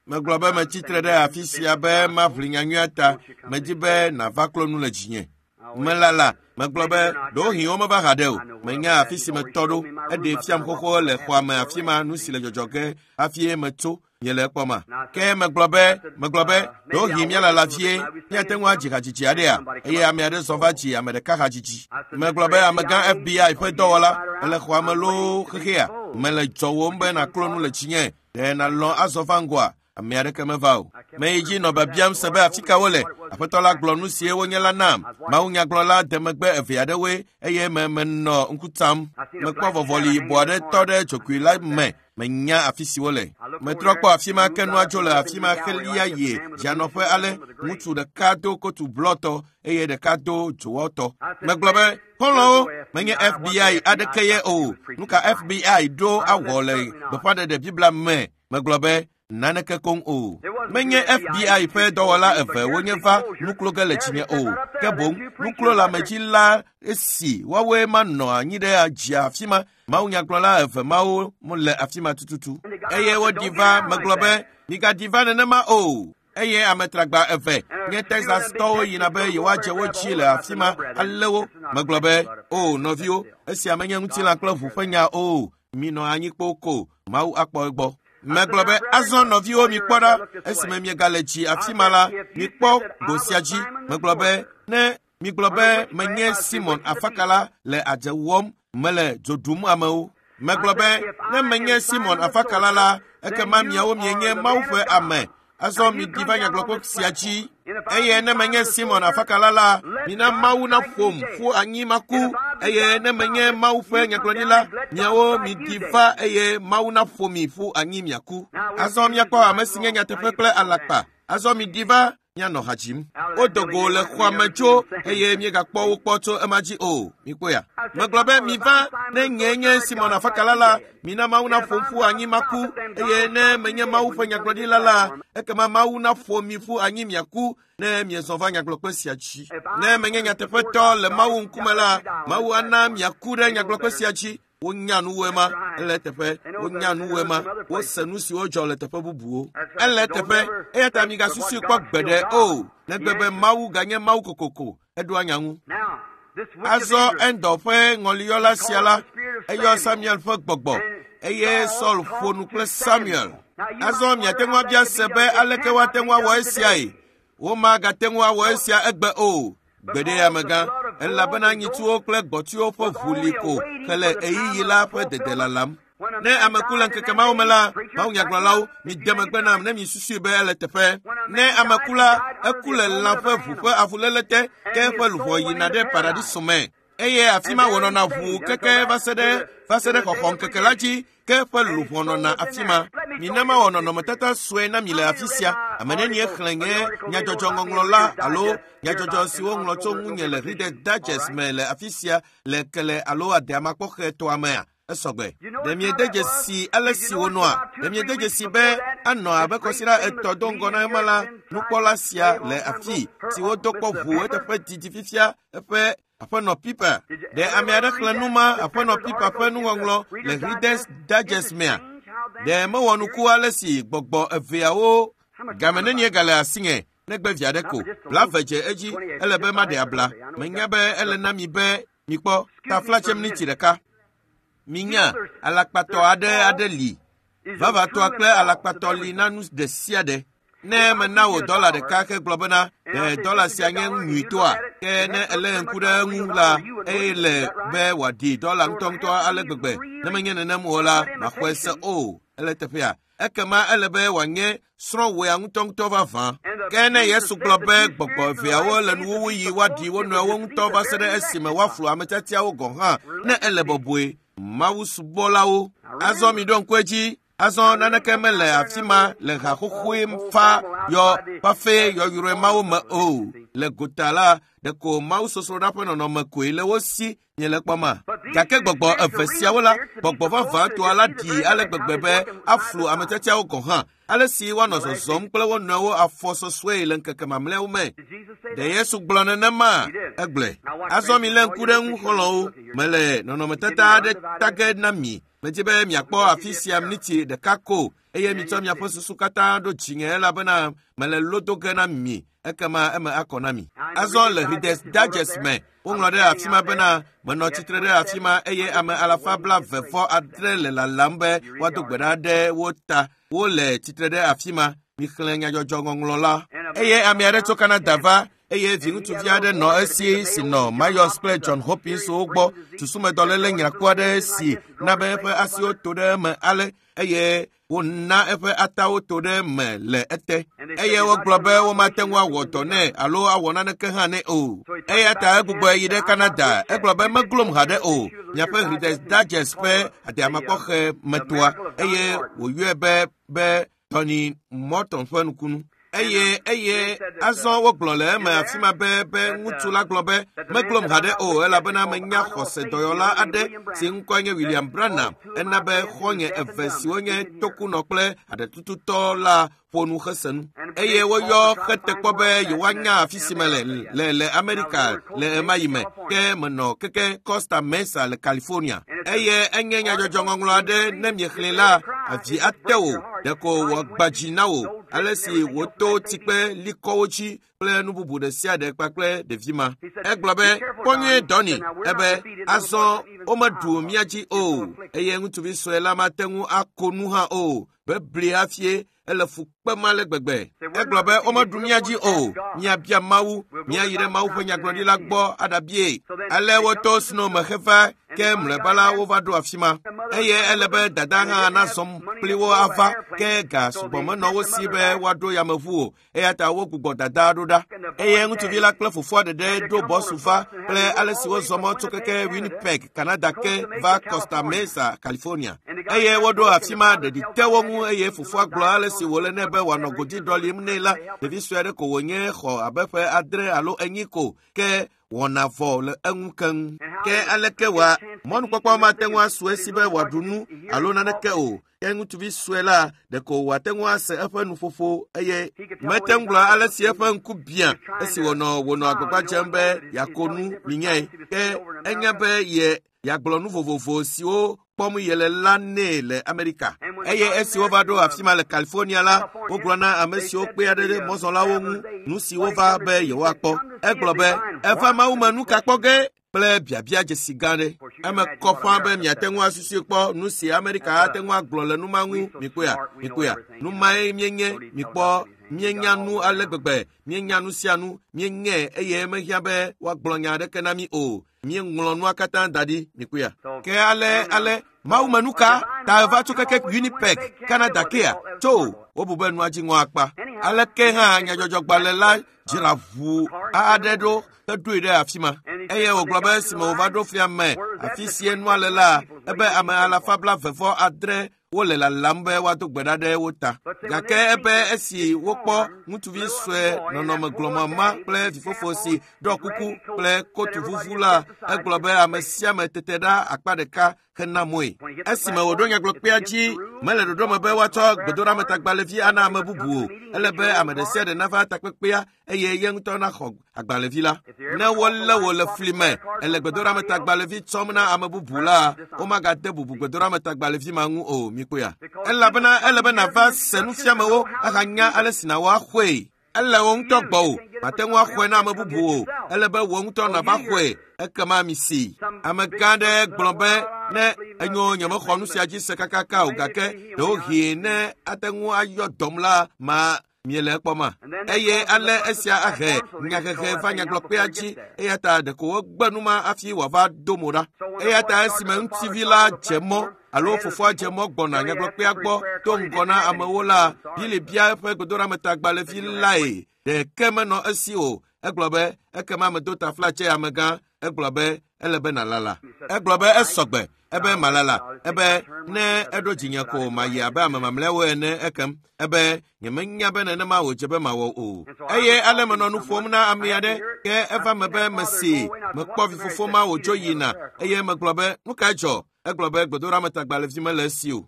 Megblɔ be metsitre ɖe afi sia be maʋli nyanyuia ta. Medi be nàva klo nu le dzinye. Melala, megblɔ be ɖewohĩ womeva haɖe o. Menya afi si metɔ ɖo. Eɖee fiam xoxo le xɔa me afi ma nu si le dzɔdzɔ ge hafi metso. Nye le ekpɔma. Ke megblɔ be, ɖewohĩ míalala vie, míate ŋu adzi hadzidzi aɖea? Eye ame aɖe zɔ va dzi ame ɖeka hadzidzi. Megblɔ be amegã FBI ƒe dɔwɔla, ele xɔa me loo xexea. Mele dzɔwòm be nàklo nu le dzinye. Ɖe nàlɔ̃ azɔ va ŋgɔa? Ame aɖeke meva o. Meyi dzi nɔ biabiam se be afi ka wole. Aƒetɔ la gblɔ nu sie wonye la nam. Mawunyagblɔla de megbe eve aɖewoe eye me menɔ ŋku tam. Mekpɔ vɔvɔli yibɔ aɖe tɔ ɖe dzokui la me. Menya afi si wole. Metrɔ kpɔ afi ma ke nua dzo le afi ma xelia yie dzianɔƒe ale. Ŋutsu ɖeka do kotu blɔtɔ eye ɖeka do dzowɔtɔ. Megblɔ be, xɔlɔ̃wo, menye FBI aɖeke ye o. Nu ka FBI ɖo awɔ le gbeƒãɖeɖe Biblia me? Megblɔ be, naneke koŋ o. Menye FBI ƒe dɔwɔla eve wonye va nuklo ge le dzinye o. Ke boŋ nuklolamedzi la esi woawoe manɔ anyi ɖe dzia afi ma. Mawunyagblɔla eve mawo le afi ma tututu. Eye woɖi va, megblɔ be, migaɖi va nenema o. Eye ame tragba eve nye Texastɔwo yina be yewoadze wo dzi le afi ma alé wo. Megblɔ be, o nɔviwo, esia menye ŋutilã kple ʋu ƒe nya o. Minɔ anyi kpoo ko, Mawu akpɔ egbɔ. Megblɔ be, azɔ nɔviwo mikpɔ ɖa, esime miegale dzi afi ma la, mikpɔ go sia dzi. Megblɔ be, ne migblɔ be menye Simon afakala le adze wɔm, mele dzo ɖum amewo. Megblɔ be, ne menye Simon afakala la, ekema miawo mienye Mawu ƒe ame. Azɔ miɖi va nyagblɔkpe sia dzi. Eye ne menye Simon afakala la, mina Mawu naƒom ƒu anyi maku. Eye ne menye Mawu ƒe nyagblɔɖila, miawo miɖi va eye Mawu naƒo mi ƒu anyi miaku. Azɔ miakpɔ ame si nye nyateƒe kple alakpa. Azɔ miɖi va mianɔ ha dzim. Wodo go le xɔa me tso eye miegakpɔ wo kpɔ tso ema dzi o. Mikpɔea? Megblɔ be miva ne nye nye Simon afakala la, mina Mawu naƒom ƒu anyi maku. Eye ne menye Mawu ƒe nyagblɔɖila la, ekema Mawu naƒo mi ƒu anyi miaku ne miezɔ va nyagblɔkpe sia dzi. Ne menye nyateƒetɔ le Mawu ŋkume la, Mawu ana miaku ɖe nyagblɔkpe sia dzi. Wonya nuwoe ma, ele teƒe. Wonya nuwoe ma, wose nu siwo dzɔ le teƒe bubuwo. Ele teƒe, eya ta migasusui kpɔ gbeɖe o, negbe be Mawu ganye Mawu kokoko, eɖoa nya ŋu. Azɔ Endor ƒe ŋɔliyɔla sia la, eyɔ Samuel ƒe gbɔgbɔ, eye Saul ƒo nu kple Samuel. Azɔ miate ŋu abia se be aleke woate ŋu awɔ esiae. Womagate ŋu awɔ esia egbe o. Gbeɖe amegã, elabena nyitsuwo kple gbɔtiwo ƒe ʋu li ko hele ɣeyiɣi la ƒe dede lalam. Ne ame ku le ŋkeke mawo me la, mawunyagblɔlawo, mide megbe nam ne misusui be ele teƒe. Ne ame ku la, eku le lã ƒe ʋu ƒe avuléle te, ke eƒe luʋɔ yina ɖe paradiso me. Eye afi ma wònɔna ʋuu keke va se ɖe xɔxɔ ŋkeke la dzi, ke eƒe luʋɔ nɔna afi ma. Mina mawɔ nɔnɔmetata sue na mi le afi sia. Ame nenie xlẽ nye nyadzɔdzɔ ŋɔŋlɔ la alo nyadzɔdzɔ si woŋlɔ tso ŋunye le Reader's Digest me le afi sia le kele alo adeamakpɔxetɔa mea? Esɔgbe. Ɖe miede dzesi ale si wonɔa? Ɖe miede dzesi be Anɔ abe kɔsiɖa 3 do ŋgɔ na ema la, nukpɔla sia le afi si wodo kpɔ ʋu eteƒe didi fifia eƒe Aƒenɔ Piper. Ɖe ame aɖe xlẽ nu ma Aƒenɔ Piper ƒe nuŋɔŋlɔ le Reader's Digest mea? Ɖe mewɔ nuku ale si gbɔgbɔ eveawo game nenie gale asinye negbe vi aɖe ko. 20 dze edzi ele be maɖe abla. Menya be ele na mi be mikpɔ taflatse miniti ɖeka. Minya alakpatɔ aɖe li. Vavatɔa kple alakpatɔ li na nu ɖe sia ɖe. Ne mena wò dɔla ɖeka hegblɔ bena ɖe dɔla sia nye nyuitɔa, ke ne elé ŋku ɖe eŋu la, eye le be wòaɖi dɔla ŋutɔŋutɔ ale gbegbe. Ne menye nenem o la, maxɔe se o. Ele teƒea. Ekema ele be wòanye srɔ̃wòea ŋutɔŋutɔ vavã. Ke ne Yesu gblɔ be gbɔgbɔ eveawo le nuwuwu yi woaɖi wo nɔewo ŋutɔ va se ɖe esime woaflu ame tiatiawo gɔ̃ hã, ne ele bɔbɔe. Mawu subɔlawo. Azɔ miɖo ŋku edzi. Azɔ naneke mele afi ma le ha xoxoe fa yɔ fafe yɔyrɔe mawo me o. Le gota la, ɖeko Mawu sosroɖa ƒe nɔnɔme koe le wo si miele kpɔma. Gake gbɔgbɔ eve siawo la, gbɔgbɔ vavãtɔa la ɖi ale gbegbe be aflu ame tiatiawo gɔ̃ hã. Ale si woanɔ zɔzɔm kple wo nɔewo afɔ sɔsɔe le ŋkeke mamlɛawo me. Ɖe Yesu gblɔ nenema? Egblɔe. Azɔ milé ŋku ɖe ŋu xɔlɔ̃wo. Mele nɔnɔmetata aɖe ta ge na mi. Medzi be miakpɔ afi sia miniti ɖeka ko eye mitsɔ miaƒe susu katã ɖo dzinye elabena mele lo do ge na mi ekema eme akɔ na mi. Azɔ le Reader's Digest me, woŋlɔ ɖe afi ma bena menɔ tsitre ɖe afi ma eye ame alafa 29 le lalam be woado gbe ɖa ɖe wo ta. Wole tsitre ɖe afi ma. Mixlẽ nyadzɔdzɔ ŋɔŋlɔ la. Eye ame aɖe tso Canada va eye viŋutsuvi aɖe nɔ esi si nɔ Myers kple John Hopkins wo gbɔ. Susumedɔléle nyrakpo aɖe si na be eƒe asiwo to ɖe eme ale eye wona eƒe atawo to ɖe eme le ete. Eye wogblɔ be womate ŋu awɔ dɔ nɛ alo awɔ naneke hã nɛ o. Eya ta egbugbɔe yi ɖe Canada. Egblɔ be meglom haɖe o. Miaƒe Reader's Digest ƒe adeamakpɔxe metoa eye wòyɔe be Tony Morton ƒe nukunu. Eye azɔ wogblɔ le eme afi ma be ŋutsu la gblɔ be meglom haɖe o elabena menya xɔse dɔyɔla aɖe si ŋkɔe nye William Branham. Ena be xɔ̃nye eve siwo nye tokunɔ kple aɖetututɔ la ƒo nu hese nu. Eye woyɔ xetekpɔ be yewoanya afi si mele le Amerika le ɣemaɣi me. Ke menɔ keke Costa Mesa le California. Eye enye nyadzɔdzɔ ŋɔŋlɔ aɖe ne miexlẽe la, avi ate wò, ɖeko wòagbã dzi na wò ale si wòto tsikpe likɔwo dzi kple nu bubu ɖe sia ɖe kpakple ɖevi ma. Egblɔ be, kpɔ nyuie Dɔni, ebe azɔ womeɖu mía dzi o eye ŋutsuvi sue la mate ŋu ako nu hã o. Bebli hafie ele fu kpem ale gbegbe. Egblɔ be womeɖu mía dzi o. Míabia Mawu, míayi ɖe Mawu ƒe nyagblɔɖila gbɔ aɖabie. Ale woto snow me heva ke mlɔeba la wova ɖo afi ma. Eye ele be dada hã nazɔ kpli wo ava ke ga sugbɔ menɔ wo si be woaɖo yameʋu o. Eya ta wogbugbɔ dada ɖo ɖa. Eye ŋutsuvi la kple fofoa ɖeɖe ɖo bɔsu va kple ale si wozɔ mɔ tso keke Winnipeg, Canada ke va Costa Mesa, California. Eye woɖo afi ma ɖeɖi te wo ŋu eye fofoa gblɔ ale si wòle nɛ be wòanɔ godi ɖɔlim nɛ la, ɖevi sue aɖe ko wònye xɔ abe ƒe 6 alo 4 ko ke wɔna vɔ le eŋu keŋ. Ke aleke wòa mɔnukpɔkpɔ mate ŋu asu esi be wòaɖu nu alo naneke o. Ke ŋutsuvi sue la ɖeko wòate ŋu ase eƒe nuƒoƒo eye mete ŋu gblɔ ale si eƒe ŋku biã esi wònɔ agbagba dzem be yeako nu minyae. Ke enya be yeagblɔ nu vovovo siwo kpɔm yele la nɛ le Amerika. Eye esi wova ɖo afi ma le California la, wogblɔ na ame siwo kpea ɖe mɔzɔlawo ŋu nu si wova be yewoakpɔ. Egblɔ be eva Mawu me nu ka kpɔ ge kple biabia dzesi gã ɖe. Eme kɔ ƒã be miate ŋu asusui kpɔ nu si Amerika ate ŋu agblɔ le nu ma ŋu. Mikpɔea, nu mae míenye. Mikpɔ, míenya nu ale gbegbe, míenya nu sia nu, míeŋe eye mehiã be woagblɔ nya aɖeke na mí o. Míeŋlɔ nua katã da ɖi. Mikpɔea. Ke ale Mawu me nu ka ta eva tso keke Winnipeg, Canada kea? Tso wobu be nua dzi ŋɔ akpa. Aleke hã nyadzɔdzɔgbalẽ la dzra ʋu aɖe ɖo heɖoe ɖe afi ma. Eye wògblɔ be esime wòva ɖo flia me afi sie nua le la, ebe ame alafa 29 Wole lalam be woado gbe ɖa ɖe wo ta. Gake ebe esi wokpɔ ŋutsuvi sue nɔnɔme glɔmɔ ma kple vifofo si ɖɔ kuku kple kotu vuvu la, egblɔ be ame sia ame tete ɖa akpa ɖeka hena moe. Esime wòɖo nyagblɔkpea dzi, mele ɖoɖo me be woatsɔ gbedoɖametagbalẽvi ana ame bubu o. Ele be ame ɖe sia ɖe nava takpekpea eye ye ŋutɔ naxɔ agbalẽvi la. Ne wolé wò le fli me, ele gbedoɖametagbalẽvi tsɔm na ame bubu la, womagade bubu gbedoɖametagbalẽvi ma ŋu o, mikpɔea. Elabena ele be nàva se nufiamewo ahanya ale si nàwɔ axɔe. Ele wò ŋutɔ gbɔwò, màte ŋu axɔe na ame bubu o. Ele be wò ŋutɔ nàva xɔe, ekema misi. Amegã aɖe gblɔ be ne enyo nyemexɔ nu sia dzi se kakaka o gake ɖewohĩ ne ate ŋu ayɔ dɔm la ma miele ekpɔma. Eye ale esia ahe nyahehe va nyagblɔkpea dzi eya ta ɖeko wogbe nu ma hafi wòava do mo ɖa. Eya ta esime ŋutsuvi la dze mɔ alo fofoa dze mɔ gbɔna nyagblɔkpea gbɔ do ŋgɔ na amewo la, Bili bia eƒe gbedoɖametagbalẽvi lae. Ɖeke menɔ esi o. Egblɔ be ekema medo taflatse amegã. Egblɔ be ele be nàlala. Egblɔ be esɔgbe. Ebe malala. Ebe ne eɖo dzinye ko mayi abe ame mamlɛawo ene ekem. Ebe nyemenya be nenema wòdze be mawɔ o. Eye ale menɔ nu ƒom na ame aɖe ke eva me be mesi mekpɔ vifofo ma wòdzo yina eye megblɔ be nu kae dzɔ? Egblɔ be gbedoɖametagbalẽvi mele esi o.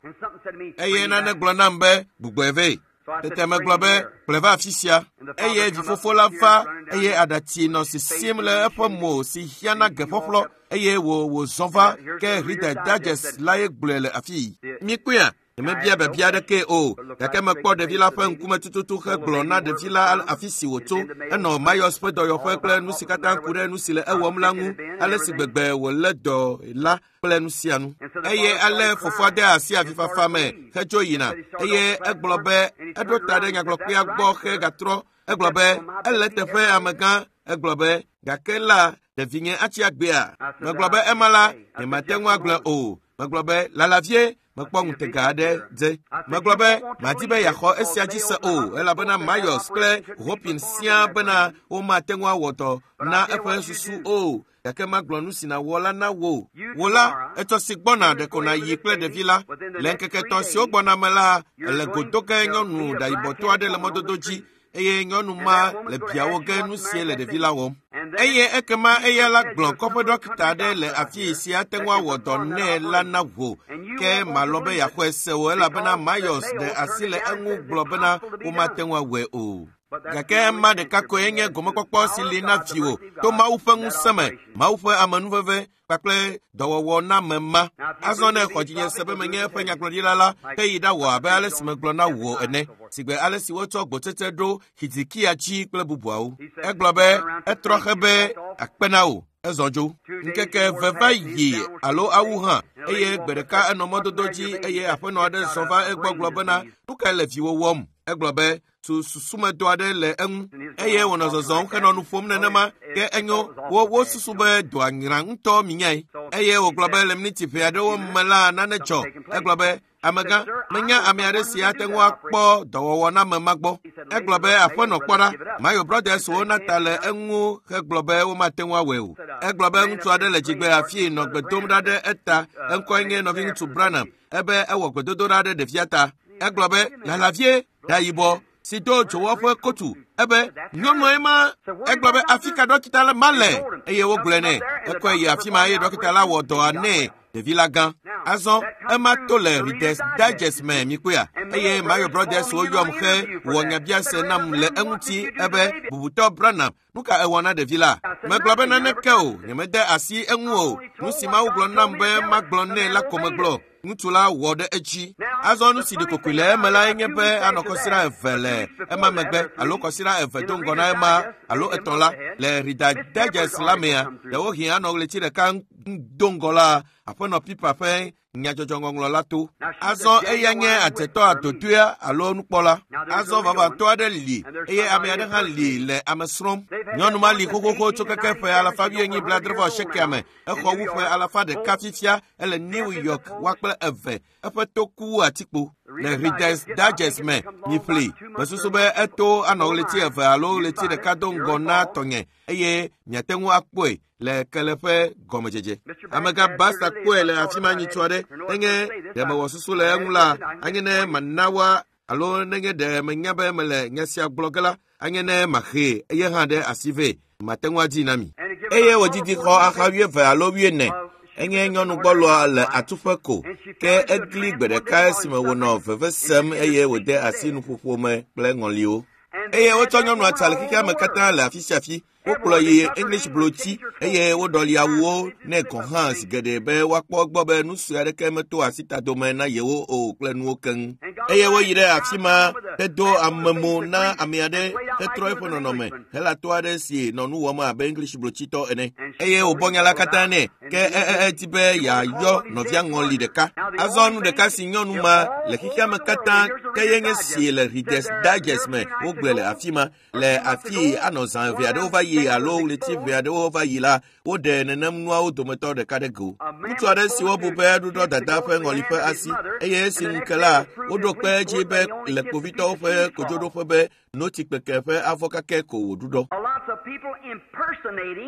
Eye nane gblɔ nam be gbugbɔe vɛ. Tete megblɔ be kplɔe va afi sia. Eye vifofo la va eye aɖatsi nɔ sisim le eƒe mo si hiã na geƒɔƒlɔ eye wò wòzɔ va ke Reader Digest lae gblɔe le afii. Mikpɔea? Nyemebia biabia aɖekee o, gake mekpɔ ɖevi la ƒe ŋkume tututu hegblɔ na ɖevi la afi si wòtso. Enɔ Mayos ƒe dɔyɔƒe kple nu si katã ku ɖe nu si le ewɔm la ŋu, ale si gbegbe wòlé dɔ la kple nu sia nu. Eye ale fofoa de asi avifafa me hedzo yina eye egblɔ be eɖo ta ɖe nyagblɔkpea gbɔ hegatrɔ. Egblɔ be ele teƒe amegã. Egblɔ be gake la ɖevinye atsi agbea. Megblɔ be ema la nyemate ŋu agblɔe o. Megblɔ be lala vie mekpɔ ŋutega aɖe dze. Megblɔ be madi be yeaxɔ esia dzi se o elabena Mayos kple Hopin siaa bena womate ŋu awɔ dɔ na eƒe susu o. Gake magblɔ nu si nàwɔ la na wò. Wò la, etsɔ si gbɔna ɖeko nàyi kple ɖevi la. Le ŋkeke etɔ̃ siwo gbɔna me la, èle go do ge nyɔnu ɖayibɔtɔ aɖe le mɔdodo dzi eye nyɔnu ma le biawo ge nu sie le ɖevi la wɔm. Eye ekema eya la gblɔ kɔƒe ɖɔkita aɖe le afii si ate ŋu awɔ dɔ nɛ la na wò. Ke malɔ̃ be yeaxɔe se o elabena Mayos ɖe asi le eŋu gblɔ bena womate ŋu awɔe o. Gake ema ɖeka koe nye gomekpɔkpɔ si li na viwò to Mawu ƒe ŋusẽ me, Mawu ƒe amenuveve kpakple dɔwɔwɔ na ame ma. Azɔ ne exɔ dzinye se be menye eƒe nyagblɔɖila la, ke yi ɖawɔ abe ale si megblɔ na wò ene, sigbe ale si wotsɔ gbotsetse ɖo Hizikia dzi kple bubuawo. Egblɔ be etrɔ xe be akpe na wò. Ezɔ dzo. Ŋkeke eve va yi alo awu hã eye gbe ɖeka enɔ mɔdodo dzi eye aƒenɔ aɖe zɔ va egbɔ gblɔ bena nu kae le viwò wɔm? Egblɔ be susumedɔ aɖe le eŋu eye wònɔ zɔzɔm henɔ nu ƒom nenema ke enyo wo wosusu be dɔa nyra ŋutɔ minyae eye wògblɔ be le miniti ʋɛ aɖewo me la nane dzɔ. Egblɔ be amegã menya ame aɖe si ate ŋu akpɔ dɔwɔwɔ na ame ma gbɔ. Egblɔ be aƒenɔ kpɔ ɖa, Mayo Brothers wo na ta le eŋu hegblɔ be womate ŋu awɔe o. Egblɔ be ŋutsu aɖe le dzigbe afii nɔ gbe dom ɖa ɖe eta, eŋkɔe nye nɔviŋutsu Branham. Ebe ewɔ gbedodoɖa ɖe ɖevia ta. Egblɔ be lala vie ɖa yibɔ si do dzowɔ ƒe kotu. Ebe nyɔnue ma. Egblɔ be afi ka ɖɔkita la ma le eye wogblɔe nɛ. Ekɔe yi afi ma eye ɖɔkita la wɔ dɔa nɛ ɖevi la gã. Azɔ ema to le Reader's Digest me mikpɔea eye Mayo Brothers woyɔm he wɔ nyabiase nam le eŋuti ebe bubutɔ Branham nu ka ewɔ na ɖevi la? Megblɔ be naneke o, nyemede asi eŋu o. Nu si Mawu gblɔ nam be magblɔ nɛ la ko megblɔ. Ŋutsu la wɔ ɖe edzi. Azɔ nu si ɖi kokoe le eme lae nye be anɔ kɔsiɖa eve le ema megbe alo kɔsiɖa eve do ŋgɔ na ema alo etɔ̃ la le Reader's Digest la mea, ɖewohĩ anɔ ɣleti ɖeka do ŋgɔ la aƒenɔ Pipa ƒe nyadzɔdzɔŋɔŋlɔ la to. Azɔ eya nye adzetɔ adodoea alo nukpɔla. Azɔ vavãtɔ aɖe li eye ame aɖe hã li le ame srɔ̃m. Nyɔnu ma li xoxoxo tso keke ƒe alafa wuienyi blaadre-vɔ-asiekea me. Exɔ wu ƒe alafa ɖeka fifia ele New York woa kple eve. Eƒe to ku wu atikpo. Le Reader's Digest me miƒli. Mesusu be eto anɔ ɣleti eve alo ɣleti ɖeka do ŋgɔ na tɔnye eye miate ŋu akpɔe le kele ƒe gɔmedzedze. Amegã Basta kpɔe le afi ma nyitsɔ aɖe. Nenye ɖe mewɔ susu le eŋu la, anye ne mana woa alo nenye ɖe menya be mele nya sia gblɔ ge la, anye ne maxee eye hã ɖe asi vɛ. Mate ŋu adi na mi. Eye wòdidi xɔ axa 20 alo 40. Enye nyɔnu gbɔlɔa le atuƒe ko, ke egli gbe ɖeka esime wònɔ veve sem eye wòde asi nuƒoƒo me kple ŋɔliwo. Eye wotsɔ nyɔnua tsa le xexea me katã le afi sia afi. Wokplɔ yi English blotsi eye woɖɔli awuwo nɛ gɔ̃ hã zi geɖe be woakpɔ egbɔ be nu sue aɖeke meto asitadome na yewo o kple nuwo keŋ. Eye woyi ɖe afi ma hedo amemo na ame aɖe hetrɔ eƒe nɔnɔme helatɔ aɖe si nɔ nu wɔm abe English blotsitɔ ene. Eye wòbɔ nya la katã nɛ ke edi be yeayɔ nɔvia ŋɔli ɖeka. Azɔ nu ɖeka si nyɔnu ma le xexea me katã ke ye nye si le Reader's Digest me wogblɔe le afi ma. Le afi anɔ zã eve aɖewo va yi alo ɣleti eve aɖewo va yi la, woɖe nenem nuawo dometɔ ɖeka ɖe go. Ŋutsu aɖe si wobu be eɖuɖɔ dada ƒe ŋɔli ƒe asi eye esi ŋu ke la, woɖo kpe edzi be le kpovitɔwo ƒe kodzoɖoƒe be notsi kpeke ƒe avɔ kakɛ ko wòɖuɖɔ.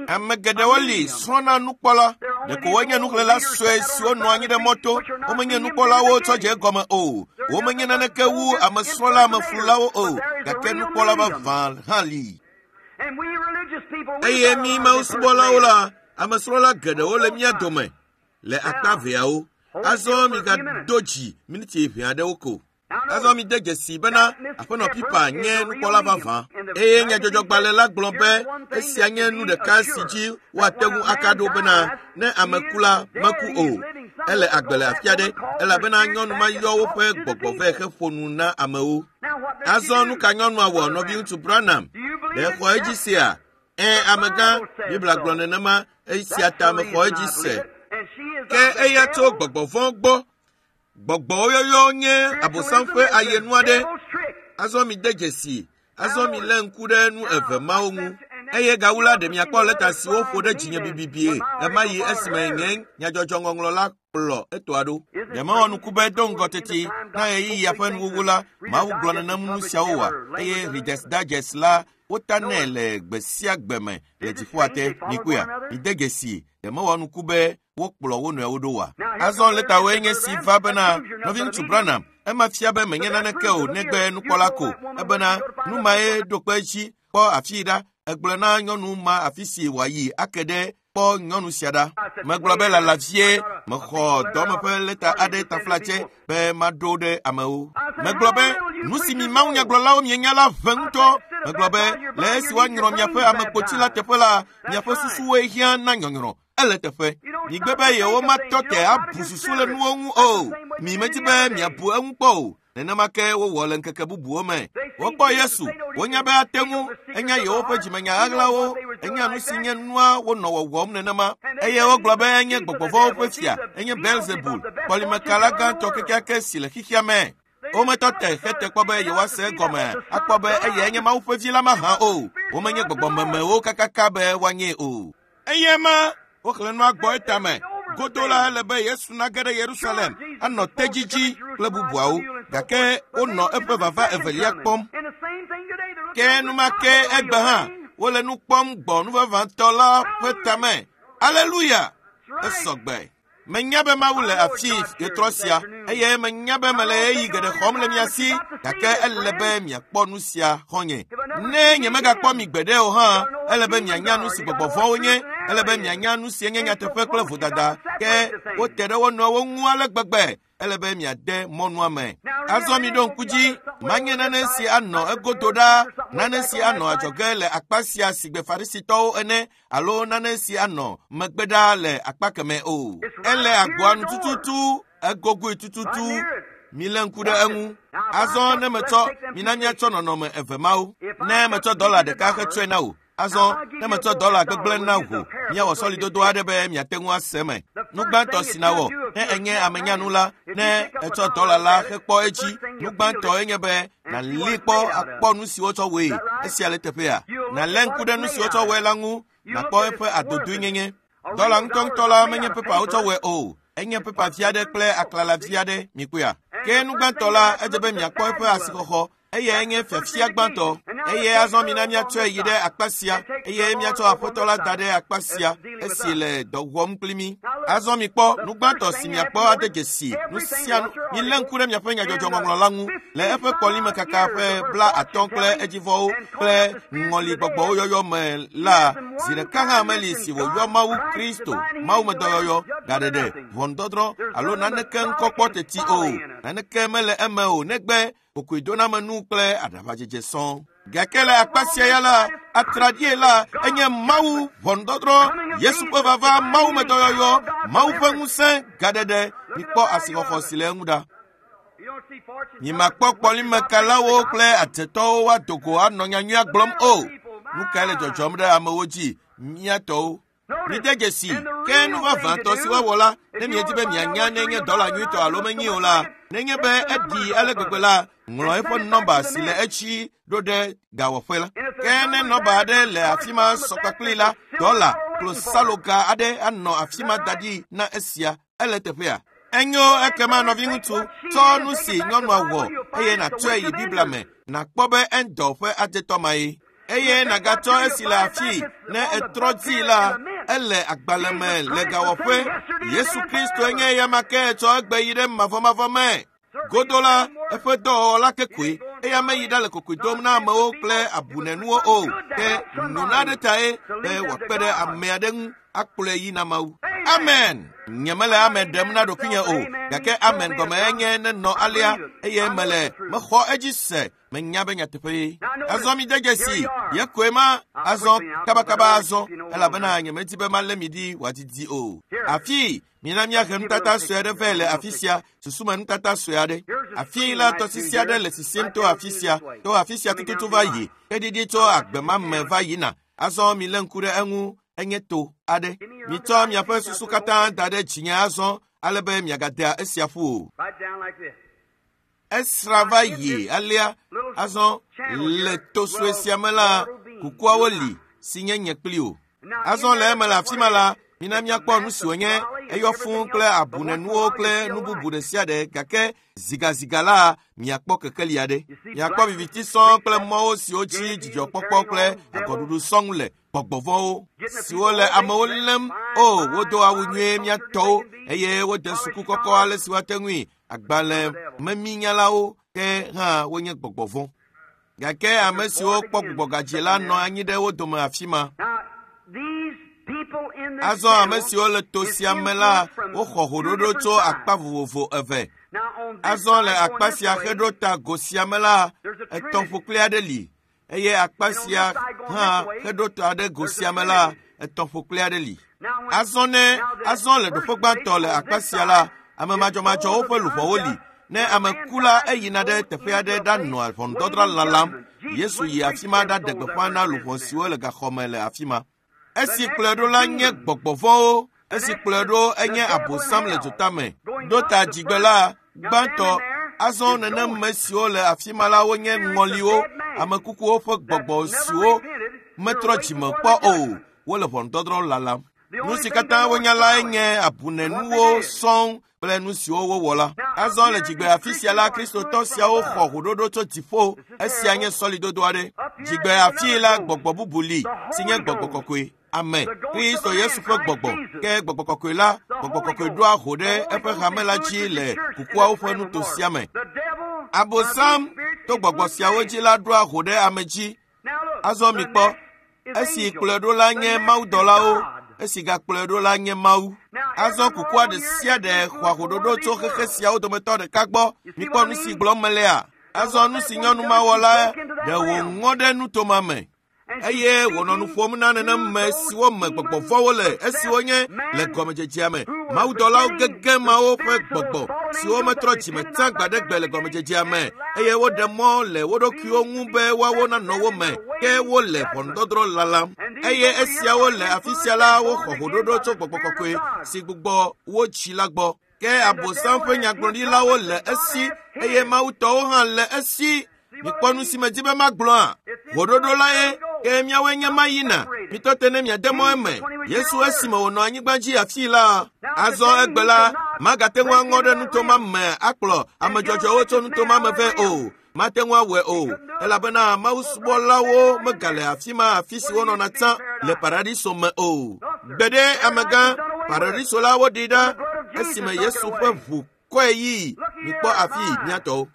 Ame geɖewo li srɔ̃na nukpɔla. Ɖeko wonye nuxlẽla sue siwo nɔ anyi ɖe mɔto. Womenye nukpɔlawo tsɔ dze egɔme o. Womenye naneke wu amesrɔ̃la ameflulawo o. Gake nukpɔla vavã hã li. Eye mí mawusubɔlawo la, amesrɔ̃la geɖewo le mía dome le akpa veawo. Azɔ migado dzi miniti ʋɛ aɖewo ko. Azɔ mide dzesi bena Aƒenɔ Pipa nye nukpɔla vavã eye nyadzɔdzɔgbalẽ la gblɔ be esia nye nu ɖeka si dzi woate ŋu aka ɖo bena ne ame ku la meku o. Ele agbe le afi aɖe elabena nyɔnu ma yɔ woƒe gbɔgbɔ vɛ heƒo nu na amewo. Azɔ nu ka nyɔnua wɔ nɔviŋutsu Branham? Ɖe xɔ edzi sea? Ẽ, amegã, Biblia gblɔ nenema, esia ta mexɔ edzi se. Ke eya tso gbɔgbɔ vɔ̃ gbɔ. Gbɔgbɔwo yɔyɔ nye Abosam ƒe ayenu aɖe. Azɔ mide dzesi. Azɔ milé ŋku ɖe nu eve mawo ŋu. Eye gawu la, ɖe miakpɔ lɛta si woƒo ɖe dzinye bibibie ɣemaɣi esime nye nyadzɔdzɔŋɔŋlɔ la kplɔ etoa ɖo. Ɖe mewɔ nuku be do ŋgɔ teti na ɣeyiɣia ƒe nuwuwu la, Mawu gblɔ nenem nu siawo oa? Eye Reader's Digest la wotanɛ le gbe sia gbe me le dziƒoa te. Mikpɔea? Mide dzesi. Ɖe mewɔ nuku be wokplɔ wo nɔewo ɖo oa? Azɔ lɛtawoe nye si va bena nɔviŋutsu Branham, ema fia be menye naneke o negbe nukpɔla ko. Ebena nu mae ɖo kpe edzi kpɔ afii ɖa. Egblɔ na nyɔnu ma afi si wòayi ake ɖe kpɔ nyɔnu sia ɖa. Megblɔ be lala vie mexɔ dɔme ƒe lɛta aɖe taflatse be maɖo ɖe amewo. Megblɔ be nu si mi mawunyagblɔlawo mienya la ʋe ŋutɔ. Megblɔ be le esi woanyrɔ miaƒe amekpotsi la teƒe la, miaƒe susuwoe hiã na nyɔnyrɔ. Ele teƒe. Migbe be yewomatɔ te abu susu le nuwo ŋu o. Mi medi be miabu eŋu kpɔ o. Nenema ke wowɔ le ŋkeke bubuwo me. Wokpɔ Yesu, wonya be ate ŋu, enya yewoƒe dzimenya ɣaɣlawo, enya nu si nye nua wonɔ wɔwɔm nenema. Eye wogblɔ be enye gbɔgbɔvɔ̃wo ƒe fia, enye Belzebul, kpɔlimekala gãtɔ kekeake si le xexea me. Wometɔ te hete kpɔ be yewoase egɔme akpɔ be eyae nye Mawu ƒe vi la mahã o. Womenye gbɔgbɔmemewo kakaka be woanyee o. Eye ma woxlẽ nua gbɔ etame. Godo la ele be Yesu nage ɖe Yerusalem anɔ tedzi kple bubuawo, gake wonɔ eƒe vava evelia kpɔm. Ke enumake egbe hã wole nu kpɔm gbɔ nu vavãtɔ la ƒe tame. Aleluya! Esɔgbe. Menya be Mawu le afi ɣetrɔ sia eye menya be mele ɣeyiɣi geɖe xɔm le mia si, gake ele be miakpɔ nu sia xɔ̃nye. Ne nyemegakpɔ mi gbeɖe o hã, ele be mianya nu si gbɔgbɔ vɔ̃wo nye, ele be mianya nu si nye nyateƒe kple vodada, ke wote ɖe wo nɔewo ŋu ale gbegbe. Ele be miade mɔnua me. Azɔ miɖo ŋku dzi, manye nane si anɔ egodo ɖaa, nane si anɔ adzɔge le akpa sia sigbe Farisitɔwo ene, alo nane si anɔ megbe ɖaa le akpa kemɛ o. Ele agboa nu tututu, egogoe tututu. Milé ŋku ɖe eŋu. Azɔ ne metsɔ, mina míatsɔ nɔnɔme eve mawo. Ne metsɔ dɔla ɖeka hetsɔe na wò, azɔ ne metsɔ dɔla gbegblẽ na wò, míawɔ sɔlidodo aɖe be miate ŋu ase eme. Nu gbãtɔ si nawɔ ne enye amenyanu la, ne etsɔ dɔla la hekpɔ edzi, nu gbãtɔ enye be nàli kpɔ akpɔ nu si wotsɔ wɔe. Esia le teƒea. Nàlé ŋku ɖe nu si wotsɔ wɔe la ŋu, nàkpɔ eƒe adodoenyenye. Dɔla ŋutɔŋutɔ la menye pepa wotsɔ wɔe o. Enye pepa vi aɖe kple aklala vi aɖe, mikpɔea? Ke nu gbãtɔ la, edze be miakpɔ eƒe asixɔxɔ. Eyae nye fiafia gbãtɔ. Eye azɔ mina míatsɔe yi ɖe akpa sia, eye míatsɔ Aƒetɔ la da ɖe akpa sia, esi le dɔ wɔm kpli mí. Azɔ mikpɔ nu gbãtɔ si miakpɔ ade dzesi nu sia nu. Milé ŋku ɖe miaƒe nyadzɔdzɔŋɔŋlɔ la ŋu le eƒe kɔlimekaka ƒe 50 kple edzivɔwo kple ŋɔligbɔgbɔwo yɔyɔ me la, zi ɖeka hã meli si wòyɔ Mawu Kristo, mawumedɔyɔyɔ, gaɖeɖe, ʋɔnudɔdrɔ̃ alo naneke ŋkɔ kpɔ teti o. Naneke mele eme o negbe kokoedonamenu kple aɖaʋadzedze sɔŋ. Gake le akpa sia ya la, atraɖie la enye Mawu ʋɔnudɔdrɔ̃, Yesu ƒe vava, mawumedɔyɔyɔ, Mawu ƒe ŋusẽ, gaɖeɖe. Mikpɔ asixɔxɔ si le eŋu ɖa. Mimakpɔ kpɔlimekalawo kple adzetɔwo woado go anɔ nyanyuia gblɔm o. Nu kae le dzɔdzɔm ɖe amewo dzi? Mía tɔwo. Mide dzesi, ke nu vavãtɔ si woawɔ la, ne miedi be mianya nenye dɔla nyuitɔ alo menyi o la, nenye be eɖi ale gbegbe la, ŋlɔ eƒe nɔmba si le etsi ɖo ɖe gawɔƒe la. Ke ne nɔmba aɖe le afi ma sɔ kpakpli la, dɔla klosaloga aɖe anɔ afi ma da ɖi na esia. Ele teƒea. Enyo ekema nɔviŋutsu, tsɔ nu si nyɔnua wɔ eye nàtsɔe yi Biblia me, nàkpɔ be Endor ƒe adzetɔ ma ye. Eye nàgatsɔ esi le afii, ne etrɔ dii la, ele agbalẽ me le gawɔƒe. Yesu Kristoe nye eyama ke etsɔ egbe yi ɖe mavɔmavɔ me. Godo la, eƒe dɔwɔwɔ la ke koe. Eya meyi ɖa le kokoe dom na amewo kple abunenuwo o, ke nyona aɖe tae be wòakpe ɖe ame aɖe ŋu akplɔe yi na Mawu. Amen! Nyemele amen ɖem na ɖokuinye o, gake amen gɔme enye nenɔ alea, eye mele mexɔ edzi se. Menya be nyateƒe. Azɔ mi de dzesi, ye koe ma azɔ kabakaba azɔ, elabena nyemedi be malé mi ɖi wòadidi o. Afii, mina míahe nutata sue aɖe vɛ le afi sia, susume nutata sue aɖe. Afii la, tɔsisi aɖe le sisim to afi sia, to afi sia tututu va yi, keɖiɖi tso agbe ma me va yina. Azɔ milé ŋku ɖe eŋu, enye to aɖe. Mitsɔ miaƒe susu katã da ɖe dzinye azɔ, ale be miagadea esia ƒu o. Esra va yi alea. Azɔ le to sue sia me la, kukuawo li si nye nye kpli o. Azɔ le eme le afi ma la, mina míakpɔ nu si wònye. Eyɔ fũu kple abunenuwo kple nu bubu ɖe sia ɖe, gake zigaziga la, miakpɔ kekeli aɖe. Miakpɔ viviti sɔŋ kple mɔwo siwo dzi dzidzɔkpɔkpɔ kple agɔɖuɖu sɔŋ le. Gbɔgbɔvɔ̃wo siwo le amewo lém. O, wodo awu nyuie mía tɔwo eye wode suku kɔkɔ ale si woate ŋui. Agbalẽ meminyalawo ke hã wonye gbɔgbɔvɔ̃. Gake ame siwo kpɔ gbugbɔgadzi la nɔ anyi ɖe wo dome afi ma. Azɔ ame siwo le to sia me la, woxɔ hoɖoɖo tso akpa vovovo eve. Azɔ le akpa sia heɖo ta go sia me la, etɔ̃ ƒokpli aɖe li, eye akpa sia hã heɖo ta ɖe go sia me la, etɔ̃ ƒokpli aɖe li. Azɔ ne azɔ le ɖoƒe gbãtɔ le akpa sia la, ame madzɔmadzɔwo ƒe luʋɔwo li. Ne ame ku la, eyina ɖe teƒe aɖe ɖanɔa ʋɔnudɔdrɔ̃ lalam. Yesu yi afi ma ɖaɖe gbeƒã na luʋɔ siwo le gaxɔme le afi ma. Esi kplɔe ɖo la nye gbɔgbɔvɔ̃wo, esi kplɔe ɖo enye abosam le dzotame. Ɖo ta dzigbe la, gbãtɔ, azɔ nenem me siwo le afi ma la wonye ŋɔliwo, ame kukuwo ƒe gbɔgbɔ siwo metrɔ dzime kpɔ o, wole ʋɔnudɔdrɔ̃ lalam. Nu si katã wonya lae nye abunenuwo sɔŋ kple nu siwo wowɔ la. Azɔ le dzigbe afi sia la, Kristotɔ siawo xɔ hoɖoɖo tso dziƒo. Esia nye sɔlidodo aɖe. Dzigbe afii la, gbɔgbɔ bubu li si nye gbɔgbɔ kɔkɔe. Ame, Kristo Yesu ƒe gbɔgbɔ. Ke gbɔgbɔ kɔkɔe la, gbɔgbɔ kɔkɔe ɖoa ho ɖe eƒe hame la dzi le kukuawo ƒe nuto sia me. Abosam to gbɔgbɔ siawo dzi la ɖoa ho ɖe ame dzi. Azɔ mikpɔ, esi kplɔe ɖo la nye mawudɔlawo, esi gakplɔe ɖo la nye Mawu. Azɔ kukua ɖe sia ɖe xɔa hoɖoɖo tso xexe siawo dometɔ ɖeka gbɔ. Mikpɔ nu si gblɔm melea. Azɔ nu si nyɔnu ma wɔ la, ɖe wòŋɔ ɖe nutoma me. Eye wònɔ nu ƒom na nenem me siwo me gbɔgbɔvɔ̃wo le, esiwo nye le gɔmedzedzea me mawudɔlawo gege mawo ƒe gbɔgbɔ siwo metrɔ dzime tsã gbaɖegbe le gɔmedzedzea me, eye woɖe mɔ le wo ɖokuiwo ŋu be woawo nanɔ wo me, ke wole ʋɔnudɔdrɔ̃ lalam. Eye esiawo le afi sia la, woxɔ hoɖoɖo tso gbɔgbɔ kɔkɔe si gbugbɔ wo dzi la gbɔ. Ke abosam ƒe nyagblɔɖilawo le esi, eye mawutɔwo hã le esi. Mikpɔ nu si medi be magblɔa? Hoɖoɖo la ye, ke míawoe nye ma yina. Mitɔ te ne miade mɔ eme. Yesu esime wònɔ anyigba dzi afii la, azɔ egbe la, Magate ŋu aŋɔ ɖe nuto ma me akplɔ ame dzɔdzɔewo tso nuto ma me vɛ o. Mate ŋu awɔe o, elabena mawusubɔlawo megale afi ma afi si wonɔna tsã le paradiso me o. Gbeɖe amegã, paradiso la woɖi ɖa esime Yesu ƒe ʋu kɔe yii. Mikpɔ afi miatɔwo.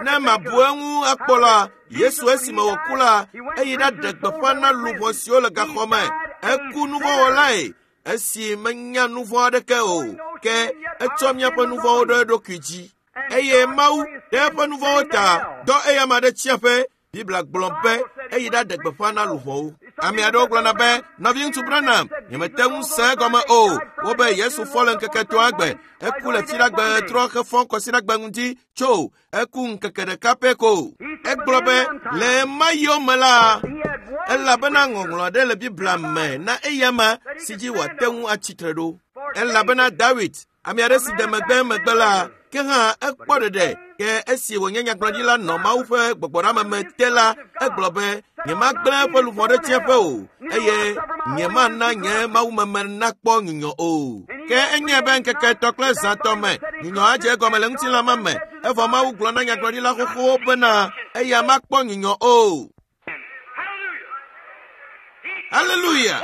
Ne mabu eŋu akpɔ la, Yesu esime wòku la, eyi ɖaɖe gbeƒã na luʋɔ siwo le gaxɔ me. Eku nuvɔ̃wɔlae esi menya nuvɔ̃ aɖeke o, ke etsɔ míaƒe nuvɔ̃wo ɖo eɖokui dzi. Eye Mawu ɖe eƒe nuvɔ̃wo ta dɔ eyama ɖe tsiaƒe. Biblia gblɔ be eyi ɖaɖe gbeƒã na luʋɔwo. Ame aɖewo gblɔna be, nɔviŋutsu Branham, nyemete ŋu se egɔme o. Wobe Yesu fɔ le ŋkeke etɔ̃a gbe. Eku le fiɖagbe trɔ hefɔ kɔsiɖagbe ŋdi tso eku ŋkeke ɖeka pɛ ko. Egblɔ be le ema yome la, elabena ŋɔŋlɔ aɖe le Biblia me na eyama si dzi wòate ŋu atsitre ɖo. Elabena Dawid, ame aɖe si de megbe megbe la, ke hã ekpɔ ɖeɖe. Ke esi wònye nyagblɔɖila nɔ Mawu ƒe gbɔgbɔɖameme te la, egblɔ be, nyemagblẽ eƒe luʋɔ ɖe tsiẽƒe o, eye nyemana nye mawumeme nakpɔ nyunyɔ o. Ke enye be ŋkeke etɔ̃ kple zã tɔ me nyunyɔ adze egɔme le ŋutilã ma me, evɔ Mawu gblɔ na nyagblɔɖila xoxowo bena eya makpɔ nyunyɔ o. Haleluya!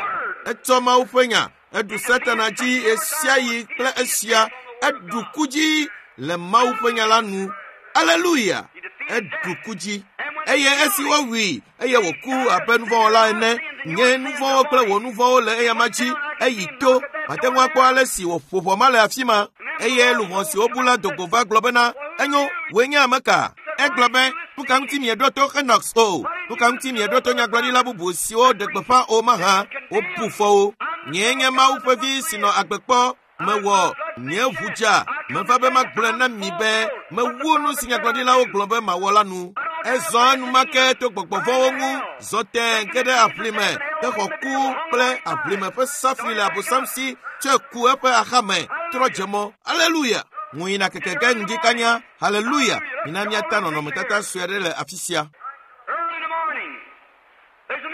Etsɔ Mawu ƒe nya, eɖu Satana dzi ɣesiaɣi kple esia, eɖu ku dzi le Mawu ƒe nya la nu. Haleluya! Eɖu ku dzi. Eye esi wowui eye wòku abe nuvɔ̃wɔla ene, nye nuvɔ̃wo kple wò nuvɔ̃wo le eyama dzi, eyi to. Mate ŋu akpɔ ale si wòƒo ʋɔ ma le afi ma. Eye luʋɔ si wobu la do go va gblɔ bena, enyo, wòe nye ame ka? Egblɔ be, nu ka ŋuti mieɖo to Henox o? Nu ka ŋuti mieɖo to nyagblɔɖila bubu siwo ɖe gbeƒã o mahã? Wobu fɔ wo. Nyee nye Mawu ƒe vi si nɔ agbe kpɔ. Mewɔ nye ʋu dza. Meva be magblɔe na mi be mewu nu si nyagblɔɖilawo gblɔ be mawɔ la nu. Ezɔ enumake to gbɔgbɔ vɔ̃wo ŋu, zɔ tẽe ge ɖe aʋlime, hexɔ ku kple aʋlime ƒe safui le Abosam si, tsɔe ku eƒe axame, trɔ dze mɔ. Aleluya! Ŋu yina keke ge ŋdi kanya. Haleluya! Mina míata nɔnɔmetata sue aɖe le afi sia.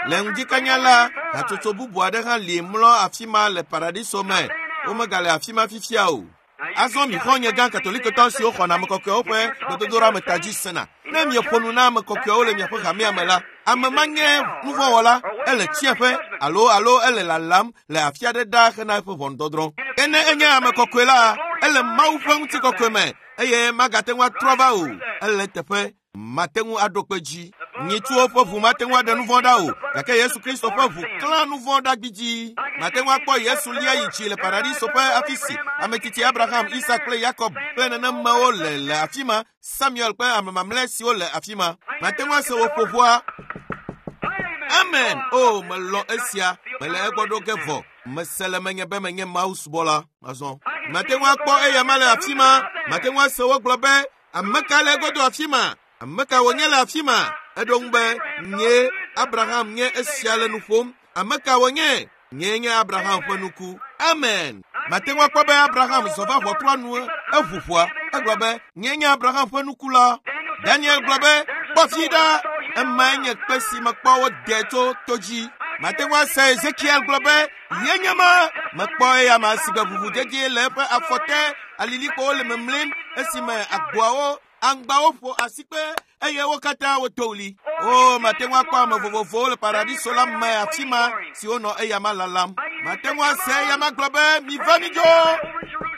Le ŋdi kanya la, hatsotso bubu aɖe hã li mlɔ afi ma le paradiso me. Womegale afi ma fifia o. Azɔ mi xɔ̃nye gã katolikotɔ siwo xɔna ame kɔkɔewo ƒe gbedodoɖa me ta dzi sena. Ne mieƒo nu na ame kɔkɔewo le miaƒe hamea me la, ame ma nye nuvɔ̃wɔla, ele tsiẽƒe alo alo ele lalam le afi aɖe ɖaa hena eƒe ʋɔnudɔdrɔ̃. Ke ne enye ame kɔkɔe la, ele Mawu ƒe ŋutikɔkɔe me eye magate ŋu atrɔ va o. Ele teƒe mate ŋu aɖo kpe dzi. Nyitsuwo ƒe ʋu mate ŋu aɖe nuvɔ̃ ɖa o, gake Yesu Kristo ƒe ʋu klã nuvɔ̃ ɖa gbidzi. Mate ŋu akpɔ Yesu lia yi dzi le paradiso ƒe afi si ame tsitsi Abraham, Isak kple Yakob kple nenemewo le le afi ma, Samuel kple ame mamlɛ siwo le afi ma. Mate ŋu ase woƒo ʋɔa. Amen! O, melɔ̃ esia. Mele egbɔ ɖo ge vɔ. Mese le menye be menye Mawu subɔla. Azɔ. Mate ŋu akpɔ eyama le afi ma. Mate ŋu ase wogblɔ be, ame ka le egodo afi ma? Ame ka wònye le afi ma? Eɖo ŋu be, nye Abraham nye esia le nu ƒom. Ame ka wònye? Nyee nye Abraham ƒe nuku. Amen. Mate ŋu akpɔ be Abraham zɔ va ʋɔtrua nu eʋu ʋɔa. Egblɔ be, nyee nye Abraham ƒe nuku la. Daniel gblɔ be, kpɔ fi ɖa. Emae nye kpe si mekpɔ wode tso to dzi. Mate ŋu ase Ezekiel gblɔ be, ye nye ma. Mekpɔ eyama si gbe ʋuʋudedie le eƒe afɔ te, alilikpowo le memlim esime agboawo, aŋgbawo ƒo asikpe eye wo katã woto ɣli. O, mate ŋu akpɔ ame vovovowo le paradiso la me afi ma siwo nɔ eyama lalam. Mate ŋu ase eyama gblɔ be, miva midzo.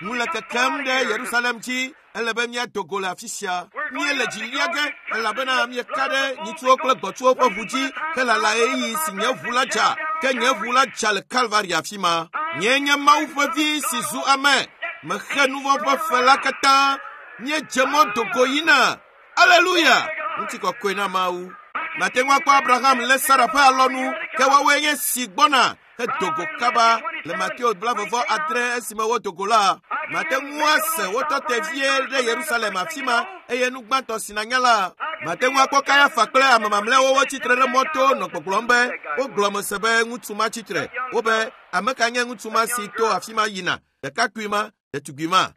Nu le kekem ɖe Yerusalem dzi. Ele be míado go le afi sia. Míele dzi lia ge elabena míeka ɖe nyitsuwo kple gbɔtsuwo ƒe ʋu dzi helala ɣeyiɣi si nye ʋu la dza. Ke nye ʋu la dza le Kalvari afi ma. Nyee nye Mawu ƒe vi si zu ame. Mexe nuvɔ̃ ƒe fe la katã. Míedze mɔ do go yina. Aleluya! Ŋutikɔkɔe na Mawu. Mate ŋu akpɔ Abraham lé Sara ƒe alɔnu, ke woawoe nye si gbɔna hedo go kaba le Mateo 26 esime wodo go la. Mate ŋu ase wotɔ te vie ɖe Yerusalem afi ma eye nu gbãtɔ si nanya la. Mate ŋu akpɔ Kayafa kple ame mamlɛawo wotsitre ɖe mɔto nɔ gbɔgblɔm be wogblɔ me se be ŋutsu ma tsitre. Wobe, ame ka nye ŋutsu ma si to afi ma yina? Ɖekakpui ma, ɖetugbui ma.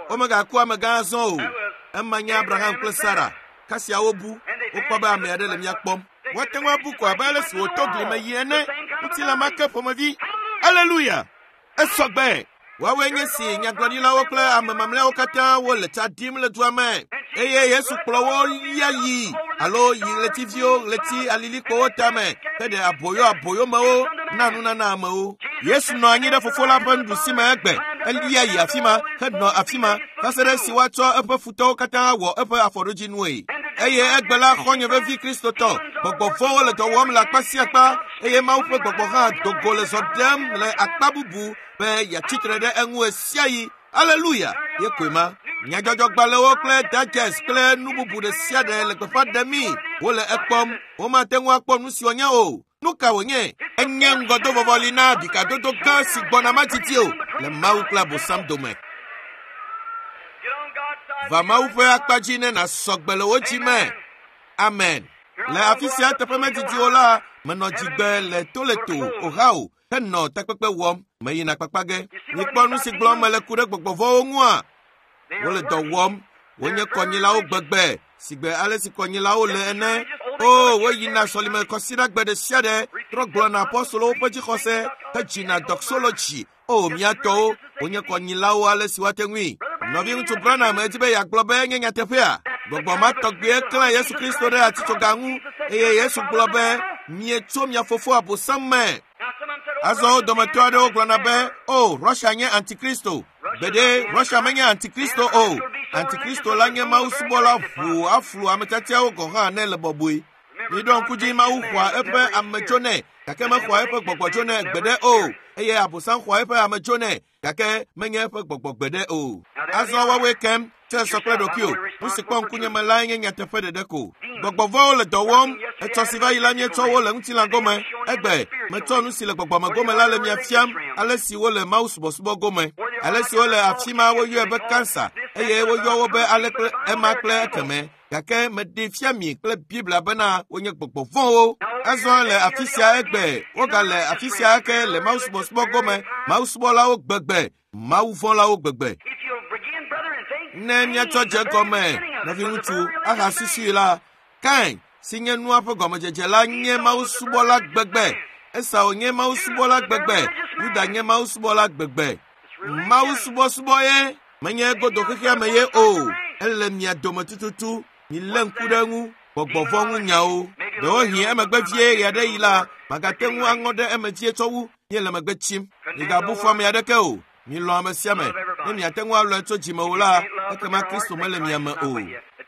Womegaku amegã azɔ o. Ema nye Abraham kple Sara. Kasia wobu, wokpɔ be ame aɖe le mía kpɔm. Woate ŋu abu ko abe ale si wòto gli me yi ene. Ŋutilã ma ke ƒomevi. Aleluya! Esɔgbe! Woawoe nye si nyagblɔɖilawo kple ame mamlɛawo katã wole tsa ɖim le dua me eye Yesu kplɔ wo lia yi alo yi ɣletiviwo ɣleti alilikpowo tame heɖe aboyo aboyomewo na nunana amewo. Yesu nɔ anyi ɖe fofo la ƒe nuɖusi me egbe elia yi afi ma henɔ afi ma va se ɖe esi woatsɔ eƒe futɔwo katã wɔ eƒe afɔɖodzinue. Eye egbe la xɔ̃nye vevi Kristotɔ gbɔgbɔ vɔ̃wo le dɔ wɔm le akpa sia akpa eye Mawu ƒe gbɔgbɔ hã do go le zɔ ɖem le akpa bubu be yeatsitre ɖe eŋu ɣe Aleluya! Ye koe ma. Nyadzɔdzɔgbalẽwo kple digest kple nu bubu ɖe sia ɖe le gbeƒã ɖem mí. Wole ekpɔm. Womate ŋu akpɔ nu si wònye o. Nu ka wònye? Enye ŋgɔdovɔvɔli na ɖikadodo gã si gbɔna madidi o le Mawu kple Abosam dome. Va Mawu ƒe akpa dzi ne nàsɔ gbe le wò dzi me. Amen. Le afi sia teƒe medidi o la, menɔ dzigbe le Toledo, Ohio, henɔ takpekpe wɔm. Meyina kpakpa ge. Mikpɔ nu si gblɔm mele ku ɖe gbɔgbɔ vɔ̃wo ŋua? Wole dɔ wɔm. Wonye kɔnyilawo gbegbe sigbe ale si kɔnyilawo le ene. O, woyina sɔlime kɔsiɖagbe ɖe sia ɖe trɔ gblɔna apɔstolowo ƒe dzixɔse hedzina doxology. O, mía tɔwo, wonye kɔnyilawo ale si woate ŋui. Nɔviŋutsu Branham edi be yeagblɔ be enye nyateƒea. Gbɔgbɔ ma tɔgbie klã Yesu Kristo ɖe atitsoga ŋu eye Yesu gblɔ be, mietso mia fofo Abosam me. Azɔ wo dometɔ aɖewo gblɔna be, o, Russia nye antikristo. Gbeɖe, Russia menye antikristo o. Antikristo la nye Mawu subɔla ʋuu aflu ame tiatiawo gɔ̃ hã ne le bɔbɔe. Miɖo ŋku dzi Mawu xɔa eƒe ame tsonɛ, gake mexɔa eƒe gbɔgbɔ tsonɛ gbeɖe o. Eye Abosam xɔa eƒe ame tsonɛ, gake menye eƒe gbɔgbɔ gbeɖe o. Azɔ woawoe kem, tsɔe sɔ kple ɖokuiwò. Nu si kpɔ ŋkunye me lae nye nyateƒe ɖeɖe ko. Gbɔgbɔ vɔ̃wo le dɔ wɔm. Etsɔ si va yi la míetsɔ wo le ŋutilã gome. Egbe, metsɔ nu si le gbɔgbɔme gome la le mia fiam ale si wole Mawu subɔsubɔ gome. Ale si wole afi ma woyɔe be kansa eye woyɔ wo be ale kple ema kple ekeme. Gake meɖee fia mi kple Biblia bena wonye gbɔgbɔ vɔ̃wo. Azɔ le afi sia egbe, wogale afi sia ake le Mawu subɔsubɔ gome, Mawu subɔlawo gbegbe, Mawu vɔ̃lawo gbegbe. Ne míatsɔ dze gɔme, nɔviŋutsu, ahasusui la, Kain, si nye nua ƒe gɔmedzedze la, nye Mawu subɔla gbegbe. Esau nye Mawu subɔla gbegbe. Yuda nye Mawu subɔla gbegbe. Mawu subɔsubɔ ye menye godo xexea me ye o. Ele mia dome tututu. Milé ŋku ɖe eŋu. Gbɔgbɔ vɔ̃ ŋu nyawo. Ɖewohĩ emegbe vie ɣeaɖeɣi la, magate ŋu aŋɔ ɖe eme vie tsɔ wu míele megbe tsim. Migabu fɔ ame aɖeke o. Milɔ̃ ame sia ame. Ne miate ŋu alɔ̃e tso dzime o la, ekema Kristo mele mia me o.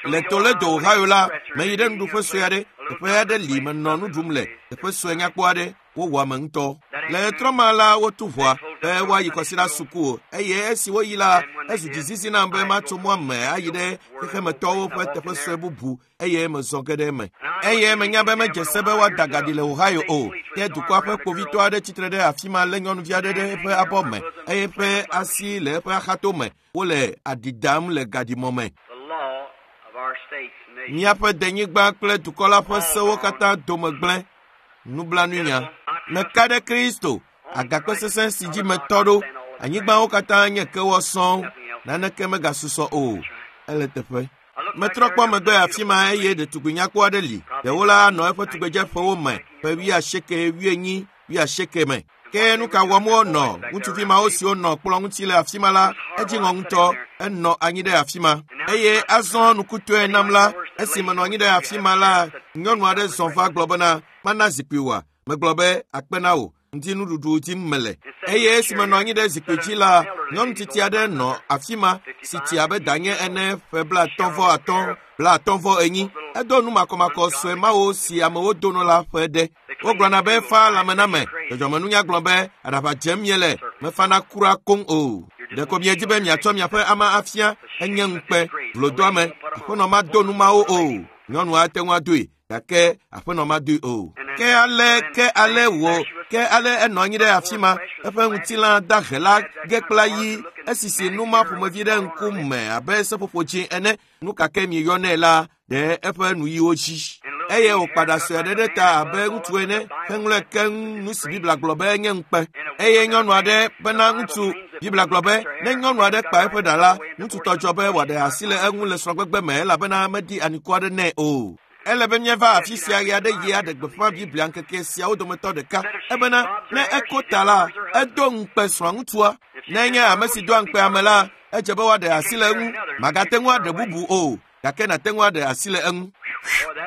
Le Toledo, Ohio la, meyi ɖe nuɖuƒe sue aɖe. Teƒe aɖe li menɔ nu ɖum le. Teƒe sue nyakpɔ aɖe. Wowɔ ame ŋutɔ. Le ɣetrɔ ma la, wotu ʋɔa be woayi kɔsiɖa suku eye esi woyi la, ezu dzizizi nam be matso mɔa me ayi ɖe xexemetɔwo ƒe teƒe sue bubu eye mezɔ ge ɖe eme. Eye menya be medze se be woada gaɖi le Ohio o. Ke dukɔa ƒe kpovitɔ aɖe tsitre ɖe afi ma lé nyɔnuvi aɖe ɖe eƒe abɔ me eye eƒe asi le eƒe axato me. Wole aɖi dam le gaɖimɔ me. Míaƒe denyigba kple dukɔ la ƒe sewo katã dome gblẽ. Nublanuinya. Meka ɖe Kristo, agakpe sesẽ si dzi metɔ ɖo. Anyigbawo katã nye kewɔ sɔŋ. Naneke megasusɔ o. Ele teƒe. Metrɔ kpɔ megbe afi ma eye ɖetugbi nyakpɔ aɖe li. Ɖewo la anɔ eƒe tugbedzeƒewo me ƒe 80, 80, 80 me. Ke nu ka wɔm wonɔ? Ŋutsuvi mawo siwo nɔ kplɔ̃ ŋuti le afi ma la, edzi ŋɔ ŋutɔ. Enɔ anyi ɖe afi ma. Eye azɔ nukutɔe nam la, esi menɔ anyi ɖe afi ma la, nyɔnu aɖe zɔ va gblɔ bena, mana zikpui wòa? Megblɔ be, akpe na wò. Ŋdi nuɖuɖu dim mele. Eye esi menɔ anyi ɖe zikpui dzi la, nyɔnu tsitsi aɖe nɔ afi ma si tsi abe danye ene ƒe 55, 54. Edo nu makɔmakɔ sue mawo si amewo dono la ƒe ɖe. Wogblɔna be fa lãme na me. Dzɔdzɔmenunya gblɔ be aɖaʋa dzem miele, mefana kura koŋ o. Ɖeko miedi be miatsɔ miaƒe ama afia, enye ŋukpe, vlodoame. Aƒenɔ mado nu mawo o. Nyɔnua ate ŋu adoe, gake aƒenɔ madoe o. Ke ale, ke ale wò, ke ale enɔ anyi ɖe afi ma, eƒe ŋutilã dahe la ge kpla yi, esisi nu ma ƒomevi ɖe ŋkume abe seƒoƒo dzĩ ene. Nu ka ke mieyɔnɛ la ɖe eƒe nuyiwo dzi. Eye wòkpa ɖa sue aɖe ɖe ta abe ŋutsu ene heŋlɔe keŋ nu si Biblia gblɔ be enye ŋukpe. Eye nyɔnu aɖe bena ŋutsu, Biblia gblɔ be ne nyɔnu aɖe kpa eƒe ɖa la, ŋutsu tɔ dzɔ be wòaɖe asi le eŋu le srɔ̃gbegbe me elabena meɖi anikɔ aɖe nɛ o. Ele be míava afi sia ɣe aɖe ɣi aɖe gbeƒã Biblia ŋkeke siawo dometɔ ɖeka ebena ne eko ta la, edo ŋukpe srɔ̃ŋutsua. Ne enye ame si doa ŋukpe ame la, edze be woaɖe asi le eŋu. Magate ŋu aɖe bubu o, gake nàte ŋu aɖe asi le eŋu.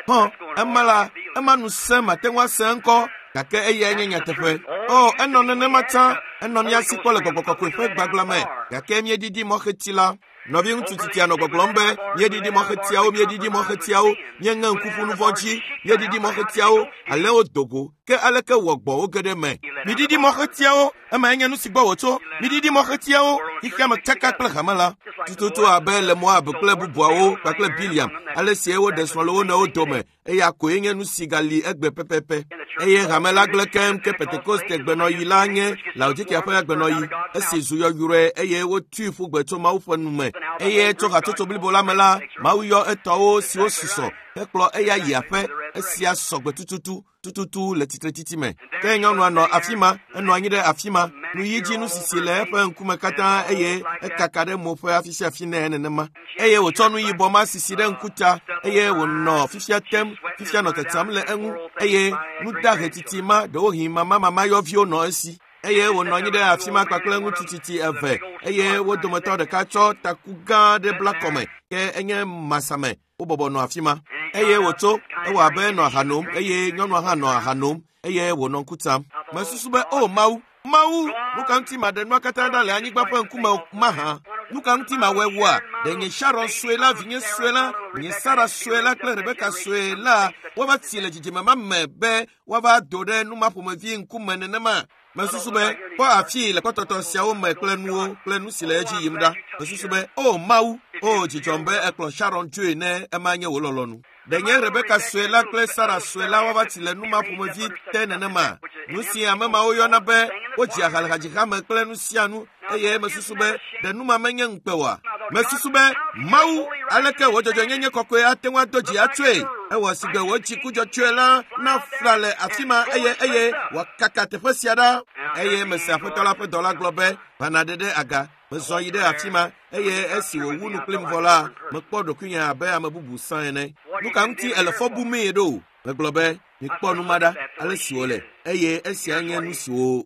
Hɔn, ema la, ema nu sẽ mate ŋu ase eŋkɔ, gake eyae nye nyateƒe. O, enɔ nenema tsã, enɔ mía si kpɔ le gbɔgbɔ kɔkɔe ƒe gbagblã me, gake míeɖiɖi mɔxeti la. Nɔviŋutsu tsitsia nɔ gbɔgblɔm be, míeɖiɖi mɔxetiawo, míeɖiɖi mɔxetiawo, míeŋe ŋku ƒu nu vɔ̃ dzi, míeɖiɖi mɔxetiawo, alẽwo do go, ke aleke wɔ gbɔ̃wo ge ɖe eme? Miɖiɖi mɔxetiawo, emae nye nu si gbɔ wòtso. Miɖiɖi mɔxetiawo, xexea me tsaka kple hame la. Tututu abe le Moab kple bubuawo kpakple Biliam, ale sie woɖe srɔ̃ le wo nɔewo dome, eya koe nye nu si gali egbe pɛpɛpɛ. Eye hame la gblẽ keŋ ke Pentekoste gbenɔɣi la nye Laodikea ƒe agbenɔɣi, esi zu yɔyrɔe eye wotui ƒu gbe tso Mawu ƒe nu me. Eye tso hatsotso blibo la me la, Mawu yɔ etɔwo siwo susɔ hekplɔ eya yi aƒe. Esia sɔ gbe tututu tututu le tsitretsitsi me. Ke nyɔnua nɔ afi ma, enɔ anyi ɖe afi ma, nuyi dzi nusisi le eƒe ŋkume katã eye ekaka ɖe mo ƒe afi sia afi nɛ nenema. Eye wòtsɔ nu yibɔ ma sisi ɖe ŋkuta eye wònɔ fifia tem, fifia nɔ tsatsam le eŋu eye nudahe titi ma ɖewohĩ mamamayɔviwo nɔ esi. Eye wònɔ anyi ɖe afi ma kpakple ŋutsu tsitsi eve eye wo dometɔ ɖeka tsɔ taku gã aɖe bla kɔme ke enye masame. Wobɔbɔ nɔ afi ma eye wòtso, ewɔ abe enɔ aha nom eye nyɔnua hã nɔ aha nom eye wònɔ ŋku tsam. Mesusu be, o Mawu, Mawu, nu ka ŋuti maɖe nua katã ɖa le anyigba ƒe ŋkume mahã? Nu ka ŋuti mawɔe wua? Ɖe nye Sharon sue la, vinye sue la, nye Sara sue la kple Rebeka sue la woava tsi le dzidzime ma me be woava do ɖe nu ma ƒomevi ŋkume nenema? Mesusu be, kpɔ afii le kpɔtɔtɔ siawo me kple nuwo kple nu si le edzi yim ɖa. Mesusu be, o Mawu, o dzidzɔm be ekplɔ Sharon dzoe ne ema nye wò lɔlɔ̃nu. Ɖe nye Rebeka sue la kple Sara sue la woava tsi le nu ma ƒomevi te nenema? Nu si ame mawo yɔna be wodzi aha le hadzihame kple nu sia nu, eye mesusu be ɖe nu ma menye ŋukpe oa? Mesusu be, Mawu, aleke wò dzɔdzɔenyenye kɔkɔe ate ŋu ado dzi atsoe? Ewɔ sigbe wò dziku dzɔtsoe la nafla le afi ma eye eye wòakaka teƒe sia ɖa. Eye mese Aƒetɔ la ƒe dɔla gblɔ be, va nàɖe ɖe aga. Mezɔ yi ɖe afi ma eye esi wòwu nu kplim vɔ la, mekpɔ ɖokuinye abe ame bubu sã ene. Nu ka ŋuti èle fɔ bumee ɖo? Megblɔ be, mikpɔ nu ma ɖa, ale si wòle, eye esia nye nu siwo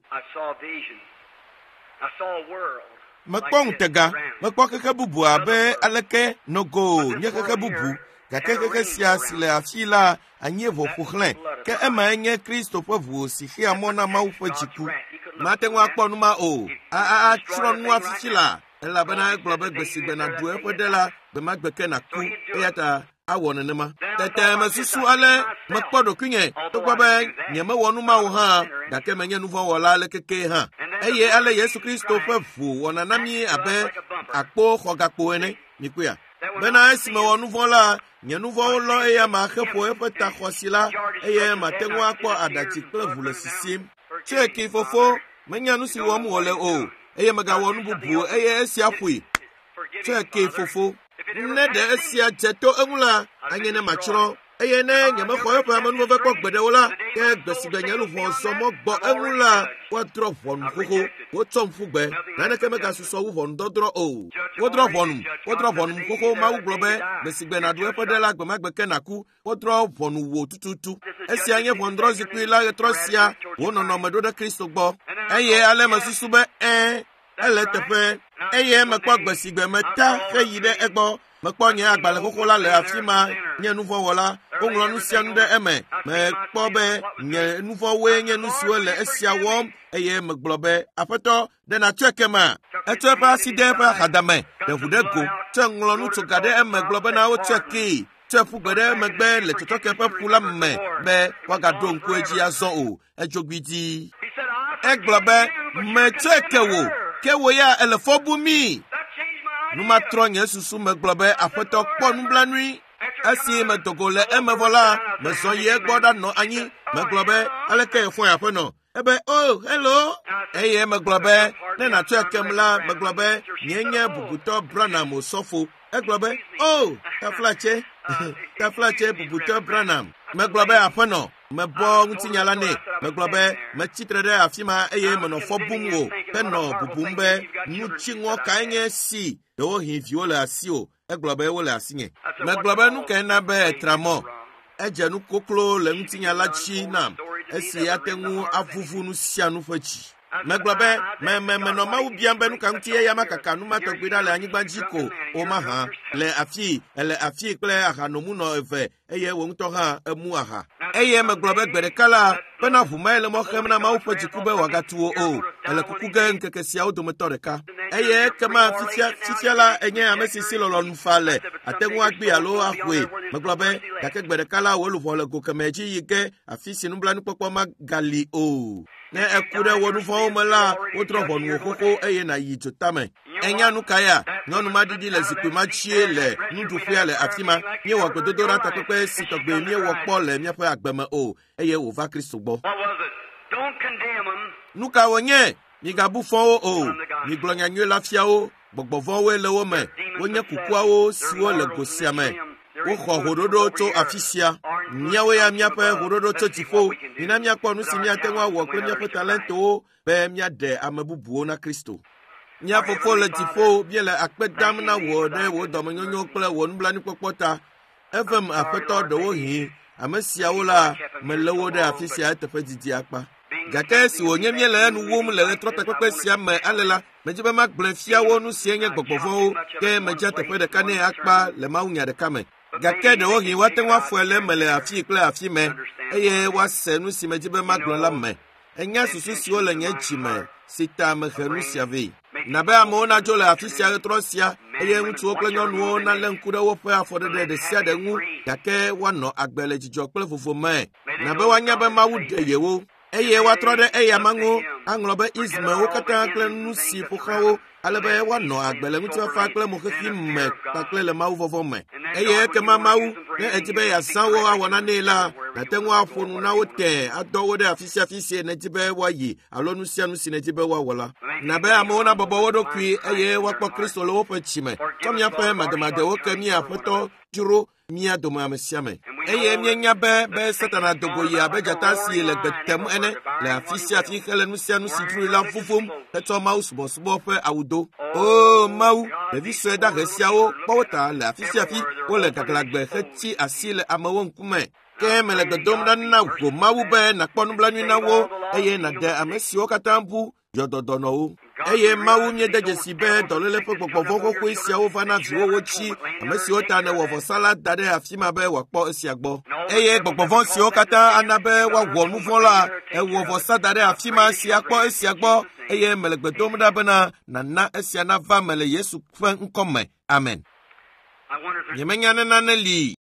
mekpɔ ŋutega, mekpɔ xexe bubu abe aleke nogo nye xexe bubu, gake xexe sia si le afi la anyi ʋɔ ƒo xlãe, ke emae nye Kristo ƒe ʋu si xea mɔ na Mawu ƒe dziku. Mate ŋu akpɔ nu ma o, atsrɔ̃ nua fifi la, elabena egblɔ be gbe si gbe nàɖu eƒe ɖe la, gbe ma gbe ke nàku, eya ta awɔ nenema. Tete mesusu ale mekpɔ ɖokuinye, togbɔ be nyemewɔ nu ma o hã, gake menye nuvɔ̃wɔla aleke hã. Eye ale Yesu Kristo ƒe ʋu wɔna na mí abe akpoxɔgakpo ene. Mikpɔea? Bena esi mewɔ nu vɔ̃ la, nye nu vɔ̃wo lɔ eya ma heƒo eƒe ta xɔasi la, eye mate ŋu akpɔ aɖatsi kple ʋu le sisim. Tsɔe kee fofo, menya nu si wɔm wòle o, eye megawɔ nu bubu eye esia ƒoe. Tsɔe kee fofo. Ne ɖe esia dze to eŋu la, anye ne matsrɔ̃. Eye ne nyemexɔ eƒe amenuveve kpɔ gbeɖe o la, ke gbe si gbe nye luʋɔ zɔ mɔ gbɔ eŋu la, woadrɔ̃ ʋɔnu xoxo. Wotsɔm ƒu gbe. Naneke megasusɔ wu ʋɔnudɔdrɔ̃ o. Wodrɔ̃ ʋɔnum. Wodrɔ̃ ʋɔnum xoxo. Mawu gblɔ be, gbe si gbe nàɖu eƒe ɖe la, gbe ma gbe ke nàku. Wodrɔ̃ ʋɔnu wò tututu. Esia nye ʋɔnudrɔ̃zikpui la ɣetrɔ sia, wò nɔnɔme ɖo ɖe Kristo gbɔ. Eye ale mesusu be, ɛ̃, ele eteƒe. Eye mekpɔ gbe si gbe meta heyi ɖe egbɔ. Mekpɔ nye agbalẽ xoxo la le afi ma, nye nuvɔ̃wɔla. Woŋlɔ nu sia nu ɖe eme. Mekpɔ be nye nuvɔ̃woe nye nu siwo le esia wɔm eye megblɔ be, Aƒetɔ, ɖe nàtsɔe kema? Etsɔ eƒe asi de eƒe axadame, ɖe ʋu ɖe go, tsɔe ŋlɔ nutsoga ɖe eme gblɔ bena wotsɔe kee. Tsɔe ƒu gbe ɖe emegbe le tsɔtsɔke ƒe ƒu la me be woagaɖo ŋku edzi azɔ o. Edzo gbidii. Egblɔ be, metsɔe ke wò, ke wò ya èle fɔ bum mí. Nu ma trɔ nye susu megblɔ be, Aƒetɔ, kpɔ nublanui. Esi medo go le eme vɔ la, mezɔ yi egbɔ ɖanɔ anyi. Megblɔ be, aleke èfɔe aƒenɔ? Ebe, oh, hello. Eye megblɔ be, ne nàtsɔe kem la, megblɔ be, nye nye bubutɔ Branham Osɔfo. Egblɔ be, oh, taflatse, taflatse bubutɔ Branham. Megblɔ be, aƒenɔ, mebɔ ŋutinya la nɛ. Megblɔ be, metsi tre ɖe afi ma eye menɔ fɔ bum wò henɔ bubum be nu dziŋɔ kae nye si ɖewohĩ viwo le asiwò. Egblɔ be wole asinye. Megblɔ be nu kae na be ètra mɔ? Edze nu koklo le ŋutinya la dzi nam esi ate ŋu avuvu nu sia nu ƒe dzi. Megblɔ be menɔ Mawu biam be nu ka ŋuti eya makaka nu ma tɔgbi ɖa le anyigba dzi ko o mahã. Le afii, ele afii kple ahanomunɔ eve eye wò ŋutɔ hã emu aha. Eye megblɔ be gbe ɖeka la bena ʋu mae le mɔ xem na Mawu ƒe dziku be wòagatu wò o. Ele kuku ge ŋkeke siawo dometɔ ɖeka. Eye ekema fifia la enye ame si si lɔlɔ̃nu fa le ate ŋu agbee alo axɔe. Megblɔ be gake gbe ɖeka la wò luʋɔ le go kemɛ dzi yi ge afi si nublanuikpɔkpɔ magali o. Ne eku ɖe wò nu vɔ̃wo me la, wodrɔ̃ ʋɔnu wò xoxo eye nàyi dzotame. Enya nu ka ya? Nyɔnu ma ɖiɖi le zikpui ma dzie le nuɖuƒea le afi ma. Míewɔ gbedodoɖa takpekpe si tɔgbe míewɔ kpɔ le míaƒe agbe me o eye wòva Kristo gbɔ. Nu ka wònye? Migabu fɔ wo o. Migblɔ nyanyui la fia wo. Gbɔgbɔ vɔ̃woe le wo me. Wonye kukuawo siwo le go sia me. Woxɔ hoɖoɖo tso afi sia. Míawo ya míaƒe hoɖoɖo tso dziƒo. Mina míakpɔ nu si míate ŋu awɔ kple míaƒe talentowo be míaɖe ame bubuwo na Kristo. Mía fofo le dziƒo, míele akpe dam na wò ɖe wò dɔmenyonyo kple wò nublanuikpɔkpɔ ta. Evem Aƒetɔ ɖewohĩ ame siawo la melé wo ɖe afi sia eteƒe didi akpa. Gake esi wònye míele enu wum le ɣetrɔtakpekpe sia me ale la, medzi be magblɔe fia wo nu sie nye gbɔgbɔ vɔ̃wo, ke medzia teƒe ɖeka nɛ akpa le mawunya ɖeka me. Gake ɖewohĩ woate ŋu afɔe le eme le afii kple afi me eye woase nu si medzi be magblɔ la me. Enya susu siwo le nye dzi me si ta mehe nu sia vɛ. Na be amewo nadzo le afi sia ɣetrɔ sia eye ŋutsuwo kple nyɔnuwo nalé ŋku ɖe woƒe afɔɖeɖe ɖe sia ɖe ŋu gake woanɔ agbe le dzidzɔ kple vovo me. Na be woanya be Mawu ɖe yewo eye woatrɔ ɖe eyama ŋu aŋlɔ be ismewo katã kple nu si ƒo xlã wo ale be woanɔ agbe le ŋutifafa kple moxexi me kpakple le Mawu vɔvɔ̃ me. Eye ekema Mawu, ne edi be yeazã wo awɔ nanee la, nàte ŋu aƒo nu na wo tẽe adɔ wo ɖe afi sia afi si nèdi be woayi alo nu sia nu si nèdi be woawɔ la. Na be amewo nabɔbɔ wo ɖokui eye woakpɔ Kristo le woƒe dzi me. Tsɔ míaƒe mademadewo ke mía Aƒetɔ dzro mía dome ame sia ame. Eye míenya be Satana do go yi abe dzata si le gbe tem ene le afi sia afi hele nu sia nu si dzroe la vuvum hetsɔ Mawu subɔsubɔ ƒe awu do. O Mawu, ɖevi sue dahe siawo kpɔ wo ta le afi sia afi wole gaglãgbe hetsi asi le amewo ŋkume. Ke mele gbe dom ɖa na wò Mawu be nàkpɔ nublanui na wo eye nàɖe ame siwo katã bu yɔdɔdɔnɔwo. Eye Mawu míede dzesi be dɔléle ƒe gbɔgbɔ vɔ̃ xoxoe siawo va na viwòwo dzi, ame siwo ta nèwɔ vɔsa la da ɖe afi ma be wòakpɔ esia gbɔ. Eye gbɔgbɔ vɔ̃ siwo katã ana be woawɔ nu vɔ̃ la, èwɔ vɔsa da ɖe afi ma si akpɔ esia gbɔ eye mele gbe dom ɖa bena nàna esia nava me le Yesu ƒe ŋkɔ me. Amen. Nyemenya ne nane li.